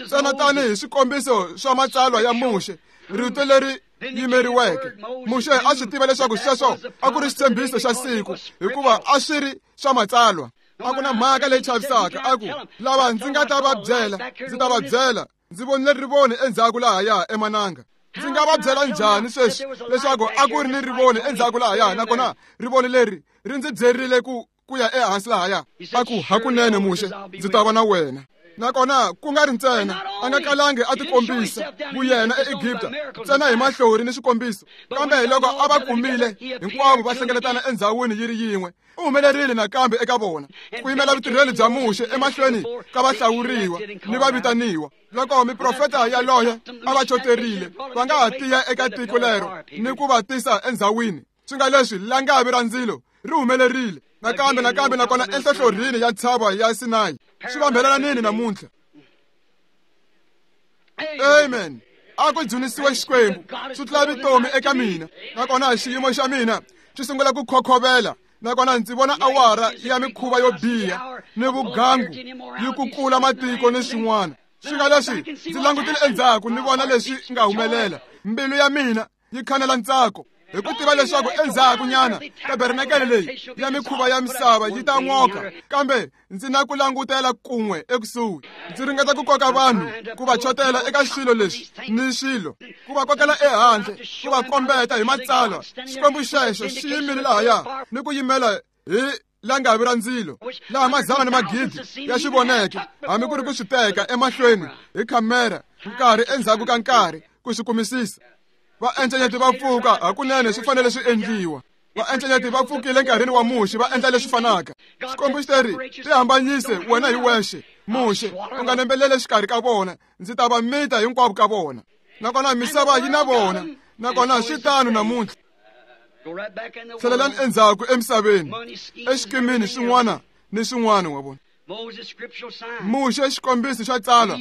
Ntsena tanihi swikombiso swa matsalwa ya Muxe, rito leri yimeriweke. Muxe a swi tiva leswaku sweswo a ku ri xitshembiso xa siku, hikuva a swi ri swa matsalwa. A ku na mhaka leyi chavisaka, a ku lava ndzi nga ta va byela, ndzi ta va byela. Ndzi vonile rivoni endzhaku lahaya emananga. Ndzi nga va byela njhani sweswi leswaku a ku ri ni rivoni endzhaku lahaya, nakona rivoni leri ri ndzi byerile ku ya ehansi lahaya? A ku hakunene Muxe, ndzi ta va na wena. Nakona ku nga ri ntsena a nga kalangi a tikombisa vuyena eEgipta ntsena hi mahlori ni swikombiso, kambe hi loko a va kumile hinkwavo va hlengeletana endzhawini yi ri yin'we, u humelerile nakambe eka vona ku yimela vutirheli bya Muxe emahlweni ka vahlawuriwa ni vavitaniwa. Loko miprofeta yaloye a va choterile, va nga ha tiya eka tiko lero ni ku va tisa endzhawini. Swi nga leswi langavi ra ndzilo ri humelerile nakambe nakambe, nakona enhlohlorhini ya ntshava ya Sinayi. Swi vambelela nini namuntlha? Amen. A ku dzunisiwe Xikwembu, swi tlula vutomi eka mina. Nakona xiyimo xa mina xi sungula ku khokhovela, nakona ndzi vona awara ya mikhuva yo biha ni vugangu yi kukula matiko ni swin'wana. Swi nga leswi ndzi langutile endzhaku ni vona leswi nga humelela, mbilu ya mina yi khanela ntsako hi ku tiva leswaku endzhaku nyana tabernakele leyi ya mikhuva ya misava yi ta n'oka, kambe ndzi na ku langutela kun'we ekusuhi. Ndzi ringeta ku koka vanhu ku va chotela eka swilo leswi ni swilo, ku va kokela ehandle, ku va kombeta hi matsalwa. Xikwembu xexo xi yimile lahaya ni ku yimela hi langavi ra ndzilo, laha mazana ni magidi ya xi voneke, hambi ku ri ku swi teka emahlweni hi khamera nkarhi endzhaku ka nkarhi ku swi kumisisa. Vaencenyeti va pfuka, hakunene swi fanele swi endliwa. Vaencenyeti va pfukile nkarhini wa Muxe, va endla leswi fanaka. Xikwembu xi teri, tihambanyise wena hi wexe, Muxe, u nga nembelele xikarhi ka vona, ndzi ta va mita hinkwavo ka vona. Nakona misava yi na vona, nakona swi tano namuntlha. Tlhelelani endzhaku emisaveni, exikimini xin'wana ni xin'wana, wa vona. Muxe xikombiso xa tsalwa,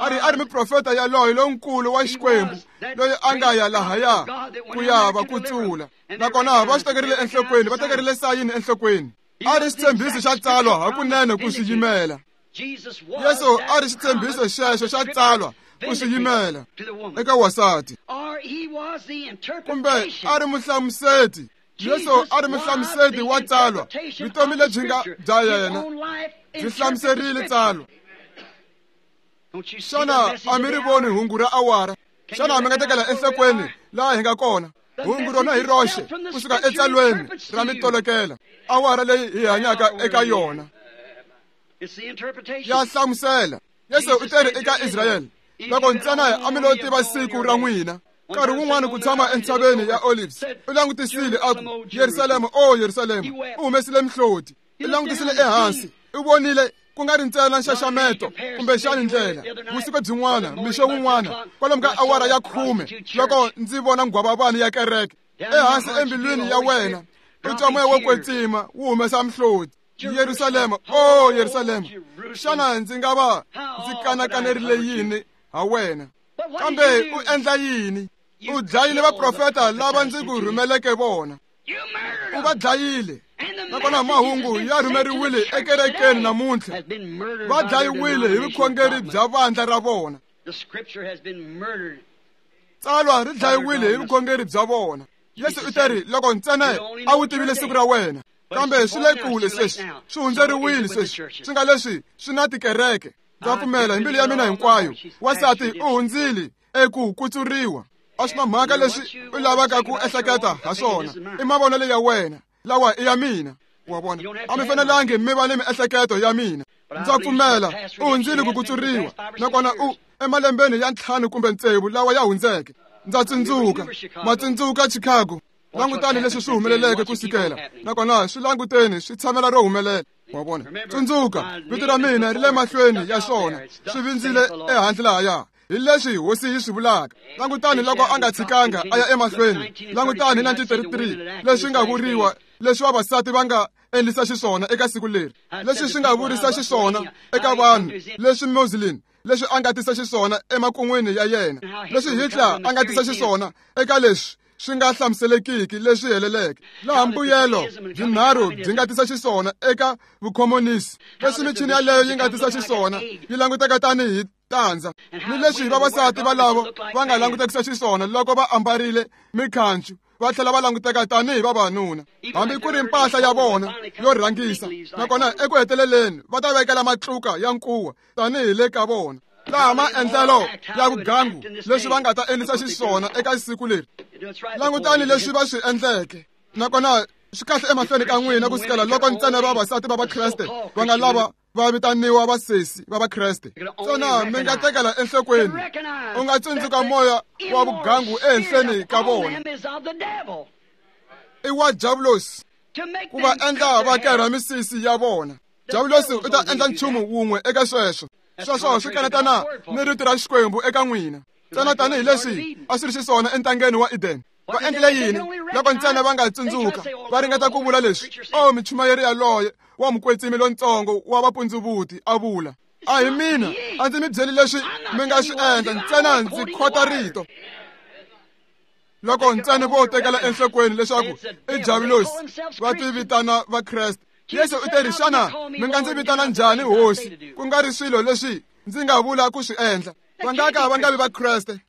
a ri muprofeta yaloye lonkulu wa Xikwembu loyi a nga ya lahaya ku ya va kutsula. Nakona va swi tekerile enhlokweni, va tekerile sayini enhlokweni. A ri xitshembiso xa tsalwa hakunene ku swi yimela. Yesu a ri xitshembiso xexo xa tsalwa ku swi yimela eka wasati, kumbe a ri muhlamuseti. Yesu a ri muhlamuseti wa tsalwa, vutomi lebyi nga bya yena byi hlamuserile tsalwa. Xana a mi ri voni hungu ra awara? Xana mi nga tekela enhlokweni laha hi nga kona? Hungu rona hi roxe kusuka etsalweni ra mitolokela, awara leyi hi hanyaka eka yona ya hlamusela. Yesu u teri eka Israyele, loko ntsena a mi lo tiva siku ra n'wina. Nkarhi wun'wana ku tshama entshaveni ya Olives, u langutisile a ku, Yerusalema, o Yerusalema, u humesile mihloti. U langutisile ehansi, u vonile ku nga ri ntsena nxaxameto kumbexani ndlela. Vusiku byin'wana, mixo wun'wana, kwalomu ka awara ya 10, loko ndzi vona nghwavavani ya kereke ehansi embilwini ya wena, u twa moya wo kwetsima wu humesa mihloti. Yerusalema, o Yerusalema, xana ndzi nga va ndzi kanakanerile yini ha wena? Kambe u endla yini? U dlayile vaprofeta lava ndzi ku rhumeleke vona. U va dlayile. Nakona mahungu ya rhumeriwile ekerekeni namuntlha. Va dlayiwile hi vukhongeri bya vandla ra vona. Tsalwa ri dlayiwile hi vukhongeri bya vona. Yesu u teri, loko ntsena a wu tivile siku ra wena, kambe swi le kule sweswi, swi hundzeriwile sweswi, swi nga leswi swi na tikereke. Ndza pfumela hi mbilu ya mina hinkwayo, wansati u hundzile eku kutsuriwa. A swi na mhaka leswi u lavaka ku ehleketa ha swona, i mavonelo ya wena, lawa i ya mina. Wa vona, a mi fanelangi mi va ni miehleketo ya mina. Ndza pfumela u hundzile ku kutsuriwa, nakona u emalembeni ya 5 kumbe 6 lawa ya hundzeke. Ndza tsundzuka, ma tsundzuka Chicago. Langutani leswi swi humeleleke kusukela, nakona swi languteni swi tshamela ro humelela. Wa vona, tsundzuka vito ra mina ri le mahlweni ya swona, swi vindzile ehandle lahaya. Hi leswi hosi yi swi vulaka. Langutani loko a nga tshikanga a ya emahlweni. Langutani hi 1933 leswi nga vuriwa, leswi vavasati va nga endlisa xiswona eka siku leri, leswi swi nga vurisa xiswona eka vanhu, leswi Muslim leswi a nga tisa xiswona emakun'wini ya yena, leswi Hitler a nga tisa xiswona eka leswi swi nga hlamuselekiki leswi heleleke, laha mbuyelo byinharhu byi nga tisa xiswona eka vukhomonisi, leswi michini yaleyo yi nga tisa xiswona yi languteka tanihi tandza, ni leswi vavasati valavo va nga langutekisa xiswona loko va ambarile mikhancu va tlhela va languteka tanihi vavanuna, hambi ku ri mpahla ya vona yo rhangisa, nakona eku heteleleni va ta vekela matluka ya nkuwa tanihi le ka vona, laha maendlelo ya vugangu leswi va nga ta endlisa xiswona eka siku leri. Langutani leswi va swi endleke, nakona swi kahle emahlweni ka n'wina ku sukela loko ntsena vavasati va Vakreste va nga lava va vitaniwa vasesi va Vakreste. Tsona mi nga tekela enhlokweni, u nga tsundzuka moya wa vugangu ehenhleni ka vona i wa Diabulosi, ku va endla va kerha misisi ya vona. Diabulosi u ta endla nchumu wun'we eka sweswo. Sweswo swi kanetana ni rito ra Xikwembu eka n'wina, ntsena tanihileswi a swi ri xiswona entangeni wa Eden. Va endlile yini loko ntsena va nga tsundzuka va ringeta ku vula leswi? O michumayeri yaloye wa mukwetsimi lontsongo wa vapundzuvudi a vula, a hi mina, a ndzi mi byeli leswi mi nga swi endla, ntsena ndzi khota rito. Loko ntsena vo tekela enhlokweni leswaku i Diabulosi, va ti vitana Vakreste. Yesu u te ri, xana mi nga ndzi vitana njhani Hosi, ku nga ri swilo leswi ndzi nga vula ku swi endla? Va nga ka va nga vi Vakreste.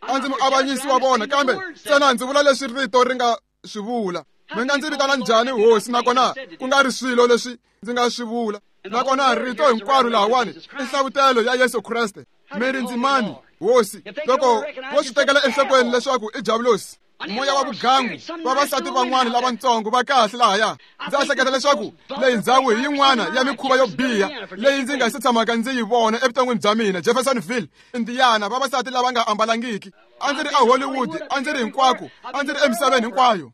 A ndzi muavanyisi wa vona, kambe ntsena ndzi vula leswi rito ri nga swi vula. Mi nga ndzi vitana njhani Hosi, nakona ku nga ri swilo leswi ndzi nga swi vula? Nakona rito hinkwaro lahawani i nhlavutelo ya Yesu Kreste. Mi ri ndzi mani, Hosi? Loko vo swi tekela enhlokweni leswaku i Diabulosi, moya wa vugangu, vavasati van'wana lavatsongo va kahle lahaya. Ndzi ehleketa leswaku leyi ndzhawu hi yin'wana ya mikhuva yo biha leyi ndzi nga se tshamaka ndzi yi vona evuton'wini bya mina. Jeffersonville, Indiana, vavasati lava nga ambalangiki. A ndzi ri a Hollywood, a ndzi ri hinkwako, a ndzi ri emisaveni hinkwayo.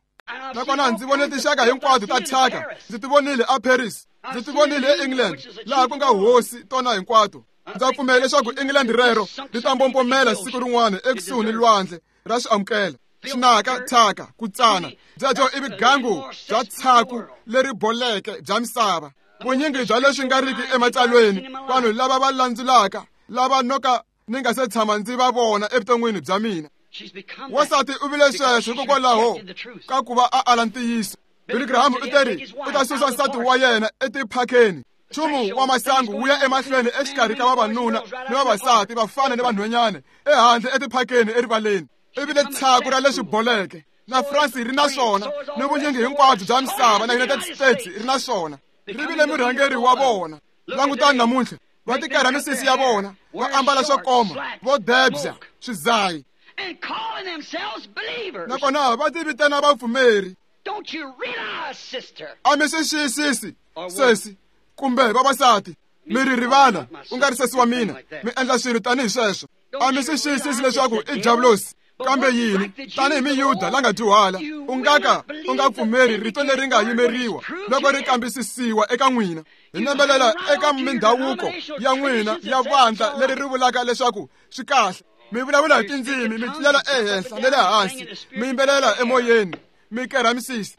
Nakona ndzi vone tinxaka hinkwato ta thyaka. Ndzi ti vonile a Paris, ndzi ti vonile eEngland, laha ku nga hosi tona hinkwato. Ndza pfumela leswaku England rero ri ta mbombomela siku rin'wana ekusuhi ni lwandle ra swi amukela. Xinaka, thyaka, ku tsana, byebyo i vugangu bya tshaku leri boleke bya misava. Vunyingi bya leswi nga riki ematsalweni, vanhu lava va landzulaka, lava noka ni nga se tshama ndzi va vona evuton'wini bya mina. Wansati u vile sweswo hikokwalaho ka ku va a ala ntiyiso. Billy Graham u teri u ta susa nsati wa yena etiphakeni. Nchumu wa masangu wu ya emahlweni exikarhi ka vavanuna ni vavasati, vafana ni vanhwanyana, ehandle etiphakeni erivaleni. I vile tshaku ra leswi boleke. Na France ri na swona, ni vunyingi hinkwabyo bya misava, na United States ri na swona. Ri vile murhangeri wa vona. Langutani namuntlha, va tikarha misisi ya vona, va ambala swo koma, vo debya, swizayi, nakona va ti vitana vapfumeri. A mi swi xiyisisi, sesi kumbe vavasati, mi ri rivala, u nga ri sesi wa mina, mi endla swilo tanihi sweswo. A mi swi xiyisisi leswaku i Diabulosi. Kambe yini, tanihi Miyuda la nga dyuhala, u nga ka u nga pfumeri rito leri nga yimeriwa loko ri kambisisiwa eka n'wina. Hi nembelela eka mindhavuko ya n'wina ya vandla leri ri vulaka leswaku swi kahle. Mi vulavula hi tindzimi, mi tlulela ehenhla ni le hansi, mi yimbelela emoyeni, mi kerha misisi.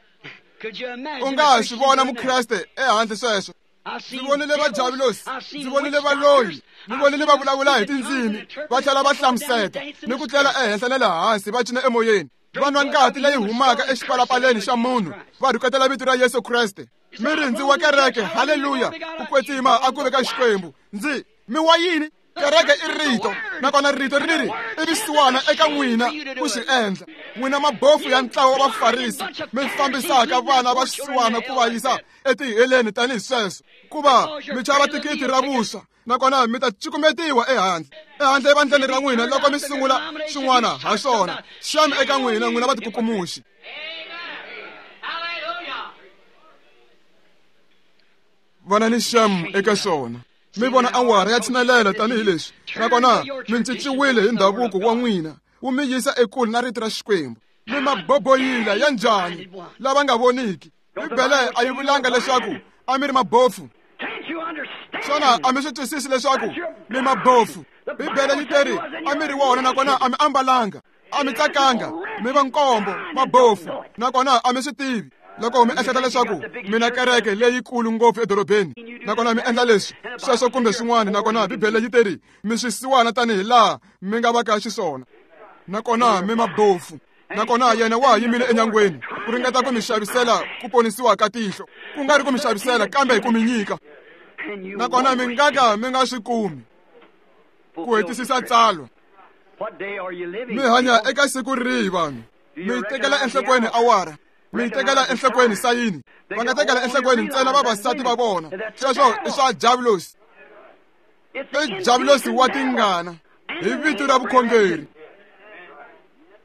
U nga swi vona Mukreste ehandle sweswo. Ndzi vonile va Diabulosi, ndzi vonile valoyi, ni vonile va vulavula hi tindzimi, va tlhela va hlamuseta ni ku tlela ehenhla na le hansi, va cina emoyeni, va nwa ngati leyi humaka exipalapaleni xa munhu, va rhuketela vito ra Yesu Kreste. Mi ri ndzi wa kereke, haleluya, ku kwetsima a ku ve ka Xikwembu. Ndzi mi wa yini? Kereke i rito, nakona rito ri ri i visiwana eka n'wina ku swi endla. N'wina mabofu ya ntlawa wa Vafarisi, mi fambisaka vana va swisiwana ku va yisa etiheleni tanihi sweswo, ku va mi xava thikithi ra vuswa, nakona mi ta cukumetiwa ehandle, ehandle evandleni ra n'wina loko mi sungula swin'wana ha swona. Xana eka n'wina, n'wina vatikukumuxi. Vana ni xem eka swona. Mi vona awara ya tshinelela tanihileswi, nakona mi cinciwile hi ndhavuko wa n'wina, wu mi yisa ekule na rito ra Xikwembu. Mi maboboyila ya njhani lava nga voniki? Bibele a yi vulanga leswaku a mi ri mabofu. Xana a mi swi twisisi leswaku mi mabofu? Bibele yi teri a mi ri wona, nakona a mi ambalanga, a mi tsakanga, mi va nkombo, mabofu, nakona a mi swi tivi. Loko mi ehleketa leswaku mina kereke leyikulu ngopfu edorobeni, nakona mi endla leswi, sweswo kumbe swin'wana, nakona Bibele yi teri mi swisiwana tanihi laha mi nga vaka xiswona, nakona mi mabofu. Nakona yena wa ha yimile enyangweni ku ringeta ku mi xavisela ku ponisiwa ka tihlo, ku nga ri ku mi xavisela kambe ku mi nyika, nakona mi nga ka mi nga swi kumi ku hetisisa tsalwa. Mi hanya eka siku rihi vanhu? Mi tekela enhlokweni awara, mi tekela enhlokweni sayini, va nga tekela enhlokweni ntsena vavasati va vona. Sweswo i swa Diabulosi, i Diabulosi wa tingana hi vito ra vukhongeri.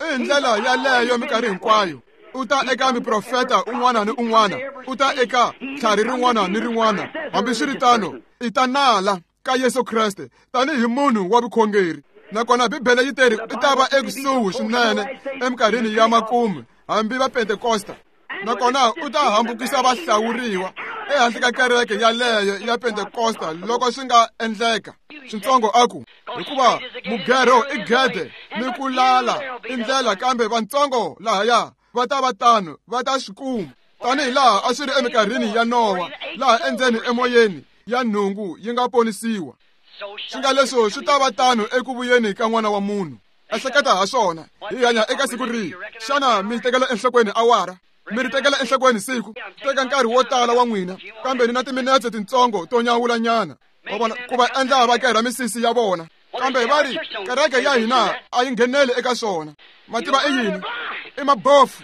I ndlela yaleyo minkarhi hinkwayo. U ta eka miprofeta un'wana ni un'wana, u ta eka tlhari rin'wana ni rin'wana. Hambiswiritano, i ta nala ka Yesu Kreste tanihi munhu wa vukhongeri. Nakona Bibele yi teri i ta va ekusuhi swinene eminkarhini ya makumu, hambi va Pentekosta. Nakona u ta hambukisa vahlawuriwa ehandle ka kereke yaleyo ya Pentekosta loko swi nga endleka. Switsongo a ku, hikuva mugero i gede ni ku lala i ndlela, kambe vantsongo lahaya va ta va tano, va ta swi kuma. Tanihi laha a swi ri eminkarhini ya Nowa, laha endzeni emoyeni ya nhungu yi nga ponisiwa. Swi nga leswo swi ta va tano eku vuyeni ka N'wana wa Munhu. Ehleketa ha swona, hi hanya eka siku rihi? Xana mi tekela enhlokweni awara? Mi ri tekela enhlokweni siku? Teka nkarhi wo tala wa n'wina, kambe ni na timinetse tintsongo to nyawulanyana. Wa vona, ku va endla va kerha misisi ya vona, kambe va ri kereke ya hina a yi ngheneli eka swona. Mativa i yini? I mabofu.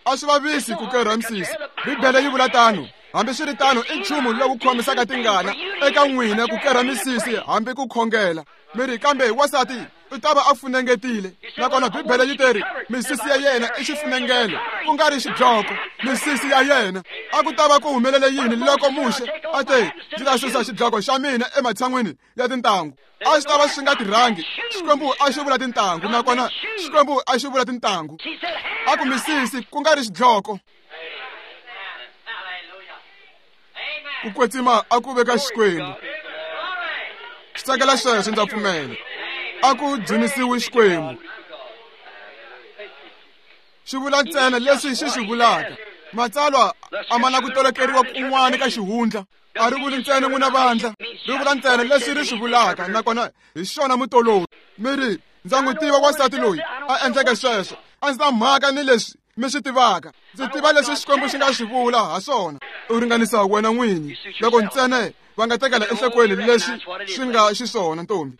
A swi vavisi ku kerha misisi. Bibele yi vula tano. Hambiswiritano, i nchumu lowu khomisaka tingana eka n'wina ku kerha misisi hambi ku khongela. Mi ri, kambe wansati u ta va a funengetile. Nakona Bibele yi teri misisi ya yena i xifunengelo, ku nga ri xidloko. Misisi ya yena. A ku ta va ku humelele yini loko Muxe a te, ndzi ta susa xidloko xa mina ematshan'wini ya tintangu? A swi ta va swi nga tirhangi. Xikwembu a xi vula tintangu, nakona Xikwembu a xi vula tintangu. A ku misisi, ku nga ri xidloko. Ku kwetsima a ku veka Xikwembu. Xi tsakela sweswo, ndza pfumela. A ku dzunisiwi Xikwembu. Xi vula ntsena leswi xi swi vulaka. Matsalwa a ma na ku tolokeriwa kun'wana ka xihundla. A ri vuli ntsena n'wina vandla, ri vula ntsena leswi ri swi vulaka, nakona hi xona mutolori. Mi ri, ndza n'wi tiva wansati loyi a endleke sweswo. A ndzi na mhaka ni leswi mi swi tivaka. Ndzi tiva leswi Xikwembu xi nga swi vula ha swona. U ringanisa wena n'winyi loko ntsena va nga tekela enhlokweni leswi swi nga xiswona, ntombi.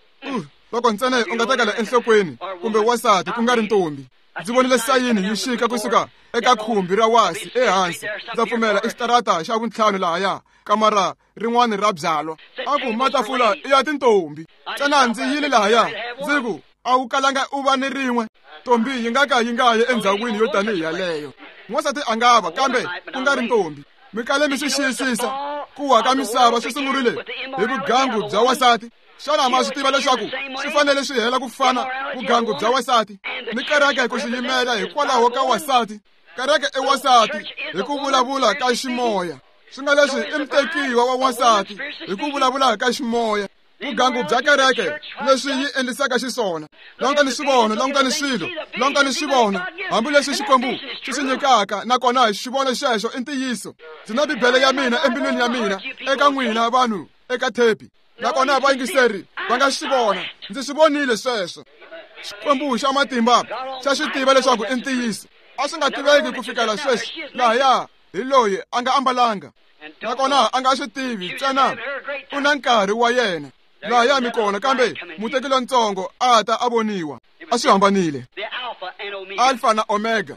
Loko ntsena u nga tekela enhlokweni kumbe wansati ku nga ri ntombi. Ndzi vonile sayini yi xika kusuka eka khumbi ra wasi ehansi. Ndza pfumela i xitarata xa vuntlhanu lahaya, kamara rin'wana ra byalwa. A ku matafula i ya tintombi. Ntsena ndzi yile lahaya, ndzi ku a wu kalanga u va ni rin'we. Ntombi yi nga ka yi nga yi endzhawini yo tanihi yaleyo. N'wansati a nga va, kambe ku nga ri ntombi. Mi kale mi swi xiyisisa ku wa ka misava swi sungurile hi vugangu bya wansati. Xana ma swi tiva leswaku swi fanele swi hela ku fana vugangu bya wansati ni kereke ku swi yimela hikwalaho ka wansati? Kereke i wansati hi ku vulavula ka ximoya. Swi nga leswi i mutekiwa wa wansati hi ku vulavula ka ximoya. Vugangu bya kereke leswi yi endlisaka xiswona. Langutani swivono, langutani swilo, langutani swivono, hambileswi Xikwembu xi swi nyikaka, nakona xivono xexo i ntiyiso. Ndzi na Bibele ya mina embilwini ya mina eka n'wina vanhu eka thepi, nakona vayingiseri va nga swi vona. Ndzi swi vonile sweswo. Xikwembu xa matimba xa swi tiva leswaku i ntiyiso. A swi nga tiveki ku fikela sweswi. Lahaya hi loyi a nga ambalanga, nakona a nga swi tivi, ntsena u na nkarhi wa yena. Lahaya mi kona, kambe muteki lontsongo a ta a voniwa. A swi hambanile. Alfa na Omega.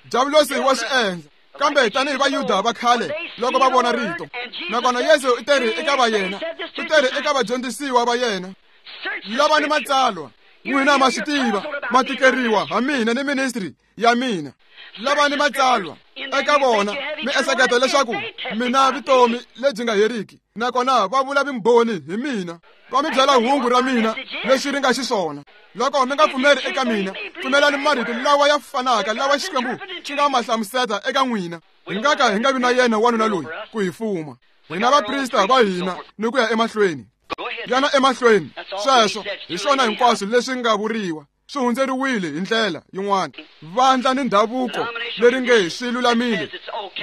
Diabulosi wa swi endla. Kambe tanihi Vayuda va khale loko va vona rito, nakona Yesu u teri eka va yena, u teri eka vadyondzisiwa va yena, lavani matsalwa, n'wina ma swi tiva, ma tikeriwa ha mina ni ministry ya mina. Lavani matsalwa eka vona, mi ehleketa leswaku mina vutomi lebyi nga heriki, nakona va vula vumbhoni hi mina. Va mi byela hungu ra mina leswi ri nga xiswona. Loko mi nga pfumeri eka mina, pfumelani marito lawa ya fanaka lawa Xikwembu xi nga ma hlamuseta eka n'wina. Hi nga ka hi nga vi na yena wanuna loyi ku hi fuma. Hina vaprista va hina ni ku ya emahlweni. Yana emahlweni. Sweswo hi swona hinkwaswo leswi nga vuriwa. Swi hundzeriwile hi ndlela yin'wana. Vandla ni ndhavuko leri nge swi lulamile,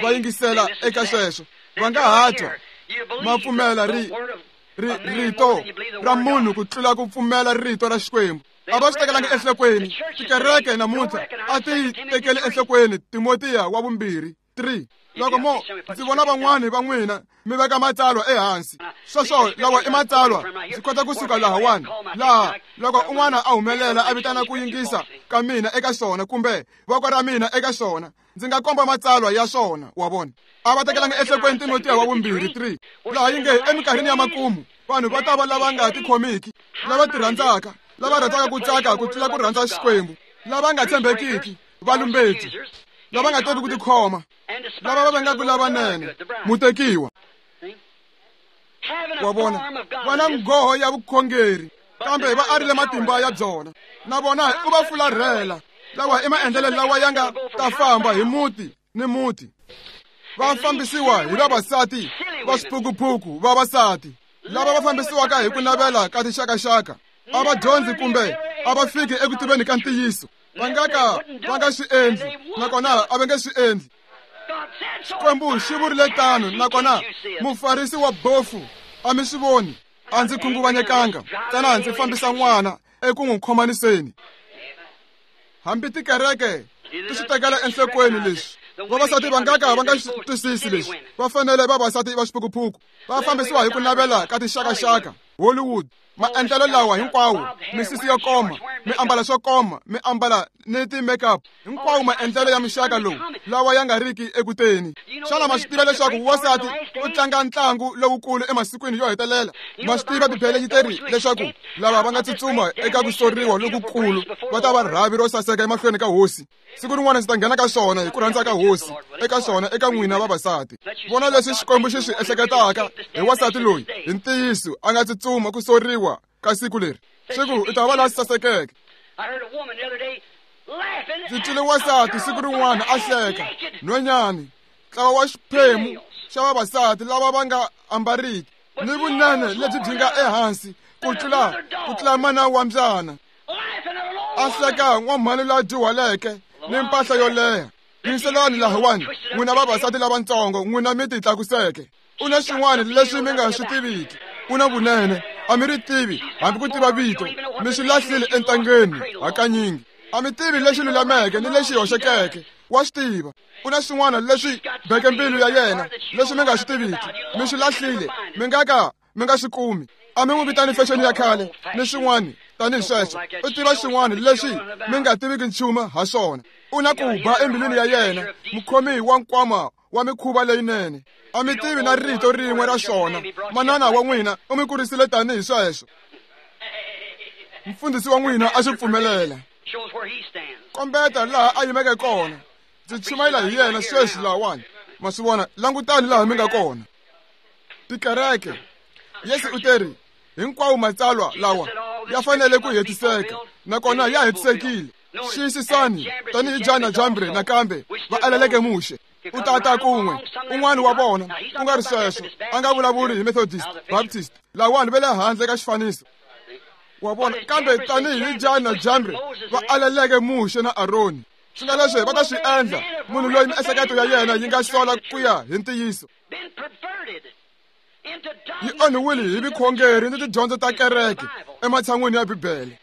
va yingisela eka sweswo. Va nga ha twa ma pfumela rito ra munhu ku tlula ku pfumela rito ra Xikwembu. A va swi tekelanga enhlokweni. Tikereke namuntlha a ti tekeli enhlokweni Timotiya wa vumbirhi 3. Loko mo ndzi vona van'wani va n'wina mi veka matsalwa ehansi, sweswo lawa i matsalwa, ndzi kota kusuka lahawani laha loko un'wana a humelela a vitana ku yingisa ka mina eka swona kumbe voko ra mina eka swona, ndzi nga komba matsalwa ya swona. Wa vona, a va tekelanga enhlokweni Timotiya wa vumbirhi 3, laha yi nge eminkarhini ya makumu vanhu va ta va lava nga tikhomiki, lava tirhandzaka, lava rhandzaka ku tsaka ku tlula ku rhandza Xikwembu, lava nga tshembekiki, valumbeti, lava nga tivi ku tikhoma, lava va vengaka lavanene, mutekiwa. Wa vona, va na nghoho ya vukhongeri, kambe va arile matimba ya byona. Na vona u va fularhela. Lawa i maendlelo lawa ya nga ta famba hi muti ni muti, va fambisiwa hi vavasati va swiphukuphuku, vavasati lava va fambisiwaka hi ku navela ka tinxakaxaka. A va dyondzi kumbe a va fiki eku tiveni ka ntiyiso. Va nga ka va nga swi endli, nakona a va nge swi endli. Xikwembu xi vurile tano, nakona mufarisi wa bofu a mi swi voni. A ndzi khunguvanyekanga, ntsena ndzi fambisa n'wana eku n'wi khomaniseni. Hambi tikereke ti swi tekela enhlokweni leswi. Vavasati va nga ka va nga swi twisisi leswi. Va fanele vavasati va swiphukuphuku, va fambisiwa hi ku navela ka tinxakaxaka, Hollywood, maendlelo lawa hinkwawo, misisi yo koma, mi ambala swo koma, mi ambala ni ti-makeup, hinkwawo maendlelo ya mixaka lowu lawa ya nga riki ekuteni. Xana ma swi tiva leswaku wansati u tlanga ntlangu lowukulu emasikwini yo hetelela? Ma swi tiva Bibele yi teri leswaku lava va nga tsutsuma eka ku soriwa lokukulu va ta va rhavi ro saseka emahlweni ka hosi. Siku rin'wana ndzi ta nghena ka swona hi ku rhandza ka hosi, eka swona eka n'wina vavasati. Vona leswi Xikwembu xi swi ehleketaka hi wansati loyi hi ntiyiso a nga tsutsuma ku soriwa ka siku leri. Swi ku u ta va la sasekeke. Ndzi twile wansati siku rin'wana a hleka nhwenyani, ntlawa wa xiphemu xa vavasati lava va nga ambariki ni vunene lebyi byi nga ehansi ku tlula mana wa mbyana. A hleka n'wamhani la dyuhaleke ni mpahla yo leha. Yingiselani lahawani, n'wina vavasati lavatsongo, n'wina mi ti tlakuseke. U na swin'wana leswi mi nga swi tiviki. U na vunene, a mi ri tivi hambi ku tiva vito, mi swi lahlile entangeni hakanyingi. A mi tivi lexi lulameke ni lexi hoxekeke, wa swi tiva. U na swin'wana leswi beke mbilu ya yena leswi mi nga swi tiviki, mi swi lahlile, mi nga ka mi nga swi kumi. A mi n'wi vitani fexeni ya khale ni swin'wana tanihi sweswo. U tiva swin'wana leswi mi nga tiviki nchumu ha swona. U na ku ba embilwini ya yena, mukhomi wa nkwama wa mikhuva leyinene. A mi tivi na rito rin'we ra swona. Manana wa n'wina u mi kurisile tanihi sweswo. Mfundhisi wa n'wina a swi pfumelela. Kombeta laha a yimeke kona. Ndzi chumayela hi yena sweswi lahawani. Ma swi vona, langutani laha mi nga kona. Tikereke, Yesu u teri hinkwawo matsalwa lawa ya fanele ku hetiseka, nakona ya hetisekile. Xiyisisani tanihi Jana Jambre nakambe va aleleke Muxe. U tata kun'we un'wana wa vona, ku nga ri sweswo a nga vulavuli hi Methodist, Baptist, lawani va le handle ka xifaniso. Wa vona, kambe tanihi Jana Jambre va aleleke Muxe na Aroni, swi nga leswi va ta swi endla munhu loyi miehleketo ya yena yi nga sola ku ya hi ntiyiso. Yi onhiwile hi vukhongeri ni tidyondzo ta kereke ematshan'wini ya Bibele.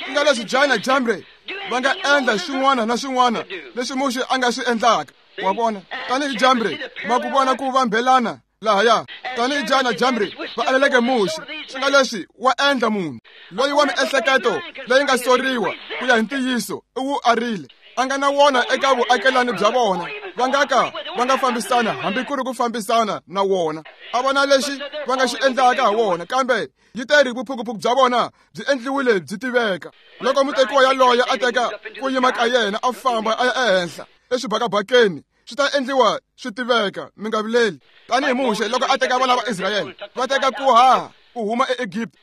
Ku nga leswi Jana Jambre va nga endla xin'wana na xin'wana leswi Muxe a nga swi endlaka. Wa vona, tanihi Jambre ma ku vona ku vambelana lahaya, tanihi Jana Jambre va aleleke Muxe, swi nga leswi wa endla munhu loyi wa miehleketo leyi nga soriwa ku ya hi ntiyiso u wu arile. A nga na wona eka vuakelani bya vona, va nga ka va nga fambisana hambi ku ri ku fambisana na wona. A vona lexi va nga xi endlaka ha wona, kambe yi teri vuphukuphuku bya vona byi endliwile byi tiveka. Loko mutekiwa yaloye a teka ku yima ka yena a famba a ya ehenhla eswibakabakeni, swi ta endliwa swi tiveka, mi nga vileli. Tanihi Muxe loko a teka vana va Israyele va teka ku haha ku huma eEgipta,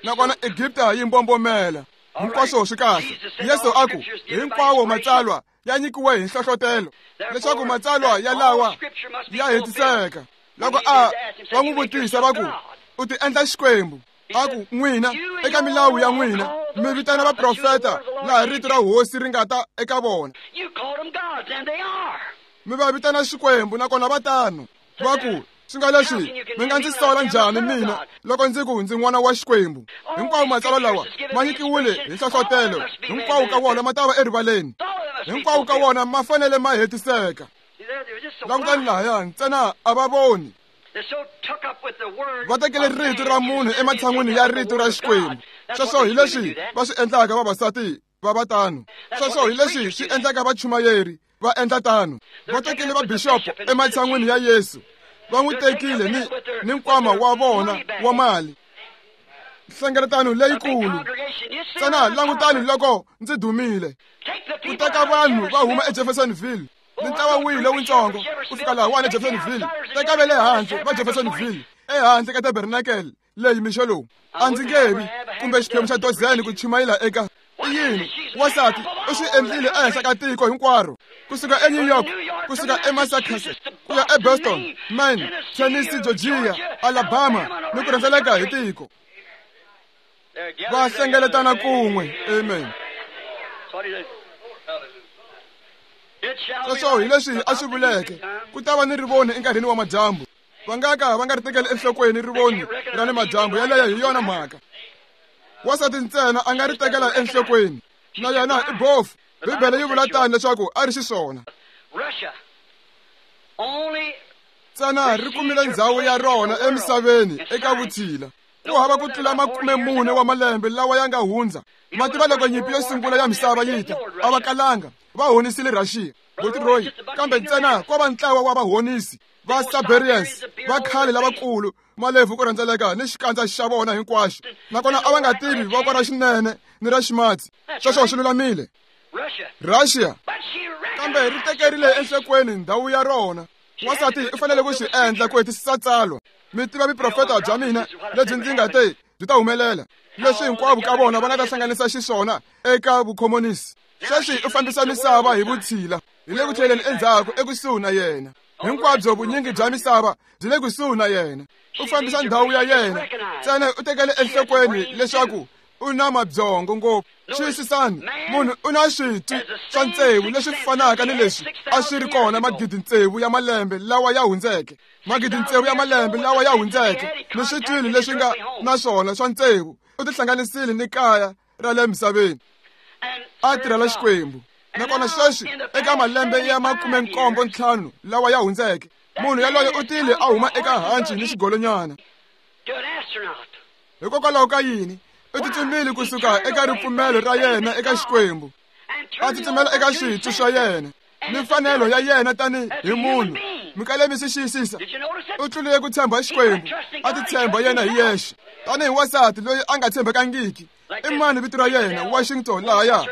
nakona Egipta yi mbombomela. Hinkwaswo swi kahle. Yesu a ku hinkwawo matsalwa ya nyikiwe hi nhlohlotelo leswaku matsalwa ya lawa ya hetiseka. Loko a va n'wi vutisa va ku u ti endla Xikwembu, A ku n'wina eka milawu ya n'wina mi vitana vaprofeta laha rito ra hosi ri nga ta eka vona. Mi va vitana Xikwembu nakona va tano. Va ku swi nga leswi mi nga ndzi sola njhani mina loko ndzi ku ndzi n'wana wa Xikwembu? Hinkwawo matsalwa lawa ma nyikiwile hi nhlohlotelo, hinkwawo ka wona ma ta va erivaleni, hinkwawo ka wona ma fanele ma hetiseka. Langutani lahaya, ntsena a va voni. Va tekele rito ra munhu ematshan'wini ya rito ra Xikwembu. Sweswo hi leswi va swi endlaka vavasati va va tano. Sweswo hi leswi swi endlaka vachumayeri va endla tano. Va tekele vabixopo ematshan'wini ya Yesu. Va n'wi tekile ni nkwama wa vona wa mali. Nhlengeletano leyikulu. Ntsena langutani loko ndzi dumile. Ku teka vanhu va huma eJeffersonville ni ntlawa wihi lowutsongo ku fika lahawani eJeffersonville, teka va le handle va Jeffersonville ehandle ka tabernacle leyi mixo lowu. A ndzi nge vi kumbe xiphemu xa dozeni ku chumayela eka i yini. Wansati u swi endlile ehenhla ka tiko hinkwaro, kusuka eNew York, kusuka eMassachusetts, ku ya eBoston, Maine, Tennessee, Georgia, Alabama ni ku rhendzeleka hi tiko. Va hlengeletana kun'we. Amen. Sweswo hi leswi a swi vuleke, ku ta va ni rivoni enkarhini wa madyambu. Va nga ka va nga ri tekeli enhlokweni rivoni ra ni madyambu, yeleyo hi yona mhaka. Wansati ntsena a nga ri tekela enhlokweni, na yena i bofu. Bibele yi vula tani leswaku a ri xiswona. Ntsena ri kumile ndzhawu ya rona emisaveni eka vutshila. Ku hava ku tlula 40 wa malembe lawa ya nga hundza. Ma tiva loko nyimpi yo sungula ya misava yi ta, a va kalanga va honisile Russia, Botiroyi, kambe ntsena ko va ntlawa wa vahonisi va Siberians va khale lavakulu, malebvu ku rhendzeleka ni xikandza xa vona hinkwaxo, nakona a va nga tivi voko ra xinene ni ra ximatsi. Sweswo swi lulamile. Russia, kambe ri tekerile enhlokweni ndhawu ya rona. Wansati u fanele ku swi endla ku hetisisa tsalwa. Mi tiva vuprofeta bya mina lebyi ndzi nga te byi ta humelela, leswi hinkwavo ka vona va nga ta hlanganisa xiswona eka vukhomonisi. Sweswi u fambisa misava hi vutshila, hi le ku tlheleni endzhaku ekusuhi na yena. Hinkwabyo vunyingi bya misava byi le kusuhi na yena. U fambisa ndhawu ya yena. Ntsena u tekele enhlokweni leswaku u na mabyongo ngopfu. Xiyisisani, munhu u na switwi swa tsevu leswi fanaka ni leswi a swi ri kona 6,000 ya malembe lawa ya hundzeke. 6,000 ya malembe lawa ya hundzeke ni switwili leswi nga na swona swa tsevu. U tihlanganisile ni kaya ra le misaveni, a tirhela Xikwembu. Nakona sweswi eka malembe ya 75 lawa ya hundzeke, munhu yaloye u tile a huma eka hanci ni xigolonyana. Hikokwalaho ka yini? U tsutsumile kusuka eka ripfumelo ra yena eka Xikwembu, a tsutsumela eka switwi swa yena ni mfanelo ya yena tani hi munhu. Mi kale mi swi xiyisisa? U tlulile ku tshemba Xikwembu, a titshemba yena hi yexe tanihi wansati loyi a nga tshembekangiki. I mani vito ra yena? Washington lahaya,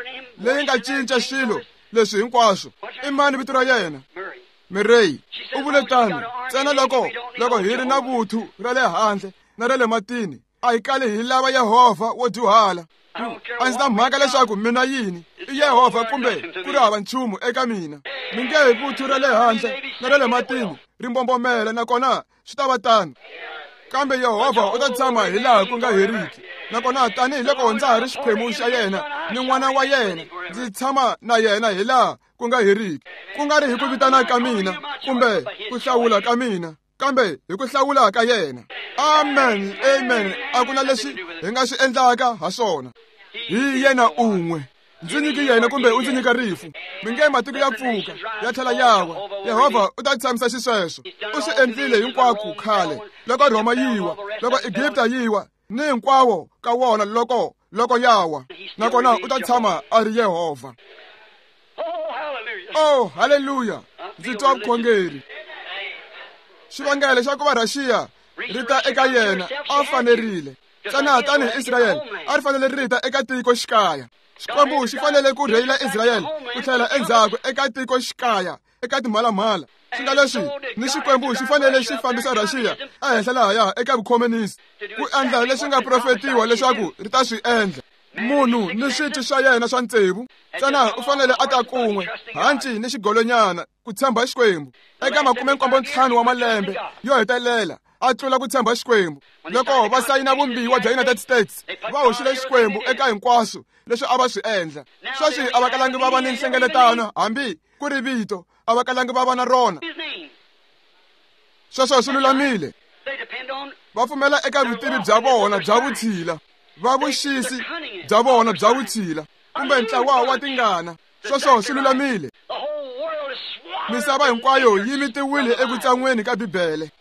leyi nga cinca swilo leswi hinkwaswo. I mani vito ra yena? Murray. U vule tano ntsena loko hi ri na vuthu ra le handle na ra le matini, a hi kali hi lava Yehovha wo dyuhala. A ndzi na mhaka leswaku mina yini, i Yehovha kumbe ku ri hava nchumu eka mina. Mi nge hi vuthu ra le handle na ra le matini ri mbombomela, nakona swi ta va tano. Kambe Yehovha u ta tshama hi laha ku nga heriki. Nakona tanihiloko ndza ha ri xiphemu xa yena ni n'wana wa yena, ndzi tshama na yena hi laha ku nga heriki. Ku nga ri hi ku vitana ka mina kumbe ku hlawula ka mina, kambe hi ku hlawula ka yena. Amen, amen. A ku na leswi hi nga swi endlaka ha swona. Hi yena un'we. Ndzi nyiki yena kumbe u ndzi nyika rifu. Mi nge matiko ya pfuka ya tlhela ya wa, Yehovha u ta tshamisa xisweswo. U swi endlile hinkwako khale, loko Rhoma yi wa, loko Egipta yi wa, ni hinkwawo ka wona loko ya wa, nakona u ta tshama a ri Yehovha. Oh, haleluya! Ndzi twa vukhongeri. Xivangelo xa ku va Russia ri ta eka yena a fanerile. Ntsena tanihi Israyele a ri fanele ri ta eka tiko xikaya. Xikwembu xi fanele ku rheyila Israyele ku tlhela endzhaku eka tiko xikaya, eka timhalamhala. Swi nga leswi ni Xikwembu xi fanele xi fambisa Russia ehenhla lahaya eka vukhomunisi, ku endla leswi nga profetiwa leswaku ri ta swi endla. Munhu ni switwi swa yena swa tsevu, ntsena u fanele a ta kun'we, hanci ni xigolonyana, ku tshemba Xikwembu. Eka 75 wa malembe yo hetelela, a tlula ku tshemba Xikwembu. Loko va sayina vumbiwa bya United States, va hoxile Xikwembu eka hinkwaswo leswi a va swi endla. Sweswi a va kalangi va va ni nhlengeletano, hambi ku ri vito, a va kalangi va va na rona. Sweswo swi lulamile. Va pfumela eka vutivi bya vona bya vutshila, va vuxisi bya vona bya vutshila, kumbe ntlawa wa tingana. Sweswo swi lulamile. Misava hinkwayo yi mitiwile ekutsan'weni ka Bibele.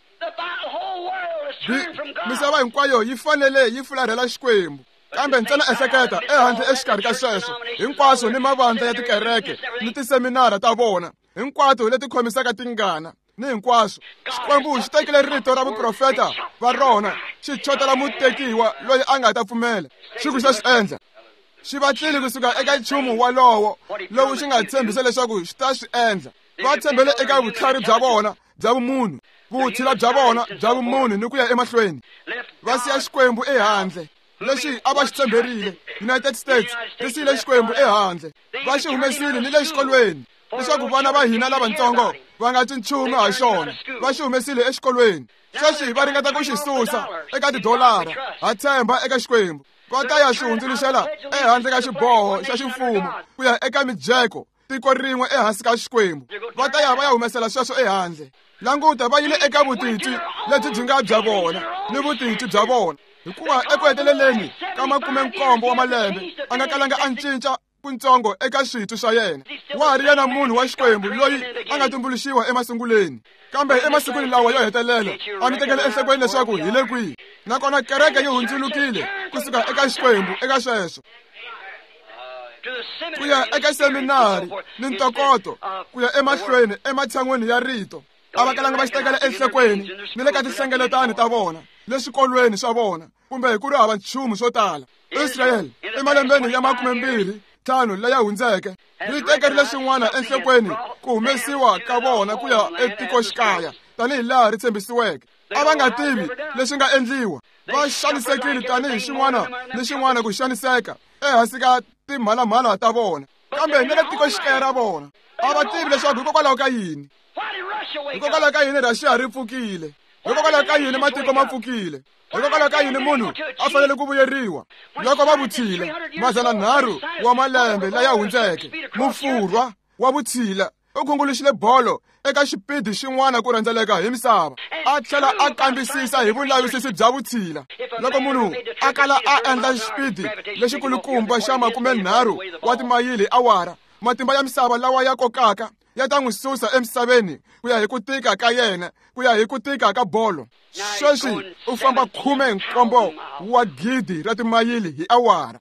Misava hinkwayo yi fanele yi fularhela Xikwembu. Kambe ntsena ehleketa ehandle exikarhi ka sweswo hinkwaswo ni mavandla ya tikereke ni tiseminara ta vona hinkwato leti khomisaka tingana ni hinkwaswo. Xikwembu xi tekile rito ra vuprofeta va rona xi chotela mutekiwa loyi a nga ta pfumela. Xi ku xa swi endla. Xi vatlile kusuka eka nchumu walowo lowu xi nga tshembisa leswaku xi ta swi endla. Va tshembele eka vutlhari bya vona bya vumunhu, vutshila bya vona bya vumunhu ni ku ya emahlweni. Va siya Xikwembu ehandle. Lexi a va xi tshemberile, United States ri siyile Xikwembu ehandle. Va xi humesile ni le xikolweni leswaku vana va hina lavatsongo va nga twi nchumu ha xona. Va xi humesile exikolweni. Sweswi va ringeta ku xi susa eka tidolara. Ha tshemba eka Xikwembu. Va ta ya xi hundzuluxela ehandle ka xiboho xa ximfumo ku ya eka mijeko tiko rin'we ehansi ka Xikwembu. Va ta ya va ya humesela sweswo ehandle. Languta, va yile eka vutitwi lebyi byi nga bya vona ni vutitwi bya vona, hikuva eku heteleleni ka 17 wa malembe a nga kalanga a cinca kuntsongo eka switwi swa yena. Wa ha ri yena munhu wa Xikwembu loyi a nga tumbuluxiwa emasunguleni. Kambe emasikwini lawa yo hetelela a mi tekele enhlokweni leswaku hi le kwihi. Nakona kereke yi hundzulukile kusuka eka Xikwembu eka sweswo ku ya eka seminari ni ntokoto ku ya emahlweni ematshan'weni ya rito. A va kalanga va xi tekela enhlokweni ni le ka tinhlengeletano ta vona, le swikolweni swa vona, kumbe hi ku ri hava nchumu swo tala. Israyele emalembeni ya 25 laya hundzeke ri tekerile swin'wana enhlokweni ku humesiwa ka vona ku ya etikoxikaya tanihi laha ri tshembisiweke. A va nga tivi leswi nga endliwa. Va xanisekile tanihi xin'wana ni xin'wana ku xaniseka ehansi ka timhalamhala ta vona, kambe ni le tikoxikaya ra vona a va tivi leswaku hikokwalaho ka yini. Hikokwalaho ka yini Russia ri pfukile? Hikokwalaho ka yini matiko ma pfukile? Hikokwalaho ka yini munhu a fanele ku vuyeriwa loko va vutshila 300 wa malembe laya hundzeke? Mufurwa wa vutshila u khunguluxile bolo eka xipidi xin'wana ku rhendzeleka hi misava, a tlhela a kambisisa hi vulavisisi bya vutshila. Loko munhu a kala a endla xipidi lexikulukumba xa 30 wa timayili awara, matimba ya misava lawa ya kokaka ya ta n'wi susa emisaveni ku ya hi ku tika ka yena, ku ya hi ku tika ka bolo. Sweswi u famba 17 wa gidi ra timayili hi awara.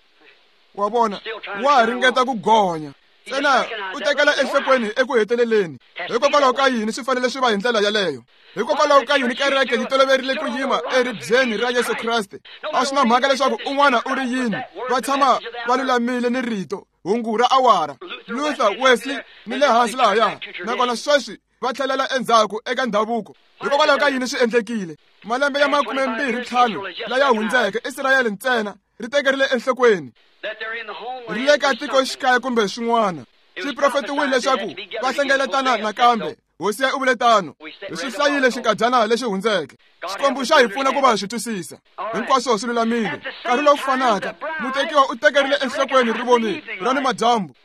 Wa vona, wa ha ringeta ku gonya. Ntsena u tekela enhlokweni eku heteleleni. Hikokwalaho ka yini swi fanele swi va hi ndlela yaleyo? Hikokwalaho ka yini kereke yi toloverile ku yima eribyeni ra Yesu Kreste? A swi na mhaka leswaku un'wana u ri yini, va tshama va lulamile ni rito hungu ra awara. Luther, Wesley ni le hansi lahaya, nakona sweswi va tlhelela endzhaku eka ndhavuko. Hikokwalaho ka yini swi endlekile? Malembe ya 25 laya hundzeke, Israyele ntsena ri tekerile enhlokweni ri le ka tikoxikaya kumbe swin'wana. Swi profetiwile leswaku va hlengeletana nakambe. Hosi ya u vule tano. Hi swi hlayile xinkadyana lexi hundzeke. Xikwembu xa hi pfuna ku va swi twisisa. Hinkwaswo swi lulamile. Nkarhi lowu fanaka, mutekiwa u tekerile enhlokweni rivoni ra ni madyambu.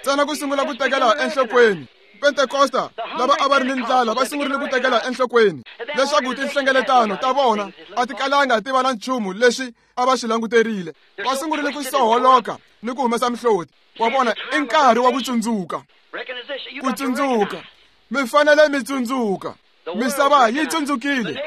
Ntsena ku sungula ku tekela enhlokweni. Pentekosta lava a va ri ni ndlala va sungurile ku tekela enhlokweni leswaku tinhlengeletano ta vona a ti kalanga ti va na nchumu leswi a va swi languterile. Va sungurile ku soholoka ni ku humesa mihloti. Wa vona, i nkarhi wa ku tsundzuka. Ku tsundzuka. Mi fanele mi tsundzuka. Misava yi tsundzukile.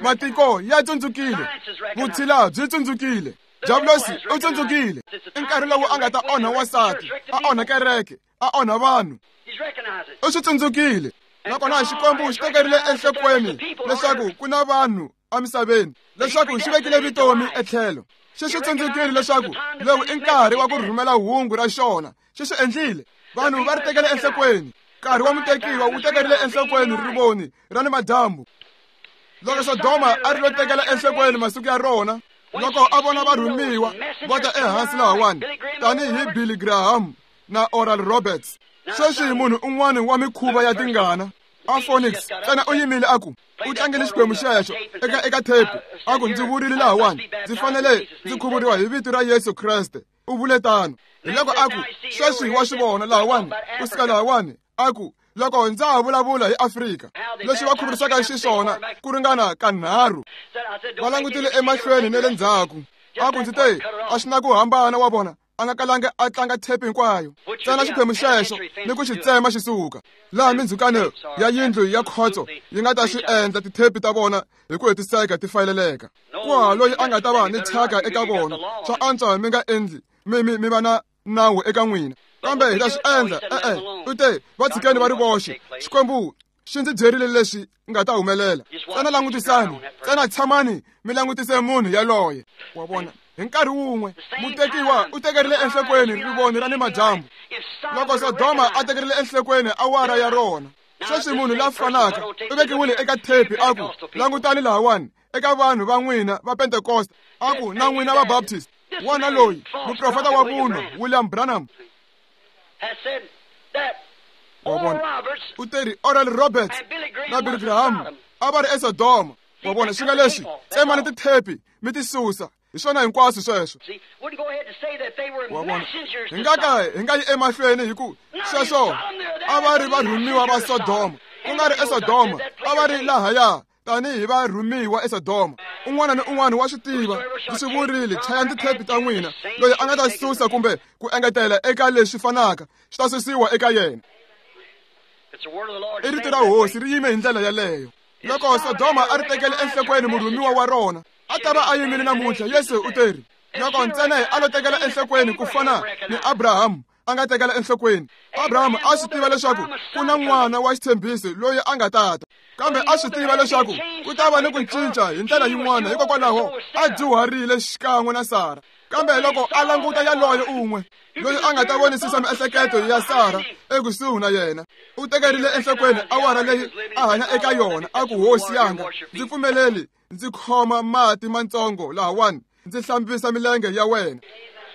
Matiko ya tsundzukile. Vutshila byi tsundzukile. Diablosi u tsundzukile. I nkarhi lowu a nga ta onha wansati, a onha kereke, a onha vanhu. U swi tsundzukile. Nakona Xikwembu xi tekerile enhlokweni leswaku ku na vanhu emisaveni, leswaku xi vekile vutomi etlhelo. Xi swi tsundzukile leswaku lowu i nkarhi wa ku rhumela hungu ra xona. Xi swi endlile. Vanhu va ri tekele enhlokweni. Nkarhi wa mutekiwa wu tekerile enhlokweni rivoni ra ni madyambu. Loko Sodoma a ri lo tekela enhlokweni masiku ya rona, loko a vona varhumiwa va ta ehansi lahawani tanihi Billy Graham na Oral Roberts, sweswi munhu un'wana wa mikhuva ya tingana. A Phoenix ntsena u yimile a ku u tlangele xiphemu xexo eka thepi a ku ndzi vurile lahawani ndzi fanele ndzi khuvuriwa hi vito ra Yesu Kreste u vule tano. Hi loko a ku sweswi wa swi vona lahawani ku suka lahawani a ku loko ndza ha vulavula hi Afrika leswi va khuvurisaka xiswona ku ringana kanharhu va langutile emahlweni ne le ndzhaku a ku ndzi te a swi na ku hambana wa vona a nga kalanga a tlanga thepi hinkwayo ntsena xiphemu xexo ni ku xi tsema xi suka laha mindzhukano ya yindlu ya khotso yi nga ta swi endla tithepi ta vona hi ku hetiseka ti fayeleleka ku ha loyi a nga ta va ni thyaka eka vona swa antswa mi nga endli mi va na nawu eka n'wina kambe hi ta swi endla e-e u te va tshikeni va ri voxe Xikwembu xi ndzi byerile leswi nga ta humelela ntsena langutisani ntsena tshamani mi langutise munhu yaloye wa vona hi nkarhi wun'we mutekiwa u tekerile enhlokweni rivoni ra ni madyambu loko Sodoma a tekerile enhlokweni awara ya rona sweswi munhu la fanaka u vekiwile eka thepi a ku langutani lahawani eka vanhu va n'wina va Pentekoste a ku na n'wina va Baptist wona loyi muprofeta wa vunwa William Branham wa vona u teri Oral Roberts na Billy Graham a va ri eSodoma wa vona swi nga leswi tsemani tithepi mi ti susa hi swona hinkwaswo sweswo wa vona hi nga ka hi nga yi emahlweni hi ku sweswo a va ri varhumiwa va Sodoma ku nga ri eSodoma a va ri lahaya tanihi varhumiwa eSodoma un'wana ni un'wana wa swi tiva ndzi swi vurile chayani tithepi ta n'wina loyi a nga ta susa kumbe ku engetela eka leswi fanaka swi ta susiwa eka yena i rito ra hosi ri yime hi ndlela yaleyo loko Sodoma a ri tekele enhlokweni murhumiwa wa rona a ta va a yimile namuntlha Yesu u teri loko ntsena a lo tekela enhlokweni ku fana ni Abrahamu a nga tekela enhlokweni Abrahamu a swi tiva leswaku ku na n'wana wa xitshembiso loyi a nga tata kambe a swi tiva leswaku ku ta va ni ku cinca hi ndlela yin'wana hikokwalaho a dyuharile xikan'we na Sara kambe loko a languta yaloye un'we loyi a nga ta vonisisa miehleketo ya Sara ekusuhi na yena u tekerile enhlokweni awara leyi a hanya eka yona a ku hosi yanga ndzi pfumeleli ndzi khoma mati matsongo lahawani ndzi hlambisa milenge ya wena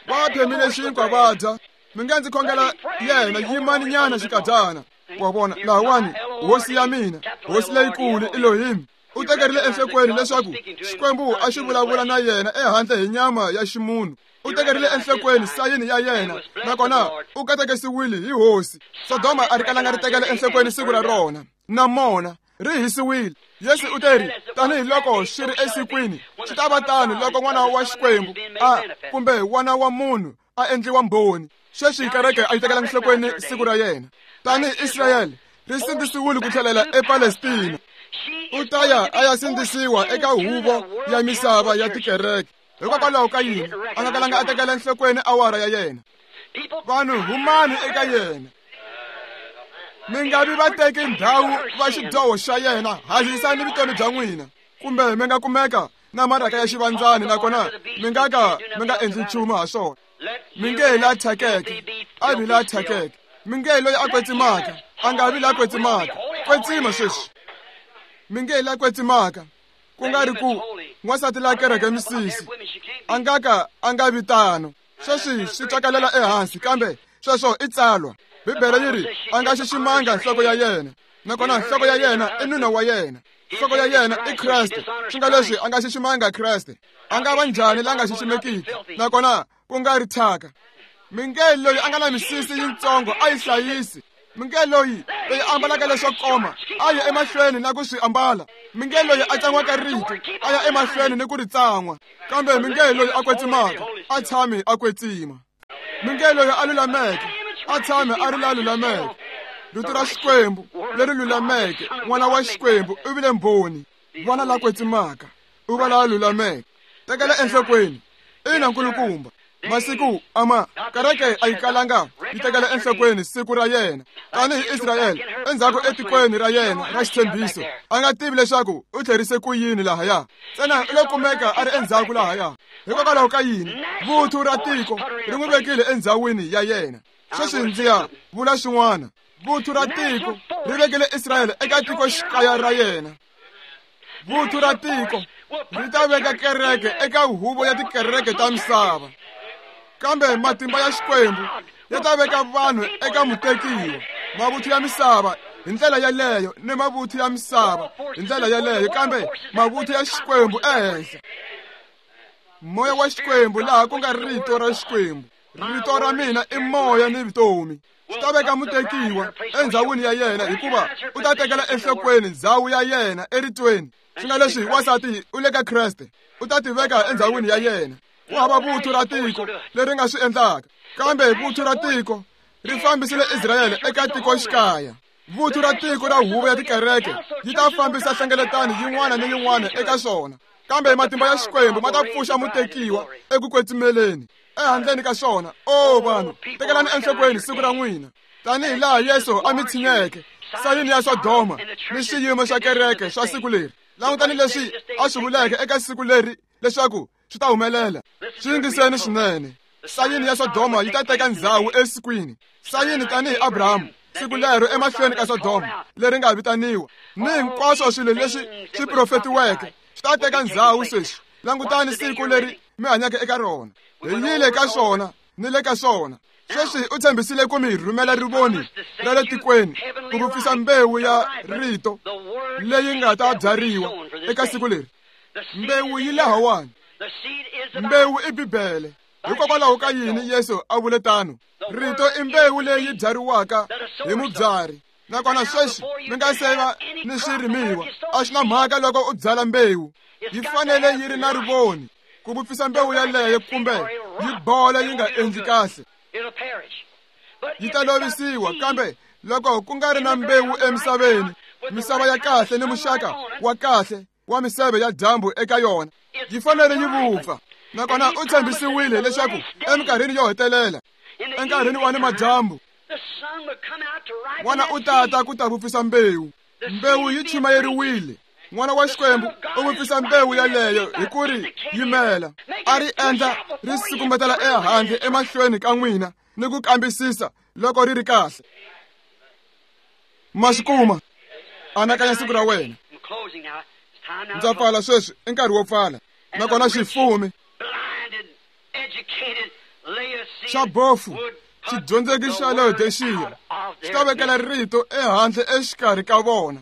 va phemile xinkwa va dya mi nga ndzi khongela yena yimani nyana xikadyana wa vona lahawani hosi ya mina hosi leyikulu Elohim u tekerile enhlokweni leswaku Xikwembu a xi vulavula na yena ehandle hi nyama ya ximunhu u tekerile enhlokweni sayini ya yena nakona u katekisiwile hi hosi Sodoma a ri kalanga ri tekela enhlokweni siku ra rona na mona ri hisiwile Yesu u teri tanihiloko swi ri esikwini swi ta va tano loko n'wana wa Xikwembu a kumbe n'wana wa munhu a endliwa mbhoni sweswi kereke a yi tekela enhlokweni siku ra yena tanihi Israyele ri sindzisiwile ku tlhelela ePalestina u ta ya a ya sindzisiwa eka huvo ya misava ya tikereke hikokwalaho ka yini a nga kalanga a tekela enhlokweni awara ya yena vanhu humani eka yena mi nga vi va teki ndhawu va xidyoho xa yena hanyisani vutomi bya n'wina kumbe mi nga kumeka na maraka ya xivandzani nakona mi nga ka mi nga endli nchumu ha swona mi nge la thyakeke a vi la thyakeke mi nge loyi a kwetsimaka a nga vi la kwetsimaka kwetsima sweswi mi nge la kwetsimaka ku nga ri ku n'wansati la kereke misisi a nga ka a nga vi tano sweswi swi twakalela ehansi kambe sweswo i tsalwa Bibele yi ri a nga xiximanga nhloko ya yena nakona nhloko ya yena i nuna wa yena nhloko ya yena i Kreste swi nga leswi a nga xiximanga Kreste a nga va njhani la nga xiximekiki nakona ku nga ri thyaka mi nge loyi a nga na misisi yitsongo a yi hlayisi mi nge loyi ambalaka leswo koma a ya emahlweni na ku swi ambala mi nge loyi a tsan'waka rito a ya emahlweni ni ku ri tsan'wa kambe mi nge loyi a kwetsimaka a tshami a kwetsima mi nge loyi a lulameke a tshame a ri la lulameke rito ra Xikwembu leri lulameke n'wana wa Xikwembu u vile mbhoni vana la kwetsimaka u va la lulameke tekela enhlokweni ina nkulukumba masiku ama kereke a yi kalanga yi tekela enhlokweni siku ra yena tanihi Israyele endzhaku etikweni ra yena ra xitshembiso a nga tivi leswaku u tlherise ku yini lahaya ntsena u lo kumeka a ri endzhaku lahaya hikokwalaho ka yini vuthu ra tiko ri n'wi vekile endzhawini ya yena sweswi ndzi ya vula swin'wana vuthu ra tiko ri vekile Israyele eka tikoxikaya ra yena vuthu ra tiko ri ta veka kereke eka huvo ya tikereke ta misava kambe matimba ya Xikwembu ya ta veka vanhu eka mutekiwa mavuthu ya misava hi ndlela yaleyo ni mavuthu ya misava hi ndlela yaleyo, kambe mavuthu ya Xikwembu ehenhla. Moya wa Xikwembu laha ku nga rito ra Xikwembu. Rito ra mina i moya ni vutomi. Swi ta veka mutekiwa endzhawini ya yena, hikuva u ta tekela enhlokweni ndzhawu ya yena eritweni. Swi nga leswi wansati u le ka Kreste, u ta tiveka endzhawini ya yena. Ku hava vuthu ra tiko leri nga swi endlaka, kambe vuthu ra tiko ri fambisile Israyele eka tikoxikaya. Vuthu ra tiko ra huvo ya tikereke yi ta fambisa hlengeletano yin'wana ni yin'wana eka swona, kambe matimba ya Xikwembu ma ta pfuxa mutekiwa eku kwetsimeleni ehandleni ka swona. O vanhu, tekelani enhlokweni siku ra n'wina, tanihi laha Yesu a mi tshinyeke sayini ya Sodoma ni swiyimo swa kereke swa siku leri. Langutani leswi a swi vuleke eka siku leri leswaku swi ta humelela. Swi yingiseni swinene. Sayini ya Sodoma yi ta teka ndzhawu esikwini. Sayini tanihi Abrahamu siku lero emahlweni ka Sodoma leri nga vitaniwa, ni hinkwaswo swilo leswi swi profetiweke swi ta teka ndzhawu sweswi. Langutani siku leri mi hanyaka eka rona. Hi yile ka swona ni le ka swona. Sweswi u tshembisile ku mi rhumela rivoni ra le tikweni ku vupfisa mbewu ya rito leyi nga ta byariwa eka siku leri. Mbewu yi lahawani. Mbewu i Bibele. Hikokwalaho ka yini Yesu a vule tano? Rito i mbewu leyi byariwaka hi mubyari. Nakona sweswi mi nga se va ni swirimiwa, a swi na mhaka loko u byala mbewu, yi fanele yi ri na rivoni ku vupfisa mbewu yaleyo, kumbe yi bola yi nga endli kahle, yi ta lovisiwa. Kambe loko ku nga ri na mbewu emisaveni, misava ya kahle ni muxaka wa kahle wa miseve ya dyambu eka yona, yi fanele yi vupfa. Nakona u tshembisiwile leswaku eminkarhini yo hetelela, enkarhini wa ni madyambu, n'wana u tata ku ta vupfisa mbewu. Mbewu yi chumayeriwile. N'wana wa Xikwembu u vupfisa mbewu yaleyo hi ku ri yimela, a ri endla ri sukumetela ehandle emahlweni ka n'wina ni ku kambisisa loko ri ri kahle. Ma swi kuma? Anakanya siku ra wena. Ndza pfala sweswi, i nkarhi wo pfala. Nakona xifumi xa bofu xidyondzeki xa Laodiceya xi ta vekela rito ehandle exikarhi ka vona.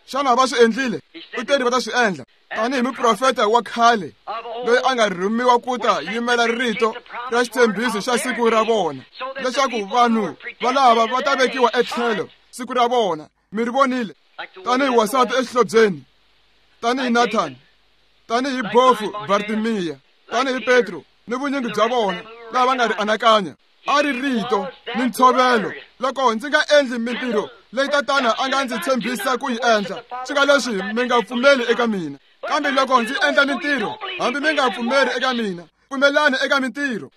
Xana va swi endlile? U teri va ta swi endla. Tanihi muprofeta wa khale loyi a nga rhumiwa ku ta yimela rito ra xitshembiso xa siku ra vona, leswaku vanhu valava va ta vekiwa etlhelo siku ra vona. Mi ri vonile? Tanihi wansati exihlobyeni, tanihi Nathan, tanihi bofu Bartimiya, tanihi Petro ni vunyingi bya vona lava va nga ri anakanya. A ri rito ni ntshovelo. Loko ndzi nga endli mintirho leyi Tatana a nga ndzi tshembisa ku yi endla, swi nga leswi mi nga pfumeli eka mina. Kambe loko ndzi endla mintirho, hambi mi nga pfumeli eka mina, pfumelani eka mintirho.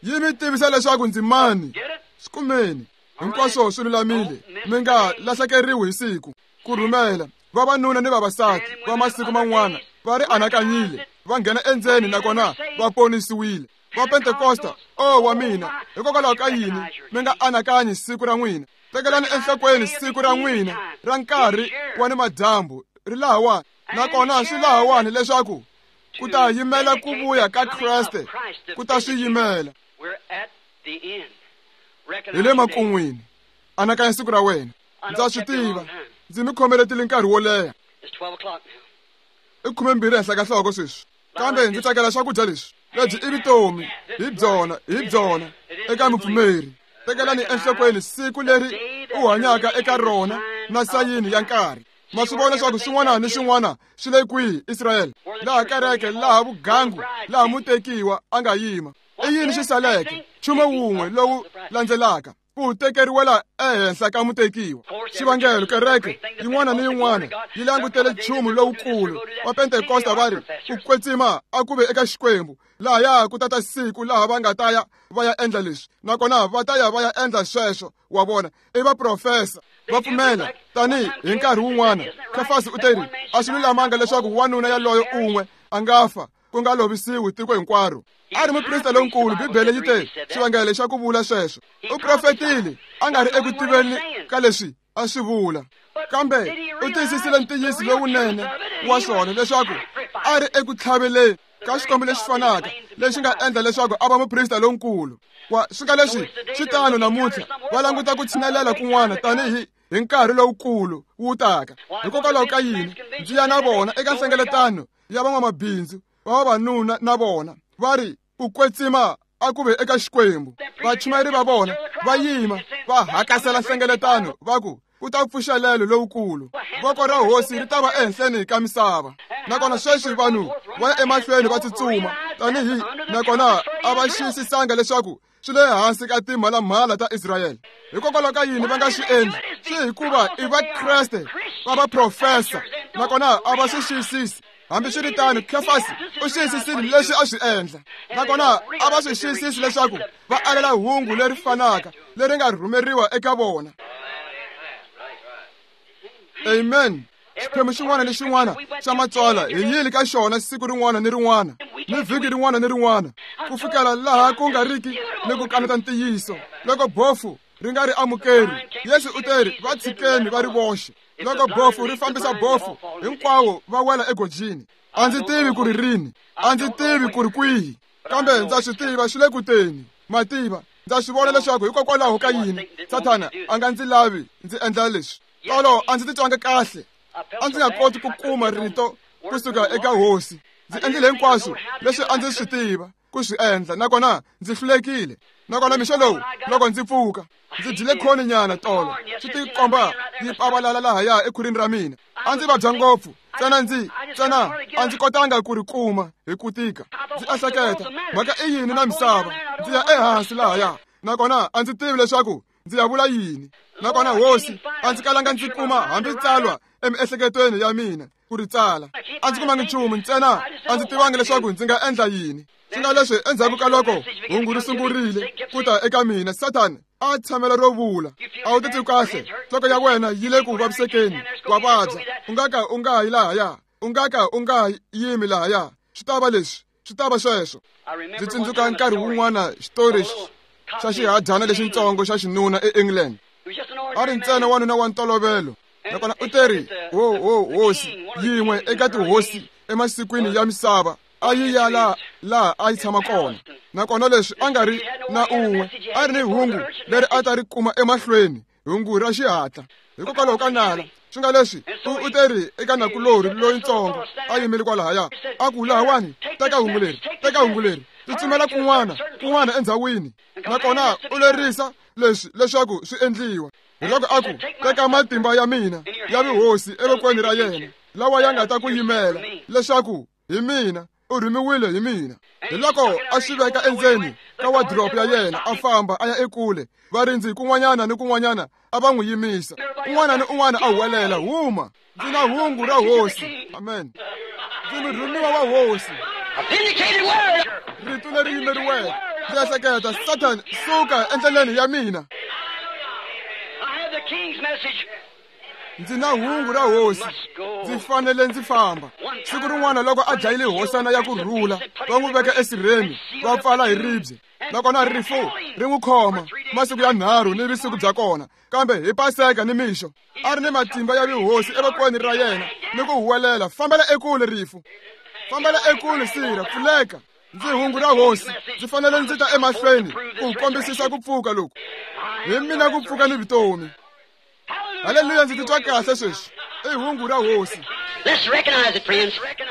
Yi mi tivisa leswaku ndzi mani. Swi kumeni. Hinkwaswo swi lulamile. Mi nga lahlekeriwi hi siku. Ku rhumela vavanuna ni vavasati va masiku man'wana va ri anakanyile, va nghena endzeni nakona va ponisiwile. Va Pentekosta, o wa mina, hikokwalaho ka yini mi nga anakanyi siku ra n'wina? Tekelani enhlokweni siku ra n'wina ra nkarhi wa ni madyambu ri lahawani. Nakona swi lahawani leswaku ku ta yimela ku vuya ka Kreste, ku ta swi yimela. Hi le makun'wini. Anakanya siku ra wena. Ndza swi tiva, ndzi mi khomeletile nkarhi wo leha. I 12 henhla ka nhloko sweswi, kambe ndzi tsakela swakudya leswi. Lebyi i vutomi, hi byona, hi byona eka mupfumeri. Tekelani enhlokweni siku leri u hanyaka eka rona na sayini ya nkarhi. Ma swi vona leswaku swin'wana ni swin'wana swi le kwihi, Israyele, laha kereke, laha vugangu, laha mutekiwa a nga yima. I yini xi saleke? Nchumu wun'we lowu landzelaka, ku tekeriwela ehenhla ka mutekiwa. Xivangelo, kereke yin'wana ni yin'wana yi langutele nchumu lowukulu. Va Pentekosta va ri, ku kwetsima a ku ve eka Xikwembu. Lahaya ku tata siku laha va nga ta ya va ya endla leswi, nakona va ta ya va ya endla sweswo. Wa vona, i vaprofesa va pfumela. Tanihi hi nkarhi wun'wana Kefasi u teri, a swi lulamanga leswaku wanuna yaloyo un'we a nga fa ku nga lovisiwi tiko hinkwaro. A ri muprista lonkulu, Bibele yi te xivangelo xa ku vula sweswo. U profetile a nga ri eku tiveni ka leswi a swi vula, kambe u tiyisisile ntiyiso lowunene wa swona leswaku A ri eku tlhaveleni ka xikwembu lexi fanaka lexi nga endla leswaku a va muprista lonkulu. Wa swi nga leswi swi tano namuntlha, va languta ku tshinelela kun'wana tanihi hi nkarhi lowukulu wu taka. Hikokwalaho ka yini ndzi ya na vona eka nhlengeletano ya van'wamabindzu va vavanuna na vona va ri ku kwetsima a ku ve eka Xikwembu. Vachumayeri va vona va yima va hakasela nhlengeletano va ku ku ta pfuxelelo lowukulu, voko ra hosi ri ta va ehenhleni ka misava. Nakona sweswi vanhu va ya emahlweni va tsutsuma tanihi, nakona a va xiyisisanga leswaku swi le hansi ka timhalamhala ta Israyele. Hikokwalaho ka yini va nga swi endli? Swi hikuva i Vakreste va vaprofesa, nakona a va swi xiyisisi. Hambiswiritano, Kefasi u xiyisisile leswi a swi endla, nakona a va swi xiyisisi leswaku va alela hungu leri fanaka leri nga rhumeriwa eka vona. Amen. Xiphemu xin'wana ni xin'wana xa matsalwa hi yile ka xona siku rin'wana ni rin'wana ni vhiki rin'wana ni rin'wana ku fikela laha ku nga riki ni ku kaneta ntiyiso. Loko bofu ri nga ri amukeri, Yesu u teri va tshikeni va ri voxe. Loko bofu ri fambisa bofu, hinkwawo va wela egojini. A ndzi tivi ku ri rini, a ndzi tivi ku ri kwihi, kambe ndza swi tiva swi le ku teni. Mativa, ndza swi vona leswaku hikokwalaho ka yini Sathana a nga ndzi lavi ndzi endla leswi. Tolo a ndzi titwanga kahle, a ndzi nga koti ku kuma rito kusuka eka hosi. Ndzi endlile hinkwaswo leswi a ndzi swi tiva ku swi endla, nakona ndzi hlulekile. Nakona mixo lowu loko ndzi pfuka ndzi dyile khoni nyana tolo, swi tikomba yi pavalala lahaya ekhwirini ra mina. A ndzi vabya ngopfu, ntsena a ndzi kotanga ku ri kuma hi ku tika. Ndzi ehleketa, mhaka i yini na misava? Ndzi ya ehansi lahaya, nakona a ndzi tivi leswaku ndzi ya vula yini. Nakona hosi, a ndzi kalanga ndzi kuma hambi tsalwa emiehleketweni ya mina ku ri tsala. A ndzi kumangi nchumu, ntsena a ndzi tivangi leswaku ndzi nga endla yini. Swi nga leswi endzhaku ka loko hungu ri sungurile ku ta eka mina, Sathana a tshamela ro vula, a wu titwi kahle, nhloko ya wena yi le ku vavisekeni, wa vabya, u nga ka u nga yi lahaya, u nga ka u nga yimi lahaya, swi ta va leswi, swi ta va sweswo. Ndzi tsundzuka nkarhi wun'wana xitori xa xihadyana lexintsongo xa xinuna eEngland. A ri ntsena wanuna wa ntolovelo, nakona u teri hosi yin'we eka tihosi emasikwini ya misava a yi ya laha a yi tshama kona. Nakona leswi a nga ri na un'we, a ri ni hungu leri a ta ri kuma emahlweni, hungu ra xihatla. Hikokwalaho ka nala, swi nga leswi u teri eka nakulorhi loyintsongo a yimile kwalahaya, a ku lahawani, teka hungu leri, teka hungu leri, tsutsumela kun'wana kun'wana endzhawini. Nakona u lerisa leswi leswaku swi endliwa. Hiloko a ku, teka matimba ya mina ya vuhosi evokweni ra yena, lawa ya nga ta ku yimela leswaku hi mina, u rhumiwile hi mina. Hiloko a swi veka endzeni ka wardrobe ya yena, a famba a ya ekule. Varindzi kun'wanyana ni kun'wanyana a va n'wi yimisa, un'wana ni un'wana a huwelela, huma, ndzi na hungu ra hosi. Amen. Ndzi murhumiwa wa hosi. Rito leri yimeriweke. Ndzi ehleketa, Satan, suka endleleni ya mina. Ndzi na hungu ra hosi, ndzi fanele ndzi famba. Siku rin'wana loko a dlayile hosana ya ku rhula, va n'wi veka esirheni, va pfala hi ribye. Nakona rifu ri n'wi khoma masiku ya 3 ni vusiku bya kona, kambe hi Paseka ni mixo a ri ni matimba ya vuhosi evokweni ra yena ni ku huwelela, fambela ekule rifu, fambela ekule sirha, pfuleka. Ndzi hungu ra hosi, ndzi fanele ndzi ta emahlweni ku kombisisa ku pfuka loku. Hi mina ku pfuka ni vutomi. Haleluya, ndzi titwa kahle sweswi. I hungu ra hosi.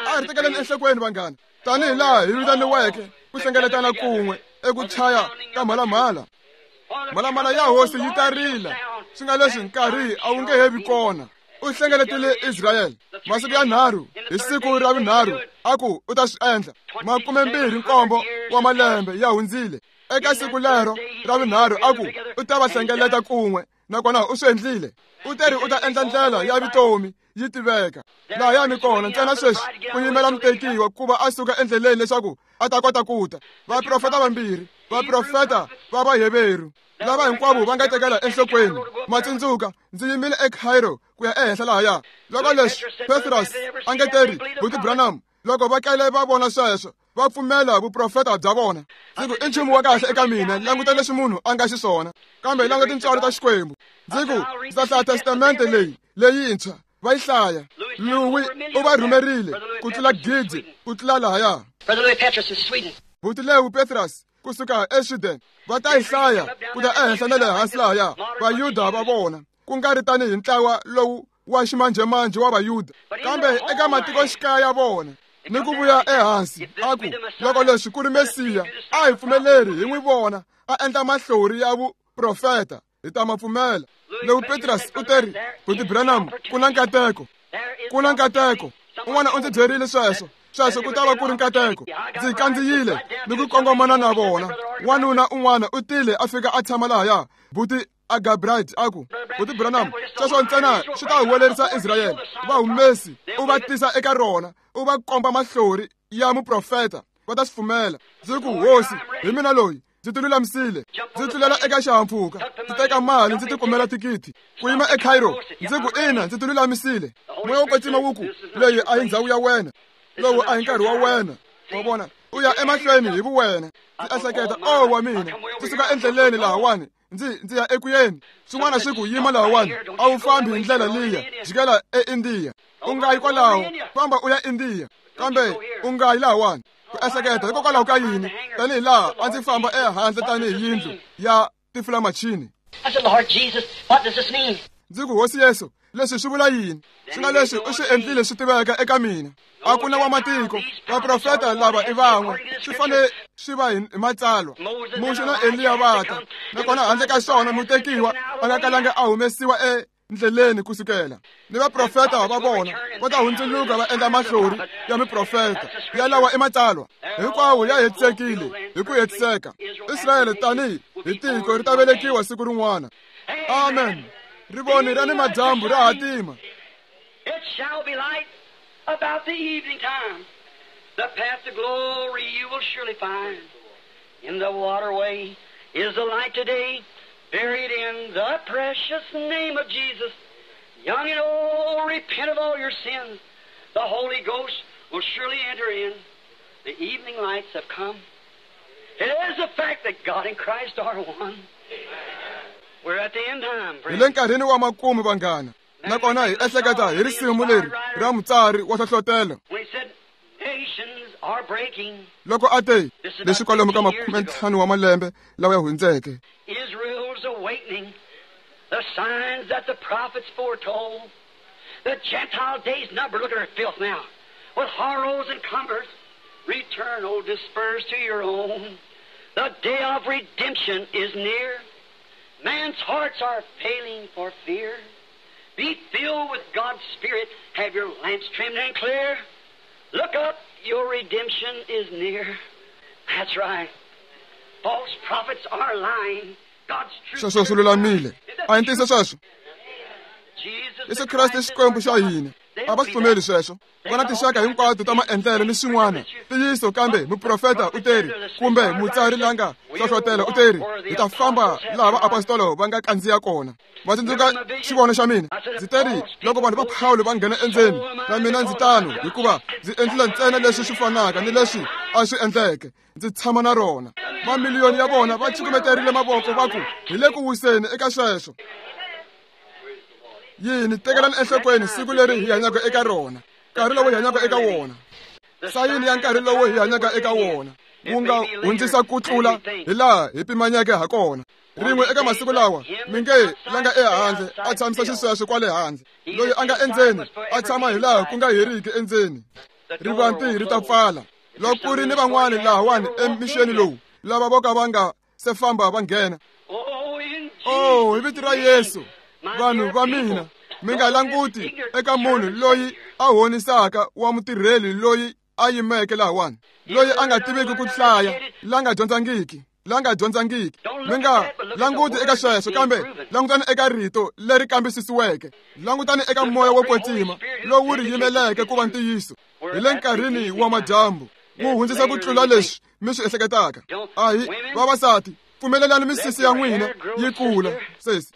A ri tekeleni enhlokweni vanghana, tanihi laha hi vitaniweke ku hlengeletana kun'we eku chaya ka mhalamhala. Mhalamhala ya hosi yi ta rila, swi nga leswi nkarhi a wu nge he vi kona. U hlengeletile Israyele masiku ya 3, hi siku ra vunharhu a ku u ta swi endla. 27 wa malembe ya hundzile. Eka siku lero ra vunharhu a ku u ta va hlengeleta kun'we, nakona u swi endlile. U teri u ta endla ndlela ya vutomi yi tiveka. Laha mi kona ntsena sweswi ku yimela mutekiwa ku va a suka endleleni leswaku a ta kota ku ta. Vaprofeta vambirhi, vaprofeta va Vaheveru, lava hinkwavo va nga tekela enhlokweni. Matsundzuka, ndzi yimile eCairo ku ya ehenhla lahaya. Loko leswi Petrus a nge teri Buti Branham, loko va kale va vona sweswo, va pfumela vuprofeta bya vona. Ndzi ku i nchumu wa kahle eka mina, languta leswi munhu a nga xiswona, kambe languta tintswalo ta Xikwembu. Ndzi ku ndzi ta hlaya testamente leyi leyintshwa, va yi hlaya. Louis u va rhumerile ku tlula 1,000 ku tlula lahaya. Buti Lewu Petrus kusuka eSweden va ta yi hlaya ku ta ehenhla na le hansi lahaya Vayuda va vona ku nga ri tanihi ntlawa lowu wa ximanjhemanjhe wa Vayuda kambe eka matikoxikaya ya vona ni ku vuya ehansi a ku loko leswi ku ri Mesiya a hi pfumeleri hi n'wi vona a endla mahlori ya vuprofeta hi ta ma pfumela. Lewu Petrus u teri Buti Branham ku na nkateko, ku na nkateko. Un'wana u ndzi byerile sweswo sweswo ku ta va ku ri nkateko. Ndzi kandziyile ni ku kongomana na vona. Wanuna un'wana u tile a fika a tshama lahaya Buti Agabright a ku Buti Branham sweswo ntsena swi ta huwelerisa Israyele va humesi u va tisa eka rona u va komba mahlori ya muprofeta va ta swi pfumela. Ndzi ku hosi hi mina loyi ndzi ti lulamisile ndzi tlulela eka xihahampfhuka ndzi teka mali ndzi tikumela thikithi ku yima eCairo ndzi ku ina ndzi ti lulamisile. Moya wo kwetsima wu ku leyi a hi ndhawu ya wena, lowu a hi nkarhi wa wena. Wa vona u ya emahlweni hi vuwena. Ndzi ehleketa o wa mina ndzi suka endleleni lahawani ndzi ya ekuyeni. Swin'wana swi ku yima lahawani a wu fambi hi ndlela liya jikela eIndiya u nga yi kwalaho famba u ya India kambe u nga yi lahawani. Ku ehleketa hikokwalaho ka yini tanihi laha a ndzi famba ehandle tanihi yindlu ya tifulamachini. Ndzi ku hosi Yesu leswi swi vula yini? Swi nga leswi u swi endlile swi tiveka eka mina. A ku na wa matiko vaprofeta lava i van'we swi fanele swi va hi matsalwa. Muxe na Eliya va ta nakona handle ka swona mutekiwa a nga kalanga a humesiwa endleleni kusukela ni vaprofeta va vona va ta hundzuluka va endla mahlori ya miprofeta ya lawa i matsalwa hinkwawo ya hetisekile hi ku hetiseka. Israyele tanihi hi tiko ri ta velekiwa siku rin'wana. Amen. Rivoni ra ni madyambu ra hatima. It shall be light about the evening time. The path to glory you will surely find. In the waterway is the light today, buried in the precious name of Jesus. Young and old, repent of all your sins. The Holy Ghost will surely enter in. The evening lights have come. It is the fact that God and Christ are one. We're at the end time, Hi le nkarhini wa makumu vanghana. Nakona hi ehleketa hi risimu leri ra mutsari wa hlohlotelo loko a te leswi kwalomu ka 15 wa malembe lawa ya hundzeke. Israel's awakening, the signs that the prophets foretold, the Gentile days numbered. Look at her filth now. With horrors and cumbrance, return, O dispersed to your own. The day of redemption is near. Man's hearts are failing for fear. Be filled with God's Spirit. Have your lamps trimmed and clear. Look up, your redemption is near. That's right. False prophets are lying. God's truth. Sweswo swi lulamile. A hi ntiyiso sweswo. Yesu Kreste i Xikwembu xa hina. A va swi pfumeli sweswo. Va na tinxaka hinkwato ta maendlelo ni swin'wana. Ntiyiso kambe muprofeta u teri kumbe mutsari la nga hlohlotelo u teri hi ta famba laha vaapostolo va nga kandziya kona. Va tsundzuka xivono xa mina. Ndzi teri loko vanhu va Pawulo va nghena endzeni na mina ndzi tano hikuva ndzi endlile ntsena leswi swi fanaka ni leswi a swi endleke. Ndzi tshama na rona. Mamiliyoni ya vona va cukumeterile mavoko va ku hi le ku wiseni eka sweswo. Yini tekelani enhlokweni siku leri hi hanyaka eka rona, nkarhi lowu hi hanyaka eka wona, sayini ya nkarhi lowu hi hanyaka eka wona wu nga hundzisa ku tlula hi laha hi pimanyeke ha kona. Rin'we eka masiku lawa mi nge la nga ehandle a tshamisa xisweswo kwale handle, loyi a nga endzeni a tshama hi laha ku nga heriki endzeni. Rivanti ri ta pfala. Loko ku ri ni van'wani lahawani emixeni lowu lava vo ka va nga se famba va nghena. Oh, hi vito ra Yesu, vanhu va mina, mi nga languti eka munhu loyi a honisaka wa mutirheli loyi a yimeke lahawani, loyi a nga tiviki ku hlaya, la nga dyondzangiki. Mi nga languti eka sweswo, kambe langutani eka rito leri kambisisiweke. Langutani eka moya wo kwetsima lowu ri yimeleke ku va ntiyiso. Hi le nkarhini wa madyambu wu hundzisa ku tlula leswi mi swi ehleketaka. A hi vavasati, pfumelelani misisi ya n'wina yi kula. Sesi,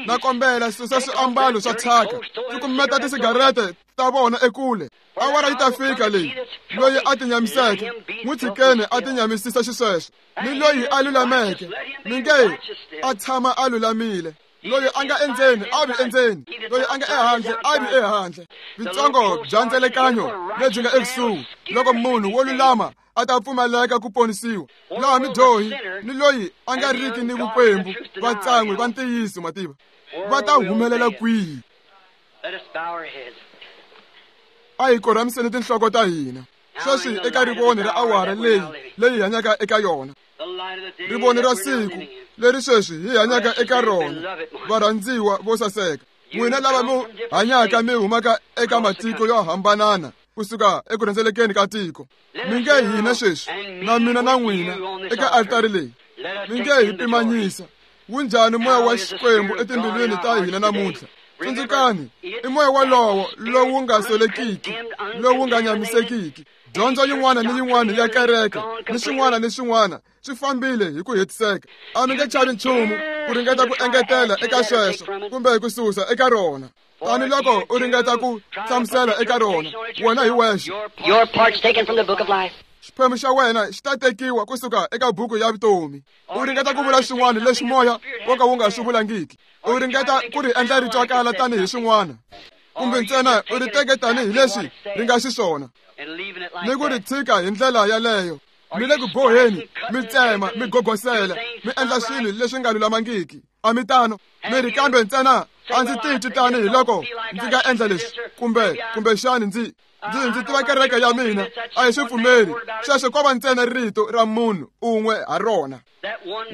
na kombela susa swiambalo swa thyaka, cukumeta tisigarete ta vona ekule. Awara yi ta fika leyi loyi a tinyamiseke n'wi tshikeni a tinyamisisa xisweswo, ni loyi a lulameke mi nge a tshama a lulamile. Loyi a nga endzeni a vi endzeni, loyi a nga ehandle a vi ehandle. Vitsongo bya ndzelekanyo lebyi nga ekusuhi, loko munhu wo lulama a ta pfumaleka ku ponisiwa, laha midyohi ni loyi a nga riki ni vukwembu vatsan'wi va ntiyiso mativa va ta humelela kwihi? A hi korhamiseni tinhloko ta hina sweswi eka rivoni ra awara leyi leyi hanyaka eka yona, rivoni ra siku leri sweswi hi hanyaka eka rona. Varhandziwa vo saseka, n'wina lava mi hanyaka mi humaka eka matiko yo hambanana kusuka eku rhendzelekeni ka tiko, mi nge hina sweswi na mina na n'wina eka altari leyi, mi nge hi pimanyisa wunjhani moya wa Xikwembu etimbilwini ta hina namuntlha. Tsundzukani, i moya walowo lowu nga solekiki, lowu nga nyamisekiki. Dyondzo yin'wana ni yin'wana ya kereke ni swin'wana ni swin'wana swi fambile hi ku hetiseka. A mi nge chavi nchumu ku ringeta ku engetela eka sweswo kumbe ku susa eka rona. Tani loko u ringeta ku hlamusela eka rona wena hi wexe, xiphemu xa wena xi ta tekiwa kusuka eka buku ya vutomi. U ringeta ku vula swin'wana leswi moya wo ka wu nga swi vulangiki, u ringeta ku ri endla ri twakala tanihi swin'wana, kumbe ntsena u ri teke tanihi leswi ri nga xiswona ni ku ri tshika hi ndlela yaleyo. Mi le ku boheni, mi tsema, mi gogosela, mi endla swilo leswi nga lulamangiki. A mi tano? Mi ri, kambe ntsena a ndzi titwi tanihi loko ndzi nga endla leswi, kumbe kumbexani ndzi ndzi tiva kereke ya mina a hi swi pfumeli. Sweswo ko va ntsena rito ra munhu un'we ha rona.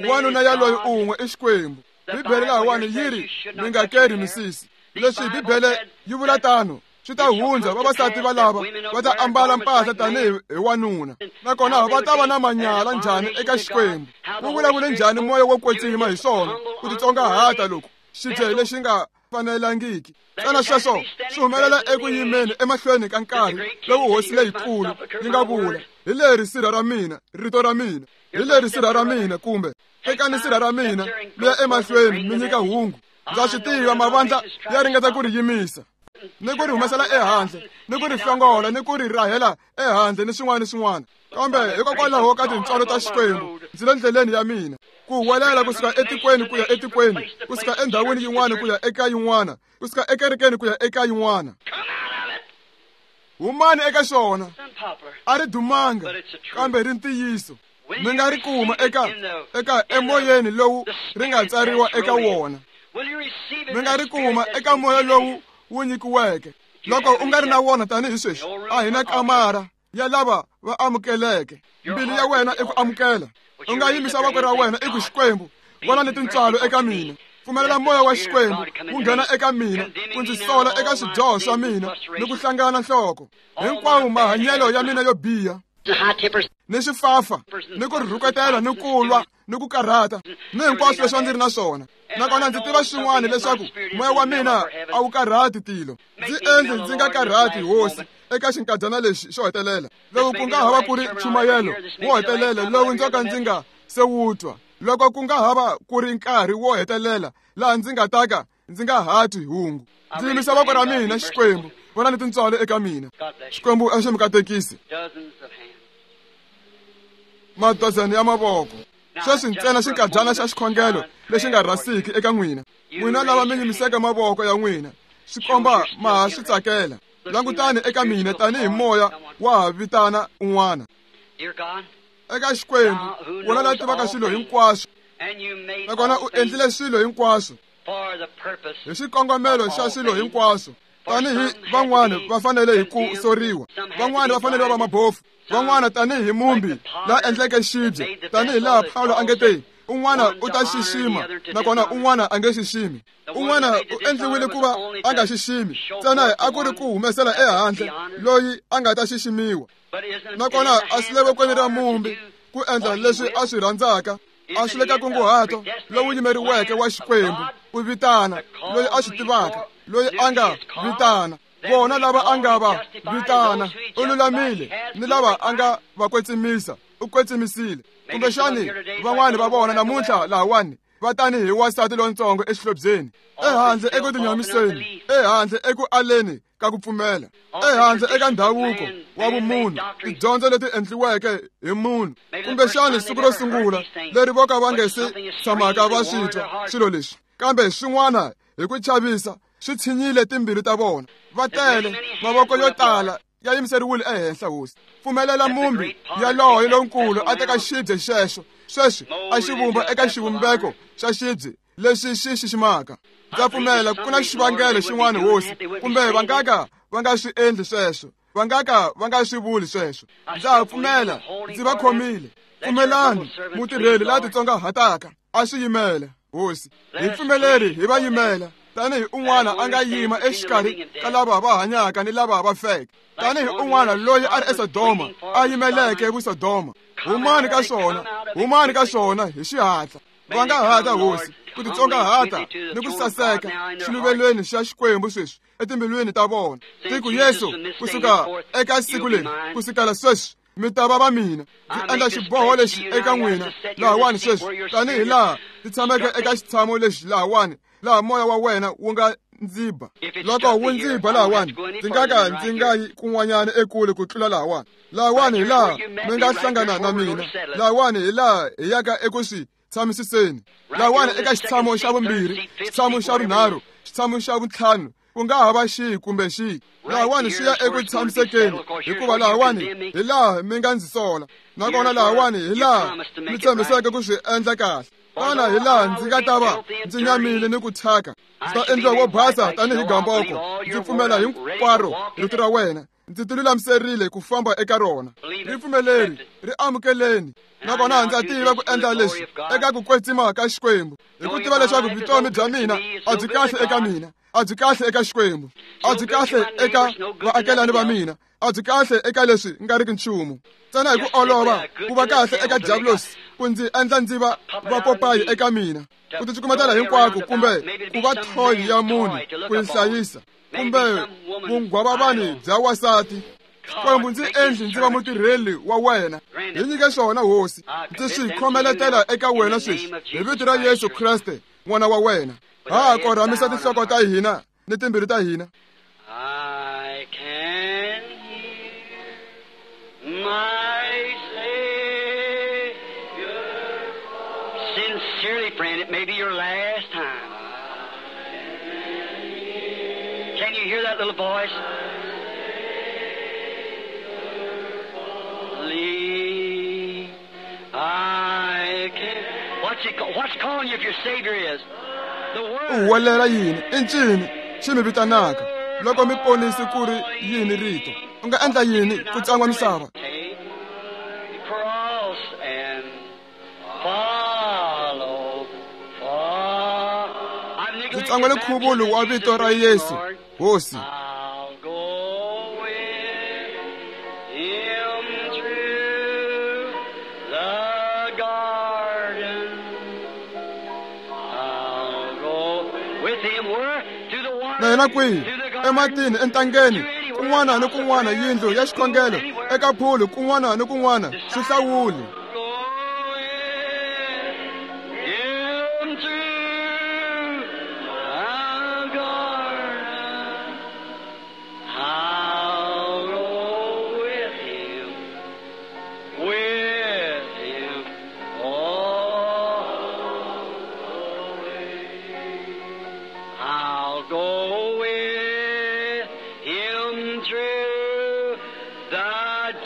Wanuna yaloyi un'we i Xikwembu. Bibele lahawani yi ri mi nga keri misisi. Leswi Bibele yi vula tano, swi ta hundza vavasati valava va ta ambala mpahla tanihi hi wanuna, nakona va ta va na manyala njhani eka Xikwembu? Wu vulavule njhani moya wo kwetsima hi swona ku titsongahata loku xibye lexi nga fanelangiki? Xana sweswo swi humelela eku yimeni emahlweni ka nkarhi lowu hosi leyikulu yi nga vula, hi leri sirha ra mina, rito ra mina, hi leri sirha ra mina, kumbe tekani sirha ra mina mi ya emahlweni mi nyika hungu. Ndza swi tiva mavandla ya ringeta ku ri yimisa ni ku ri humesela ehandle ni ku ri hlongola ni ku ri rahela ehandle ni swin'wana ni swin'wana, kambe hikokwalaho ka tintswalo ta Xikwembu ndzi le ndleleni ya mina ku huwelela kusuka etikweni ku ya etikweni, kusuka endhawini yin'wana ku ya eka yin'wana, kusuka ekerekeni ku ya eka yin'wana. Humani eka xona, a ri dumanga kambe ri ntiyiso. Mi nga ri kuma eka eka emoyeni lowu ri nga tsariwa eka wona. Mi nga ri kuma eka moya lowu wu nyikiweke. Loko u nga ri na wona tanihi sweswi, a hi na kamara ya lava va amukeleke. Mbilu ya wena i ku amukela. U nga yimisa voko ra wena i ku, Xikwembu, vona ni tintswalo eka mina. Pfumelela moya wa Xikwembu wu nghena eka mina ku ndzi sola eka swidyoho swa mina ni ku hlangana nhloko hinkwawo mahanyelo ya mina yo biha ni swifafa ni ku rhuketela ni ku lwa ni ku karhata ni hinkwaswo leswi a ndzi ri na swona. Nakona ndzi tiva swin'wana leswaku moya wa mina a wu karhati tilo. Ndzi endli ndzi nga karhati hosi eka xinkadyana lexi xo hetelela, lowu ku nga hava ku ri nchumayelo wo hetelela lowu ndzo ka ndzi nga se wu twa, loko ku nga hava ku ri nkarhi wo hetelela laha ndzi nga ta ka ndzi nga ha twi hungu. Ndzi yimisa voko ra mina, Xikwembu, vona ni tintswalo eka mina. Xikwembu a xi mi katekisi. Madozeni ya mavoko. Sweswi ntsena xinkadyana xa xikhongelo lexi nga rhasiki eka n'wina. N'wina lava mi yimiseke mavoko ya n'wina, swi komba ma ha swi tsakela. Langutani eka mina tanihi moya wa ha vitana un'wana. Eka Xikwembu, wona la tivaka swilo hinkwaswo, nakona u endlile swilo hinkwaswo hi xikongomelo xa swilo hinkwaswo. Tanihi van'wana va fanele hi ku soriwa, van'wana va fanele va va mabofu, van'wana tanihi mumbi la endleke xibye, tanihi laha Pawulo a nge te, un'wana u ta xixima nakona un'wana a nge xiximi. Un'wana u endliwile ku va a nga xiximi, ntsena a ku ri ku humesela ehandle loyi a nga ta xiximiwa. Nakona a swi le vokweni ra mumbi ku endla leswi a swi rhandzaka, a swi le ka nkunguhato lowu yimeriweke wa Xikwembu ku vitana loyi a swi tivaka, loyi a nga vitana vona lava a nga va vitana u lulamile, ni lava a nga va kwetsimisa u kwetsimisile. Kumbexani van'wani va vona namuntlha lahawani va tanihi wansati lontsongo exihlobyeni, ehandle eku tinyamiseni, ehandle eku aleni ka ku pfumela, ehandle eka ndhavuko wa vumunhu, tidyondzo leti endliweke hi munhu. Kumbexani siku ro sungula leri vo ka va nge se tshamaka va swi twa swilo leswi, Kambe swin'wana hi ku chavisa swi tshinyile timbilu ta vona. Va tele mavoko yo tala ya yimiseriwile ehenhla hosi. Pfumelela mumbi yaloye lonkulu a teka xibye xexo sweswi a xi vumba eka xivumbeko xa xibye lexi xi xiximaka. Ndza pfumela ku na xivangelo xin'wana hosi, kumbe va nga ka va nga swi endli sweswo, va nga ka va nga swi vuli sweswo. Ndza ha pfumela ndzi va khomile. Pfumelani mutirheli la titsongahataka a swi yimela hosi. Hi pfumeleri hi va yimela tanihi un'wana a nga yima exikarhi ka lava va hanyaka ni lava va feke, tanihi un'wana loyi a ri eSodoma a yimeleke vuSodoma. Humani ka swona, humani ka swona hi xihatla. Va nga hata hosi ku titsongahata ni ku saseka xiluvelweni xa Xikwembu sweswi etimbilwini ta vona. Tiku Yesu kusuka eka siku leri kusukela sweswi mi ta va va mina. Ndzi endla xiboho lexi eka n'wina lahawani sweswi, tanihi laha ndzi tshameke eka xitshamo lexi lahawani, laha moya wa wena wu nga ndzi ba. Loko wu ndzi ba lahawani, ndzi nga ka ndzi nga yi kun'wanyana ekule ku tlula lahawani. Lahawani hi laha mi nga hlangana na mina, lahawani hi laha hi yaka eku swi tshamisiseni. Lahawani eka xitshamo xa vumbirhi, xitshamo xa vunharhu, xitshamo xa vuntlhanu, ku nga ha va xihi kumbe xihi. Lahawani swi ya eku tshamisekeni, hikuva lahawani hi laha mi nga ndzi sola, nakona lahawani hi laha mi tshembiseke ku swi endla kahle. Tana hi laha ndzi nga ta va ndzi nyamile ni ku thyaka, ndzi ta endliwa wo basa tanihi gamboko. Ndzi pfumela hinkwaro rito ra wena, ndzi tilulamiserile ku famba eka rona. Ri pfumeleri, ri amukeleni. Nakona ndza tiva ku endla leswi eka ku kwetsima ka Xikwembu, hi ku tiva leswaku vutomi bya mina a byi kahle eka mina, a byi kahle eka Xikwembu, a byi kahle eka vaakelani va mina, a byi kahle eka leswi nga riki nchumu. Ntsena hi ku olova ku va kahle eka diabulosi ku ndzi endla ndzi va vapopayi eka mina, ku ticukumetela hinkwako, kumbe ku va thoyi ya munhu ku yi hlayisa, kumbe vunghwavavani bya wasati. Xikwembu ndzi endli ndzi va mutirheli wa wena. Hi nyike swona hosi, ndzi swi khomeletela eka wena sweswi hi vito ra Yesu Kreste n'wana wa wena. Ha korhamisa tinhloko ta hina ni timbilu ta hina. I can hear my Savior. Sincerely, friend, it may be your last time. Can you hear that little voice? Leave. I can. What's it? What's calling you if your Savior is? The Word. U huwelela yini? I ncini xi mi vitanaka loko mi ponisi ku ri yini rito? U nga endla yini ku tsan'wa misava? Take the cross and follow, follow. I've Ndzi neglected tsan'wele nkhuvulo wa vito ra Yesu hosi. I'll go with him through the garden. I'll go with him where? To the water. Na yena kwihi? To the garden. Ematini, entangeni, kun'wana ni kun'wana, yindlu ya xikhongelo, eka phulu, kun'wana ni kun'wana, swi hlawuli. Go with him through the garden. I'll go with him all the way. I'll go with him through the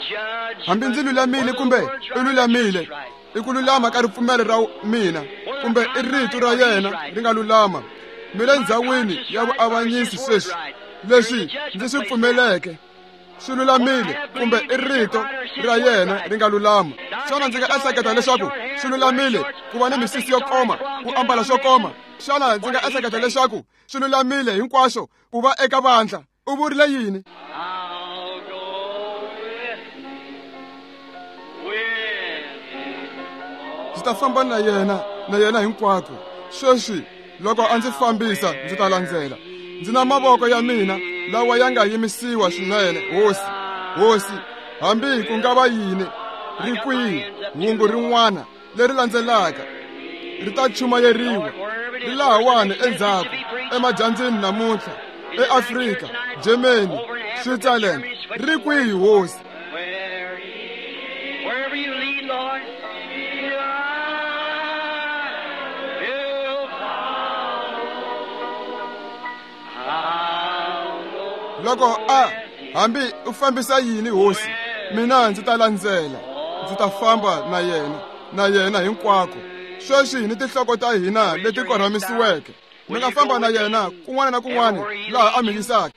judgment. Hambi ndzi lulamile kumbe i lulamile, i ku lulama ka ripfumelo ra mina, kumbe i rito ra yena ri nga lulama. Mi le ndzhawini ya vuavanyisi sweswi. Leswi ndzi swi pfumeleke swi lulamile, kumbe i rito ra yena ri nga lulama. Xana ndzi nga ehleketa leswaku swi lulamile ku va ni misisi yo koma, ku ambala swo koma? Xana ndzi nga ehleketa leswaku swi lulamile hinkwaswo ku va eka vandla? U vurile yini? I'll go with him. Ndzi ta famba na yena, na yena hinkwako. Sweswi loko a ndzi fambisa ndzi ta landzela. Ndzi na mavoko ya mina lawa ya nga yimisiwa swinene, hosi. Hosi, hambi ku nga va yini, ri kwihi hungu rin'wana leri landzelaka ri ta chumayeriwa, ri lahawani endzhaku emadyambyini namuntlha, eAfrika, Germany, Switzerland, ri kwihi hosi? Wherever you lead, Lord, I will follow. Loko a hambi u fambisa yini hosi, mina ndzi ta landzela, ndzi ta famba na yena hinkwako. Sweswi ni tinhloko ta hina leti korhamisiweke, mi nga famba na yena kun'wana na kun'wana laha a mi yisaka.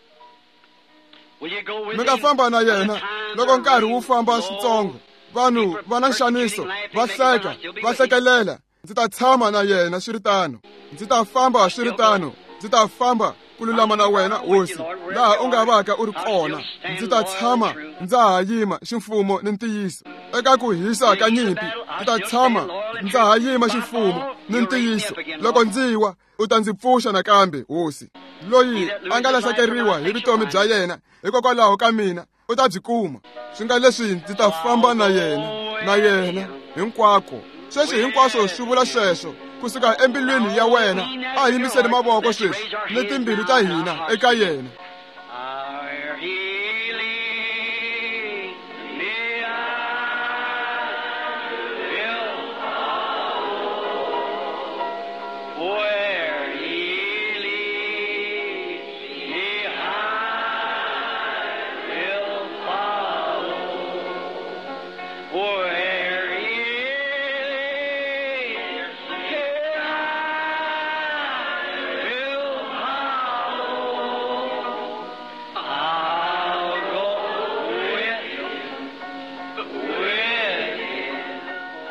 Mi nga famba na yena loko nkarhi wu famba switsongo. Vanhu va na nxaniso, va hleka, va hlekelela. Ndzi ta tshama na yena swi ri tano. Ndzi ta famba swi ri tano. Ndzi ta famba ku lulama na wena hosi, laha u nga vaka u ri kona. Ndzi ta tshama ndza ha yima ximfumo ni ntiyiso. Eka ku hisa ka nyimpi, ndzi ta tshama ndza ha yima ximfumo ni ntiyiso. Loko ndzi wa, u ta ndzi pfuxa nakambe hosi. Loyi a nga lahlekeriwa hi vutomi bya yena hikokwalaho ka mina, u ta byi kuma. Swi nga leswi ndzi ta famba na yena hinkwako. Sweswi hinkwaswo swi vula sweswo kusuka embilwini ya wena. A hi yimiseni mavoko sweswi ni timbilu ta hina eka yena.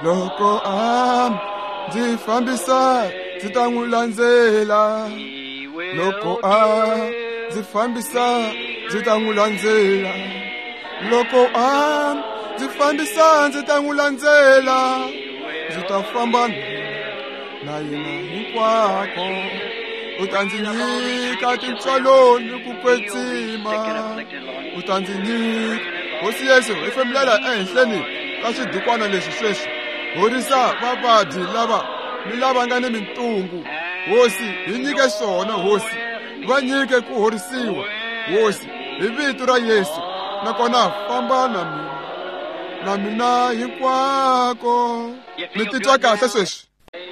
Loko a ndzi fambisa, ndzi ta n'wi landzela. Loko a ndzi fambisa, ndzi ta n'wi landzela. Loko a ndzi fambisa, ndzi ta n'wi landzela. Ndzi ta famba na yena hinkwako. U ta ndzi nyika tintswalo ni ku kwetsima. U ta ndzi nyika. Hosi Yesu, hi fembulela ehenhleni ka swidukwana leswi sweswi. Horisa vavabyi lava ni lava nga ni mintungu. Hosi, hi nyike swona hosi. Va nyike ku horisiwa hosi, hi vito ra Yesu. Nakona famba na mina, na mina hinkwako. Mi titwa kahle sweswi?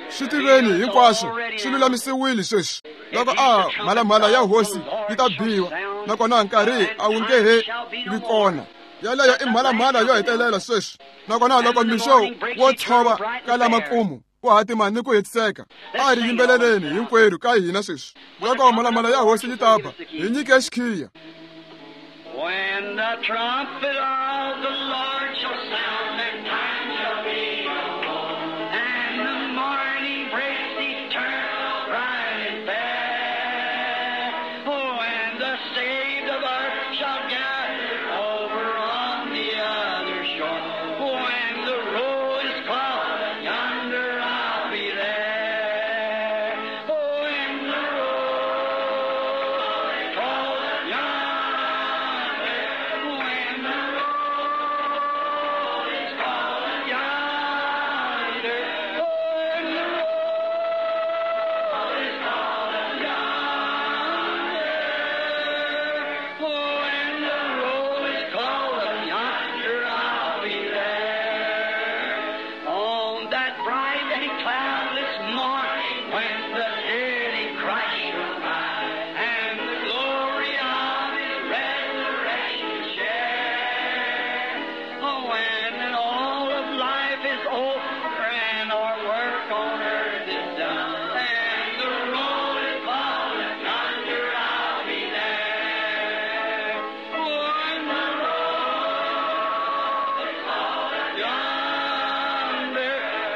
Swi tiveni hinkwaswo swi lulamisiwile sweswi. Loko a mhalamhala ya hosi yi ta biwa, nakona nkarhi a wu nge he vi kona. Yaleyo i mhalamhala yo hetelela sweswi. Nakona loko mixo wo tshova ka lamakumu ku hatima ni ku hetiseka, a ri yimbeleleni hinkwerhu ka hina sweswi. Loko mhalamhala ya hosi yi ta ba, hi nyike xikhiya. When the trumpet of the Lord shall sound, and time shall be no more, and the morning breaks eternal, bright and fair. Oh, and the saved of earth shall gather over on the other shore. When the roll is called, yonder I'll be there. Oh, when the roll is called, yonder. When the roll is called, yonder. When the roll is called, yonder. When the roll is called, yonder I'll be there. On that bright and cloudless morning, when the dead in Christ shall rise, and the glory of His resurrection share. Oh, when all of life is over and our work on earth is done, and the roll is called, yonder I'll be there. When the roll is called, yonder.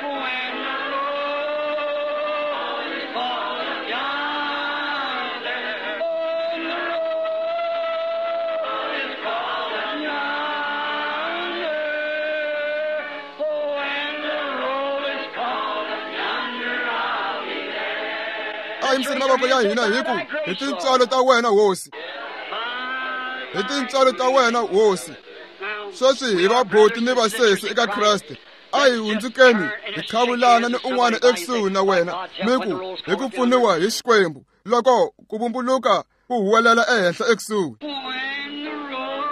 When the roll is called, yonder. When the roll is called, yonder. Oh, when the roll is called, yonder I'll be there. A yimiseni mavoko ya hina hi ku hi tintswalo ta wena hosi, hi tintswalo ta wena hosi. Sweswi hi vaboti ni vasesi eka Kreste. A hi hundzukeni hi qhavulana ni un'wana ekusuhi na wena, mi ku hi ku pfuniwa hi Xikwembu loko ku vumbuluka ku huwelela ehenhla ekusuhi. When the roll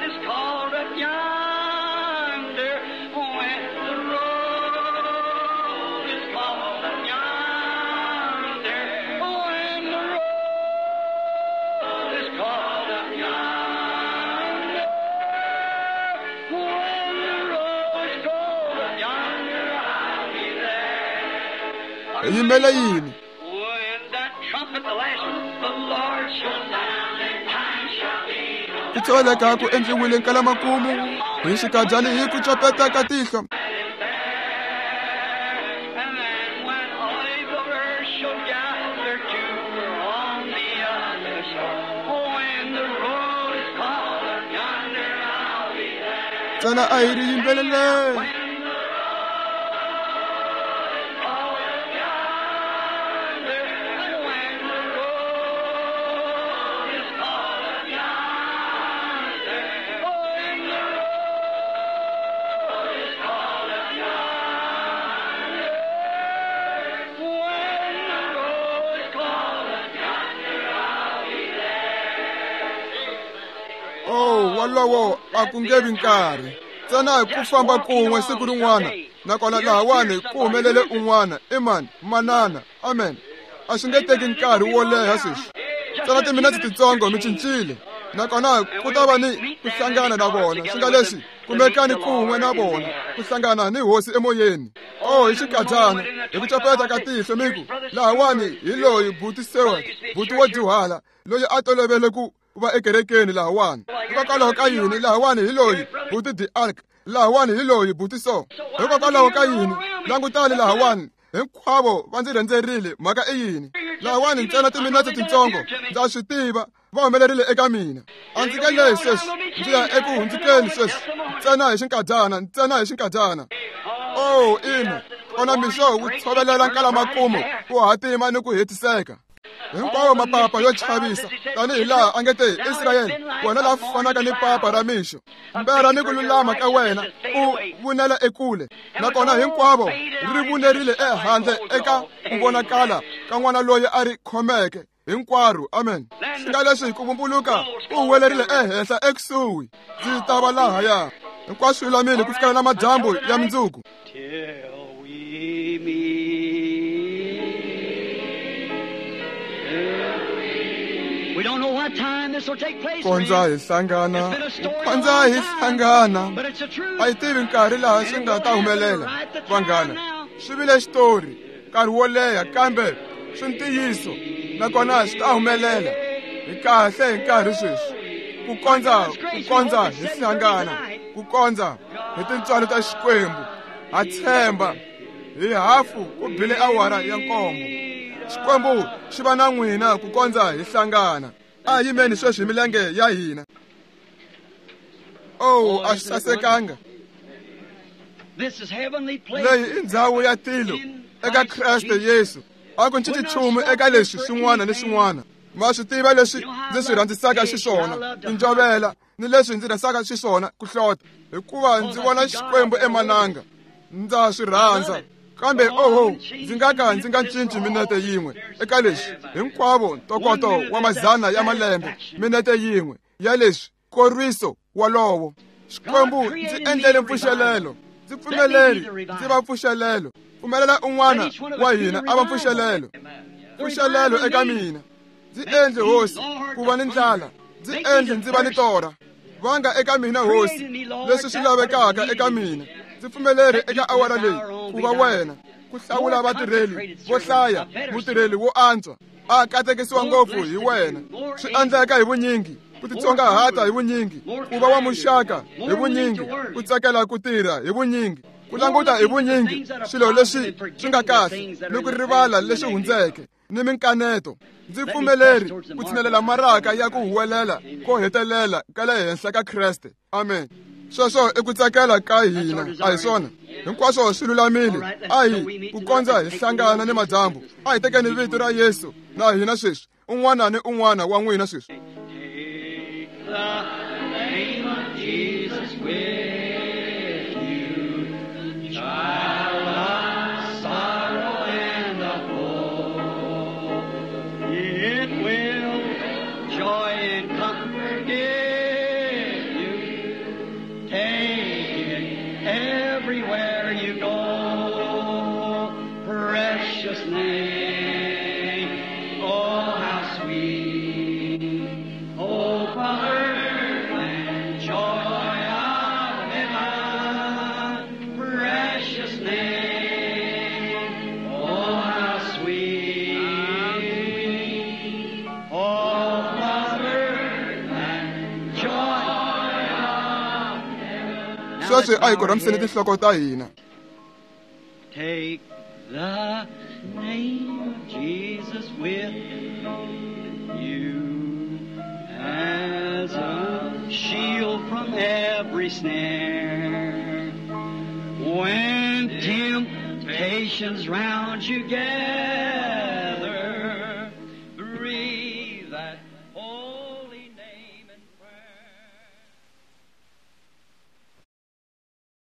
is called up yonder, when the roll is called up yonder, when the roll Hi yimele yini? Ku tsholeka ku endliwile nkalamakumu hi xikadyani hi ku copeta ka tihlo. Ntsena a hi ri yimbeleleni. Wolowo a ku nge vi nkarhi. Ntsena hi ku famba kun'we siku rin'wana, nakona lahawani ku humelele un'wana, i mani? Manana. Amen. A swi nge teki nkarhi wo leha sweswi. Ntsena timinetse titsongo mi cincile, nakona ku ta va ni ku hlangana na vona. Swi nga leswi kumekani kun'we na vona, ku hlangana ni hosi emoyeni. Oh, hi xikadyana, hi ku copeta ka tihlo mi ku, lahawani hi loyi buti Seward, buti wo dyuhala, loyi a tolovele ku va ekerekeni lahawani. Hikokwalaho ka yini? Lahawani hi loyi buti the ark, lahawani hi loyi buti so. Hikokwalaho ka yini? Langutani lahawani, hinkwavo va ndzi rhendzerile. Mhaka i yini? Lahawani ntsena timinetse titsongo, ndza swi tiva va humelerile eka mina. A ndzi nge lehi sweswi, ndzi ya eku hundzukeni sweswi, ntsena hi xinkadyana, ntsena hi xinkadyana. Oh, ina, kona mixo wu tshovelela nkalamakumu ku hatima ni ku hetiseka. Hinkwawo mapapa yo chavisa, tanihi laha a nge te, Israyele, wena la fanaka ni papa ra mixo, mbera ni ku lulama ka wena u vunela ekule. Nakona hinkwavo ri vunerile ehandle eka ku vonakala ka n'wana loyi a ri khomeke hinkwaro. Amen. Swi nga leswi hi ku vumbuluka u huwelerile ehenhla ekusuhi, ndzi ta va lahaya. Hinkwaswo lulamile ku fikela na madyambu ya mundzuku. Kondza hi hlangana, kondza hi hlangana. A yi tivi nkarhi laha swi nga ta humelela, vanghana. Swi vile xitori nkarhi wo leha, kambe swi ntiyiso, nakona swi ta humelela. Hi kahle hi nkarhi sweswi. Ku kondza hi hlangana, ku kondza hi tintswalo ta Xikwembu. Ha tshemba hi hafu ku bile awara ya 7. Xikwembu xi va na n'wina ku kondza hi hlangana. A yimeni sweswi hi milenge ya hina. Oh, a swi sasekanga. Leyi i ndzhawu ya tilo eka Kreste Yesu. A ku cinci nchumu eka leswi swin'wana ni swin'wana. Ma swi tiva leswi ndzi swi rhandzisaka xiswona, tinjovela, ni leswi ndzi rhandzisaka xiswona ku hlota, hikuva ndzi vona Xikwembu emananga. Ndza swi rhandza. Kambe oho, ndzi nga ka ndzi nga cinci minete yin'we eka leswi. Hinkwavo ntokoto wa mazana ya malembe, minete yin'we ya leswi, nkorwiso wolowo. Xikwembu ndzi endlele mpfuxelelo, ndzi pfumeleri ndzi va mpfuxelelo. Pfumelela un'wana wa hina a va mpfuxelelo. Mpfuxelelo eka mina. Ndzi endle hosi ku va ni ndlala, ndzi endle ndzi va ni torha. Vanga eka mina hosi leswi swi lavekaka eka mina. Ndzi pfumeleri eka awara leyi ku va wena, ku hlawula vatirheli vo hlaya, mutirheli wo antswa a katekisiwa ngopfu hi wena. Swi endleka hi vunyingi, ku titsongahata hi vunyingi, ku va wa muxaka hi vunyingi, ku tsakela ku tirha hi vunyingi, ku languta hi vunyingi swilo leswi swi nga kahle ni ku rivala leswi hundzeke ni minkaneto. Ndzi pfumeleri ku tshinelela maraka ya ku huwelela ko hetelela ka le henhla ka Kreste. Amen. Sweswo i ku tsakela ka hina, a hi swona? Hinkwaswo swi lulamile. A hi ku kondza hi hlangana ni madyambu. A hi tekeni vito ra Yesu na hina sweswi, un'wana ni un'wana wa n'wina sweswi. Everywhere you go, precious name, oh how sweet, oh Father. Sweswi a hi korhamiseni tinhloko ta hina. Take the name of Jesus with you as a shield from every snare. When temptations round you gather,